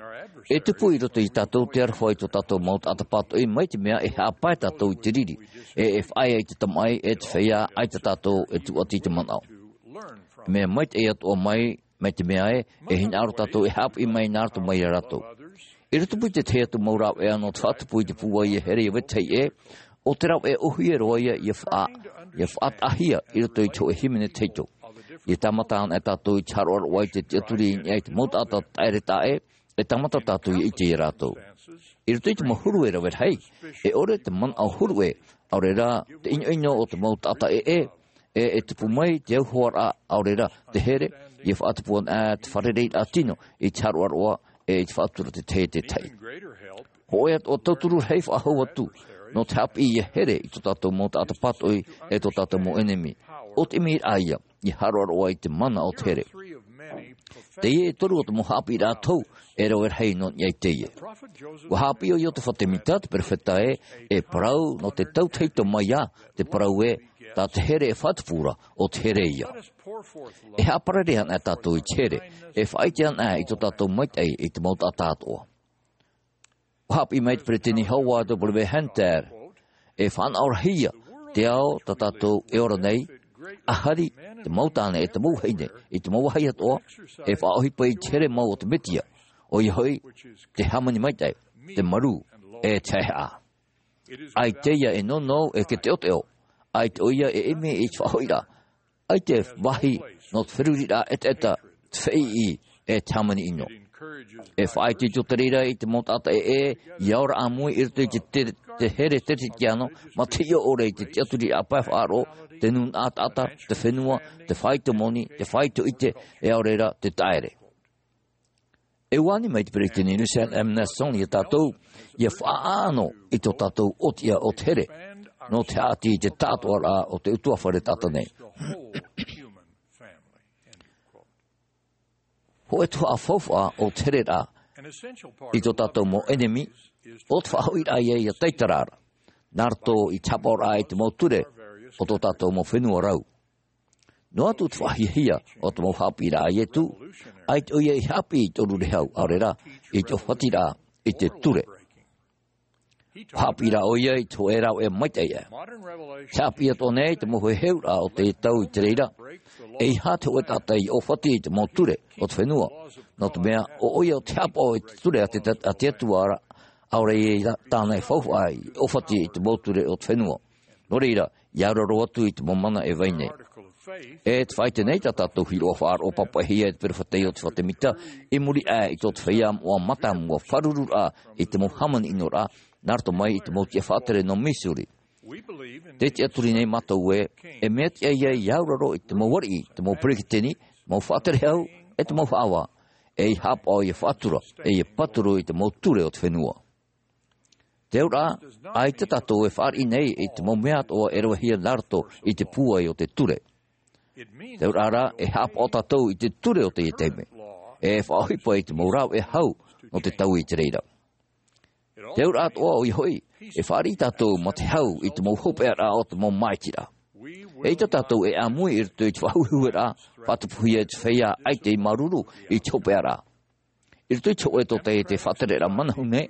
E tupu i roto ia tātou te aroha i tō tātou mau taʻata pātoʻi, mai te mea e haʻapae tātou i te riri, e, e faʻaea i te tamaʻi, e te feiā, ʻaita tātou e tūʻati i te manaʻo. Mea maitaʻi atoʻa mai, mai te mea ē, e hinaʻaro tātou e haʻapiʻi mai nā roto mai ia rātou. I rotopū i te tahi atu mau rāveʻa nō te faʻatupu i te pūai e here ia vetahi ʻē, ʻo te rāveʻa ʻōhie roa ia, ʻia faʻa-, ʻia faʻataʻahia i roto i te hōʻē hīmene tahito. ʻIa tāmata anaʻe tātou i te haroʻaroʻa i te tiʻaturi i niʻa i te mau taʻata taʻere taʻa ʻē, e tāmata tātou ʻia ʻite ia rātou. I roto i te mau huru e rave rahi, e ʻore te manaʻo huru ʻē, ʻaore rā te ʻinoʻino o te mau taʻata ʻē, e, e tupu mai te auhoaraʻa, ʻaore rā te here, ʻia faʻatupu anaʻe te fārereiraʻa tino i te haroʻaroʻa, e i te faʻatura te tahi e te tahi. Hōʻē atoʻa tauturu rahi faʻahou atu, nō te haʻapiʻi ʻia here i tō tātou mau taʻata pātoʻi, e tō tātou mau ʻenemi. ʻO te ʻimiraʻa ia, ʻia haroʻaroʻa i te mana o te here. Teie e toru o te mau haʻapiʻiraʻa tohu, e rave rahi nō niʻa i teie. ʻUa haʻapiʻi ʻo Iotefa Temita, te perofeta ē, e parau nō te tautahito mai ā, te parau ē, tā te here e faʻatupu ra, ʻo te here ia. E haʻaparare anaʻe tātou i te here, e faʻaʻite anaʻe i tō tātou maitaʻi i te mau taʻata atoʻa. ʻUa haʻapiʻi mai te Peretiteni Howard W. Hunter, e faʻanahoraʻahia te ao tā tātou e ora nei, ʻa hari te mau tāne e te mau vahine, i te mau vāhi atoʻa, e faʻaʻohipa i te here mau o te Mesia, ʻoia hoʻi, te hāmani maitaʻi, te marū, e te haʻehaʻa. ʻAita ia e nounou e ke teʻoteʻo, ʻaita ʻoia e ʻimi i te faʻahoʻiraʻa, ʻaita e vāhi nō te feruriraʻa ʻetaʻeta, te feiʻi, e te hāmani ʻino. E faʻaitoito te reira i te mau taʻata ʻē, ʻia ora ʻāmui i roto i te, te, te here Teretitiano, mā te hiʻo ʻore i te tiʻaturiraʻa pae faʻaroʻo, te nūnaʻa taʻata, te fenua, te faito moni, te faito ʻite, e ʻaore rā, te taʻere. E ʻua ani mai te peresideni Russell M. Nelson ia tātou, ia faʻaʻano i tō tātou ʻōtiʻa o te here, nō te haʻati i te tāʻātoʻaraʻa o te ʻutuāfare taʻata nei. Hōʻē tuhaʻa faufaʻa o te hereraʻa i tō tātou mau ʻenemi, ʻo te faʻahoʻiraʻa ia, ia taitara ra, nā roto i te haʻapaʻoraʻa i te mau ture o tō tātou mau fenua rau. Noa atu te faʻahiahia o te mau haʻapiʻiraʻa a Ietu, ʻaita ʻoia i haʻapiʻi i te ʻōrurehau, ʻaore rā, i te ʻōfatiraʻa i te ture. Haʻapiʻi rā ʻoia i te hōʻē rāveʻa maitaʻi aʻe. Te haʻapiʻi atoʻa nei te mau heheuraʻa o te tau i te reira, ʻeiaha te hōʻē taʻata i ʻōfati i te mau ture o te fenua, nō te mea, ʻo ʻoia ʻo te haʻapaʻo i te ture a te, a te Atua ra, ʻaore ia tāna e faufaʻa i ʻōfati i te mau ture o te fenua. Nō reira, ia auraro atu i te mau mana e vai nei. E te faʻaʻite nei tā tātou hīroʻa faʻaroʻo pāpaʻihia e te peropheta Iotefa Temita, i muri aʻe i tō te feiā moʻa mātāmua fāruru ra i te mau hāmani ʻino ra, nā roto mai i te mau tiʻa faʻatere nō Missouri. Tē tiʻaturi nei mātou ē, e mea tiʻa ia, ia auraro i te mau ariʻi, te mau peresideni, mau faʻatere hau, e te mau haʻavā, ʻei haʻapaʻo ia faʻatura, ʻe ia pāturu i te mau ture o te fenua. Te auraʻa, ʻaita tātou e fāriʻi nei i te mau mea atoʻa e ravehia nā roto i te pūai o te ture. Te auraʻa rā, e haʻapaʻo tātou i te ture o teie taime, e faʻaʻohipa i te mau rāveʻa hau nō te tau i te reira. Te auraʻa atoʻa ʻoia hoʻi, e fāriʻi tātou mā te hau i te mau hopeʻaraʻa o te mau māʻitiraʻa. ʻEita tātou e ʻāmui i roto i te faʻahuehue ra, faʻatupuhia e te feiā ʻaita i māuruuru i te hopeʻaraʻa. I roto i te hōʻē tōtaiete faʻatereraʻa manahune,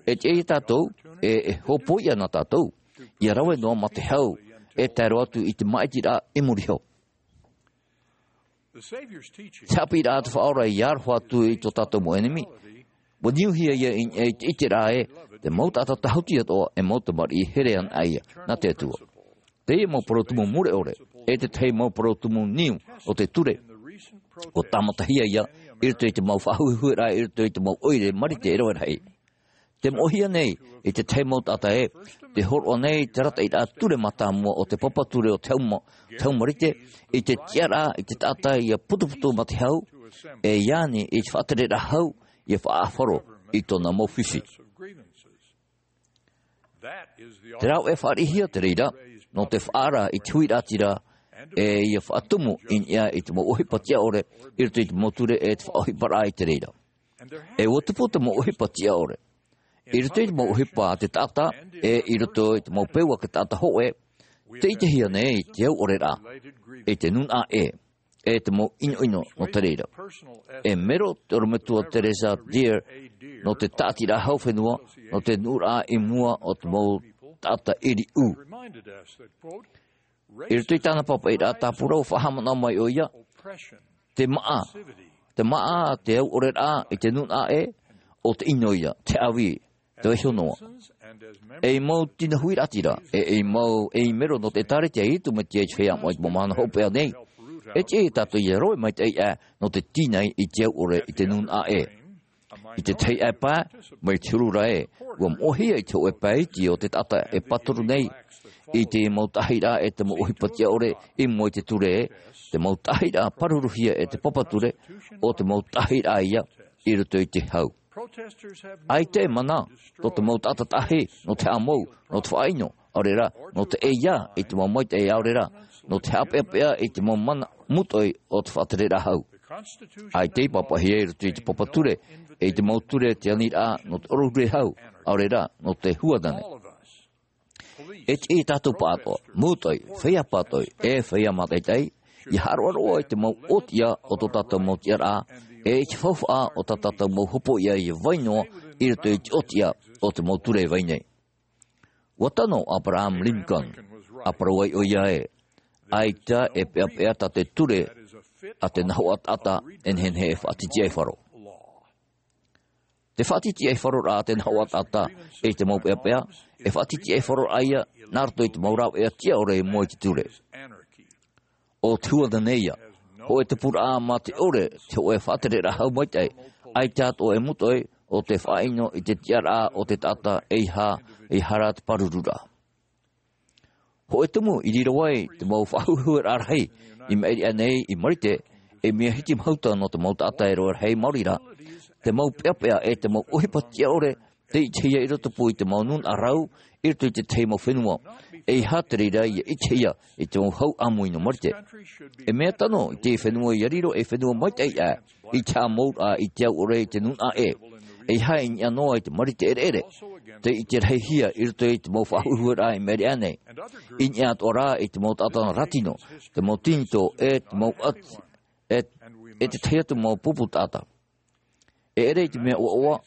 e tiʻa ia tātou, e, e hōpoiʻa na tātou, ia rave noa mā te hau, e tae roa atu i te māʻitiraʻa i muri iho. Te haʻapiʻiraʻa a te Faʻaora i aroha atu i tō tātou mau ʻenemi, ʻua niuhia ia i, i te ʻiteraʻa ē, te mau taʻata tāhuti atoʻa, e mau tamariʻi here anaʻe ia, nā te Atua. Teie mau parau tumu mure ʻore, e te tahi mau parau tumu niu o te ture, ʻua tāmatahia ia, i roto i te mau faʻahuehueraʻa, i roto i te mau ʻoire marite e rave rahi. Tē moʻehia nei, i te tahi mau taʻata ē, tē hōroʻa nei te arataʻiraʻa ture mātāmua o te papa ture o te hau ma-, te hau marite, i te tiʻaraʻa, i te taʻata ia putuputu mā te hau, e ia ani i te faʻatereraʻa hau, ia faʻaʻāfaro i tōna mau fifi. Te rāveʻa fāriʻihia te reira, nō te faʻaara i te huiraʻatira, ʻe ia faʻatumu i niʻa i te mau ʻohipa tiʻa ʻore, i roto i te mau ture ʻe te faʻaʻohiparaʻa i te reira. ʻE ʻua tupu te mau ʻohipa tiʻa ʻore. I roto i te mau ʻohipa a te taʻata, ʻe i roto i te mau peu a te taʻata hōʻē, tē ʻitehia nei te au ʻore ra, i te nūnaʻa ʻē, ʻe te mau ʻinoʻino nō te reira. E mero te ʻorometua Teresa Deer, nō te tāʻatiraʻa hau fenua, nō te nuʻuraʻa i mua o te mau taʻata ʻiriʻu. I roto i tāna pāpaʻiraʻa tāpura ʻua faʻahaʻamanaʻo mai ʻoia, te māʻa, te māʻa, te au ʻore ra i te nūnaʻa ʻē, ʻo te ʻino ia, te ʻāvī, te vaiiho noa. ʻEi mau tino huiraʻatira, ʻe, ʻei mau, ʻei mero nō te ʻĒtārētia a Iesu Mesia i te feiā moʻa i te mau mahana hopeʻa nei. E tiʻa ia tātou ia rave maitaʻi aʻe, nō te tīnai i te au ʻore i te nūnaʻa ʻē. I te tahi ʻāpae, mai te huru ra ē, ʻua moʻehia i te hōʻē pae iti o te taʻata e pāturu nei, i te mau taʻahiraʻa ʻe te mau ʻohipa tiʻa ʻore, i mua i te ture ē, te mau taʻahiraʻa pāruruhia e te papa ture, ʻo te mau taʻahiraʻa ia, i roto i te hau. ʻAita e mana, tō te mau taʻata taʻahi, nō te haʻamou, nō te faʻaʻino, ʻaore ra, nō te ʻeiā, i te mau maitaʻi ʻaore ra, nō te haʻapeʻapeʻa, i te mau mana mūtoʻi o te faʻatereraʻa hau. ʻAita i pāpaʻihia i roto i te papa ture, ʻe i te mau ture te aniraʻa, nō te ʻōrurehau, ʻaore ra, nō te huanane. E tiʻa ia tātou pāʻatoʻa, mūtoʻi, feiā pātoʻi, ʻe feiā mātaʻitaʻi, ia haʻaroʻaroʻa i te mau ʻōtiʻa o tō tātou mau tiʻaraʻa, ʻe i te faufaʻa o tā tātou mau hopoiʻa ia vai noa i roto i te ʻōtiʻa o te mau ture e vai nei. ʻUa tano ʻo Abraham Lincoln, ʻa parau ai ʻoia ē, ʻaita e peʻapeʻa tā te ture a te nahoʻa taʻata e nehenehe e faʻatitiʻaifaro. Te faʻatitiʻaifaroraʻa a te nahoʻa taʻata i te mau peʻapeʻa, e faʻatitiʻaifaroraʻa ia nā roto i te mau rāveʻa tiʻa ʻore i mua i te ture. ʻO te huanane ia, hōʻē tupuraʻa mā te ʻore, te hōʻē faʻatereraʻa hau maitaʻi, ʻaita atoʻa e mūtoʻi, ʻo te faʻaʻino i te tiʻaraʻa o te taʻata ʻeiaha, ʻeiaha rā te pārururaʻa. Hōʻē tumu i riro ai te mau faʻahuehueraʻa rahi i maʻiri aʻe nei i Marite, e mea hitimahuta nō te mau taʻata e rave rahi maori ra, te mau peʻapeʻa e te mau ʻohipa tiʻa ʻore, tei ʻitehia i rotopū i te mau nūnaʻa rau, i roto i te tahi mau fenua. ʻEiaha te reira ia ʻitehia i te mau hau ʻāmui nō Marite. E mea tano i te fenua ia riro ei fenua maitaʻi aʻe, i te haʻamouraʻa i te au ʻore i te nūnaʻa ʻē. ʻEiaha i niʻa noa i te Marite ʻereʻere, tei ʻite rahihia i roto i te mau faʻahuehueraʻa i maʻiri aʻe nei. I niʻa atoʻa rā i te mau taʻata rātino, te mau tinitō, e te mau ʻati, e, e te tahi atu mau pupu taʻata. E ʻere i te mea ʻoaʻoa,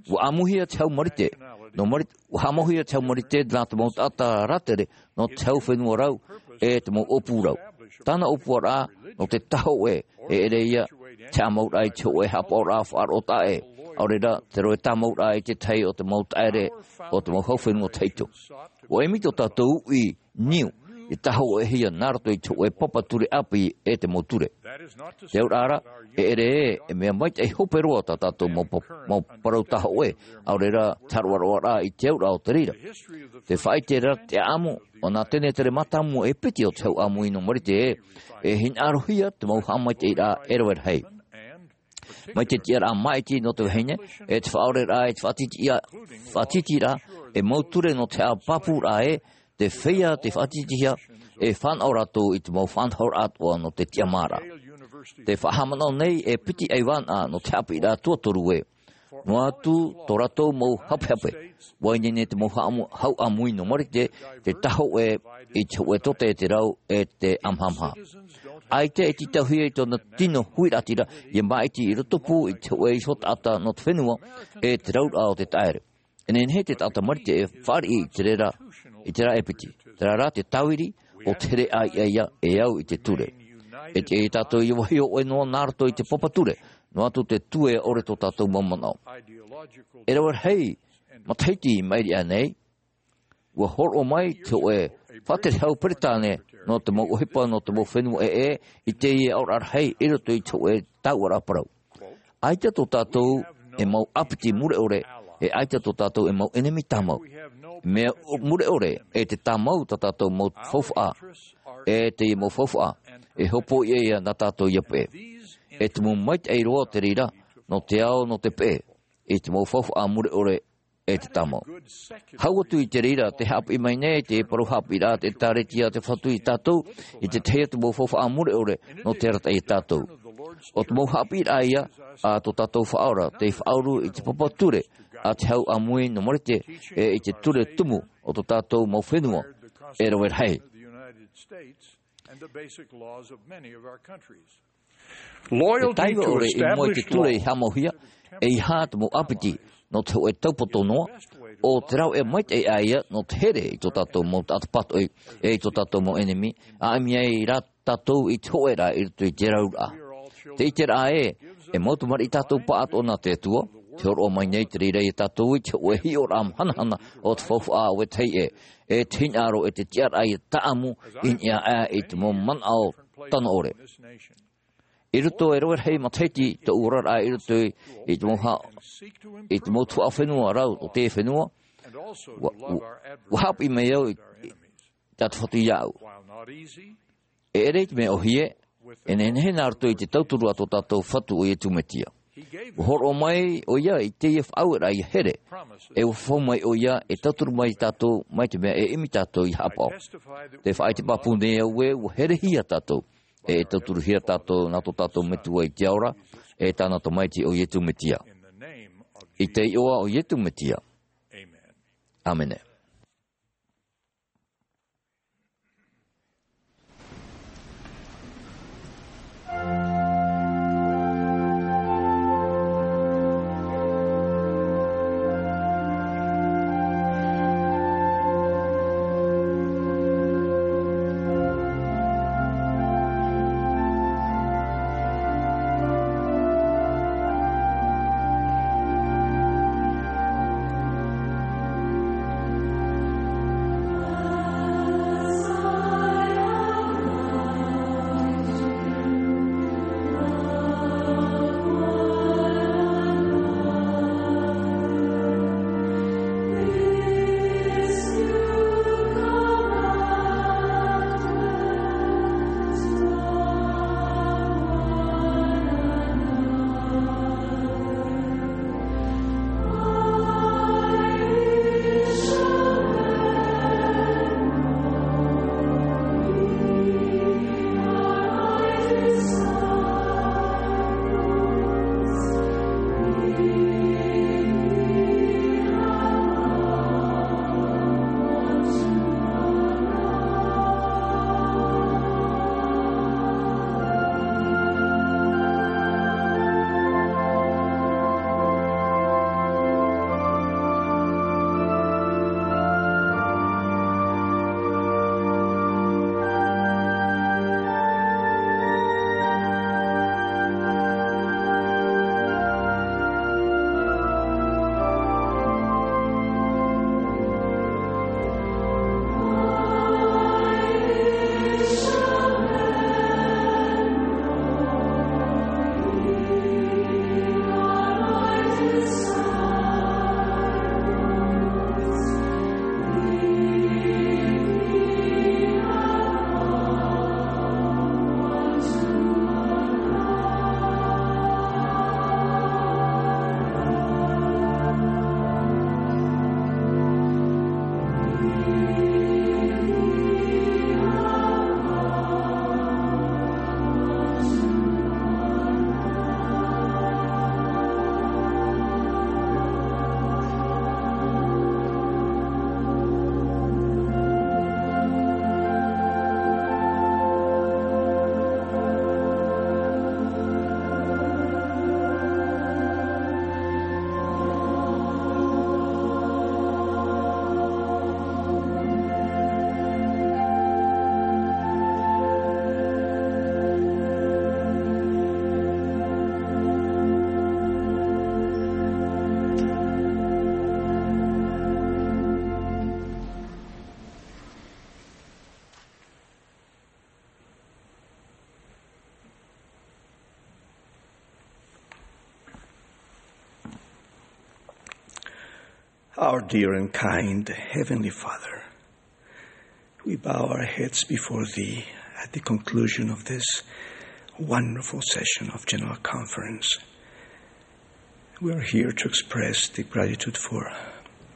ua ʻāmuihia te hau Marite, nō Marite, ua haʻamauhia te hau Marite nā te mau taʻata rātere, nō te hau fenua rau, e te mau ʻōpū rau. Tāna ʻōpuaraʻa, nō te tahoʻē, e ʻere ia, te haʻamauraʻa i te hōʻē haʻapaʻoraʻa faʻaroʻo taʻa ʻē, ʻaore rā, te rohe tāmauraʻa i te tahi o te mau taʻere, o te mau hau fenua tahito. Ua ʻimi tō tātou uʻi, niu, i tahoʻēhia nā roto i te hōʻē papa ture ʻāpī e te mau ture. Te auraʻa ra, e ʻere ē, e mea maitaʻi hope roa tā tātou mau pa-, mau parau tahoʻē, ʻaore rā, te hāroʻaroʻaraʻa i te auraʻa o te reira. Te faʻaʻite ra te ʻāʻamu, ʻo nā Tenetere Mātāmua e piti o te hau ʻāmui nō Marite ē, e hinaʻarohia te mau haʻamaitaʻiraʻa e rave rahi. Mai te tiʻaraʻa māʻiti nō te vahine, e te faʻaoreraʻa, e te faʻatītīraʻa, faʻatītīraʻa, e mau ture nō te haʻapāpūraʻa ē, te feiā tei faʻatītīhia, e fānaʻo rātou i te mau faʻanahoraʻa atoʻa nō te tiʻamāraʻa. Tē faʻahaʻamanaʻo nei e piti ʻaivānaʻa nō te haʻapiʻiraʻa tuatoru ē. Noa atu tō rātou mau hapehape. ʻUa ineine te mau haʻamu-, hau ʻāmui nō Marite, te tahoʻē i te hōʻē tōtē e te rau, e te ʻamahamaha. ʻAita e tītauhia i tōna tino huiraʻatira, ʻia māʻiti i rotopū i te hōʻē iho taʻata nō te fenua, e te rauraʻa o te taʻere. E nehenehe te taʻata Marite e fāriʻi i te reira, i te reira e piti. Terā rā te tāviri, ʻo te here ʻāiʻa ia e au i te ture. E tiʻa ia tātou ʻia vāhi hōʻē noa nā roto i te papa ture, noa atu te tuea ʻore tō tātou mau manaʻo. E rave rahi matahiti i maʻiri aʻe nei, ʻua hōroʻa mai te hōʻē faʻaterehau peretāne nō te mau ʻohipa nō te mau fenua ʻē, i teie aʻoraʻa rahi i roto i te hōʻē tāuʻaraʻa parau. ʻAita tō tātou e mau ʻāpiti mure ʻore, e ʻaita tō tātou e mau ʻenemi tāmau. Mea mure ʻore, e te tāmau tā tātou mau faufaʻa, e teie mau faufaʻa, e hopoiʻa ia nā tātou ʻia peʻe. E tumu maitaʻi roa te reira, nō te ao, nō te peʻe, i te mau faufaʻa mure ʻore, e te tāmau. Hau atu i te reira, tē haʻapiʻi mai nei te parau haʻapiʻiraʻa a te ʻĒkālesia a te Fatu ia tātou, i te tahi atu mau faufaʻa mure ʻore, nō te arataʻi ia tātou. ʻO te mau haʻapiʻiraʻa ia, a tō tātou Faʻaora, tei faʻauru i te papa ture, a te hau ʻāmui nō Marite, e i te ture tumu, o tō tātou mau fenua, e rave rahi. Te taiva ʻore i mua i te ture i haʻamauhia, ʻeiaha te mau ʻāpiti, nō te hōʻē taupoto noa, ʻo te rāveʻa maitaʻi aʻe ia, nō te here i tō tātou mau taʻata pātoʻi, e i tō tātou mau ʻenemi, ʻa ʻimi ai rā tātou i te hōʻēraʻa i roto i te rauraʻa. Te ʻiteraʻa ē, e mau tamariʻi tātou pāʻatoʻa nā te Atua, tē hōroʻa mai nei te reira ia tātou i te hōʻē hiʻoraʻa hanahana o te faufaʻa ʻo vetahi ē, e te hinaʻaro e te tiʻaraʻa ia tāʻamu i niʻa aʻe i te mau manaʻo tano ʻore. I roto e rave rahi matahiti tōʻu oraraʻa i roto i, i te mau ha-, i te mau tuhaʻa fenua rau o te fenua, ʻua, ʻua, ʻua haʻapiʻi mai au i, i tā te Fatu iāʻu. E ʻere i te mea ʻōhie, e nehenehe nā roto i te tauturu a tō tātou Fatu ʻo Iesu Mesia. ʻUa hōroʻa mai ʻoia i teie faʻaueraʻa ʻia here, e ʻua fafau mai ʻoia e tauturu mai ia tātou, mai te mea e ʻimi tātou ʻia haʻapaʻo. Tē faʻaʻite pāpū nei au ē, ʻua herehia tātou, e, e tauturuhia tātou nā tō tātou Metua i te ao ra, e tāna Tamaiti ʻo Iesu Mesia. I te iʻoa o Iesu Mesia. ʻĀmene. Our dear and kind Heavenly Father, we bow our heads before Thee at the conclusion of this wonderful session of General Conference. We are here to express deep gratitude for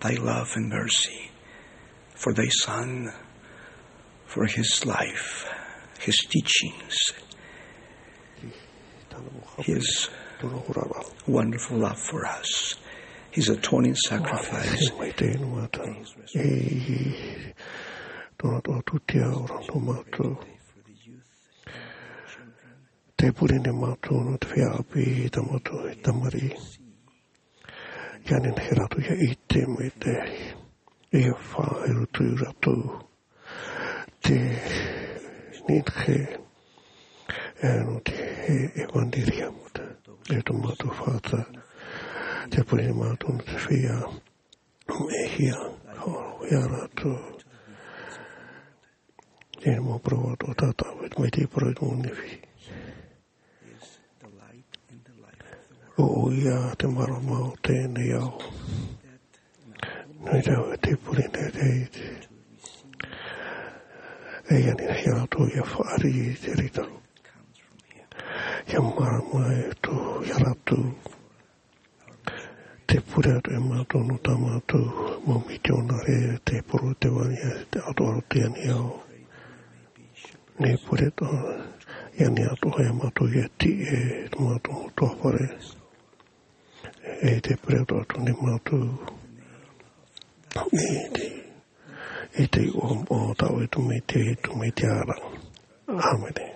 Thy love and mercy, for Thy Son, for His life, His teachings, His wonderful love for us, His atoning sacrifice. Mai te inu ata. E tōna tō tūtia ora nō mātou. Te pure nei mātou nō te feiā ʻāpī, tā mātou e tamariʻi. Ia nehenehe rātou ia ʻite mai te, ia faʻaherutu rātou te nehenehe, e, nō te, e, ʻevaneria mata. E tō mātou fātata, te pure nei mātou nō te feiā, e hia, hōroʻahia rātou. Tēnā mau parau atoʻa tātou, mai te parau i tō Nefi. ʻO ia te mārama o teie nei ao. Nō reira te pure nei te, te, e ani nei rātou ia fāriʻi i te reira. Ia mārama e tō, ia rātou. Te pure atoʻa e mātou nō tā mātou mau mitionare, te poro, te vāhi, te atoʻa o teie nei ao. Nei pure atoʻa, ia ani atoʻa e mātou ia tiʻi e tō mātou mau ʻutuāfare. E te pure atoʻa atu nei mātou. E te, e te iʻoa o tā ʻoe Tamaiti, Tamaiti ara. ʻĀmene.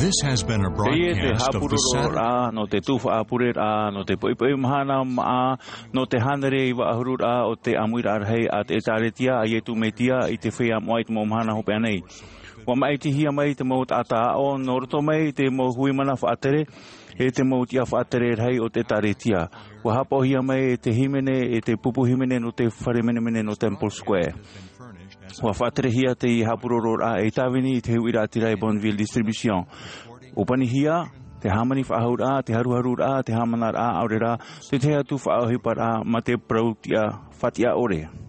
This has been a broadcast of the Saturday. Teie te haʻapurororaʻa nō te tū faʻapureraʻa, nō te poʻipoʻi mahana maʻa, nō te hānere iva ʻahuru raʻa o te ʻāmuiraʻa rahi a te ʻĒtārētia a Iesu Mesia i te feiā moʻa i te mau mahana hopeʻa nei. ʻUa māʻitihia mai te mau taʻata aʻo nō roto mai i te mau hui mana faʻatere, e te mau tiʻa faʻatere rahi o te ʻĒtārētia. ʻUa haʻapaʻohia mai e te hīmene, e te pupu hīmene nō te fare menemene nō Temple Square. ʻUa faʻaterehia teie haʻapurororaʻa ei tāvini i te huiraʻatira e Bonneville Distribution. ʻUa panihia te hāmani faʻahou raʻa, te haruharu raʻa, te haʻamanaraʻa, ʻaore rā te tahi atu faʻaʻohiparaʻa mā te parau tiʻa, faʻatiʻa ʻore.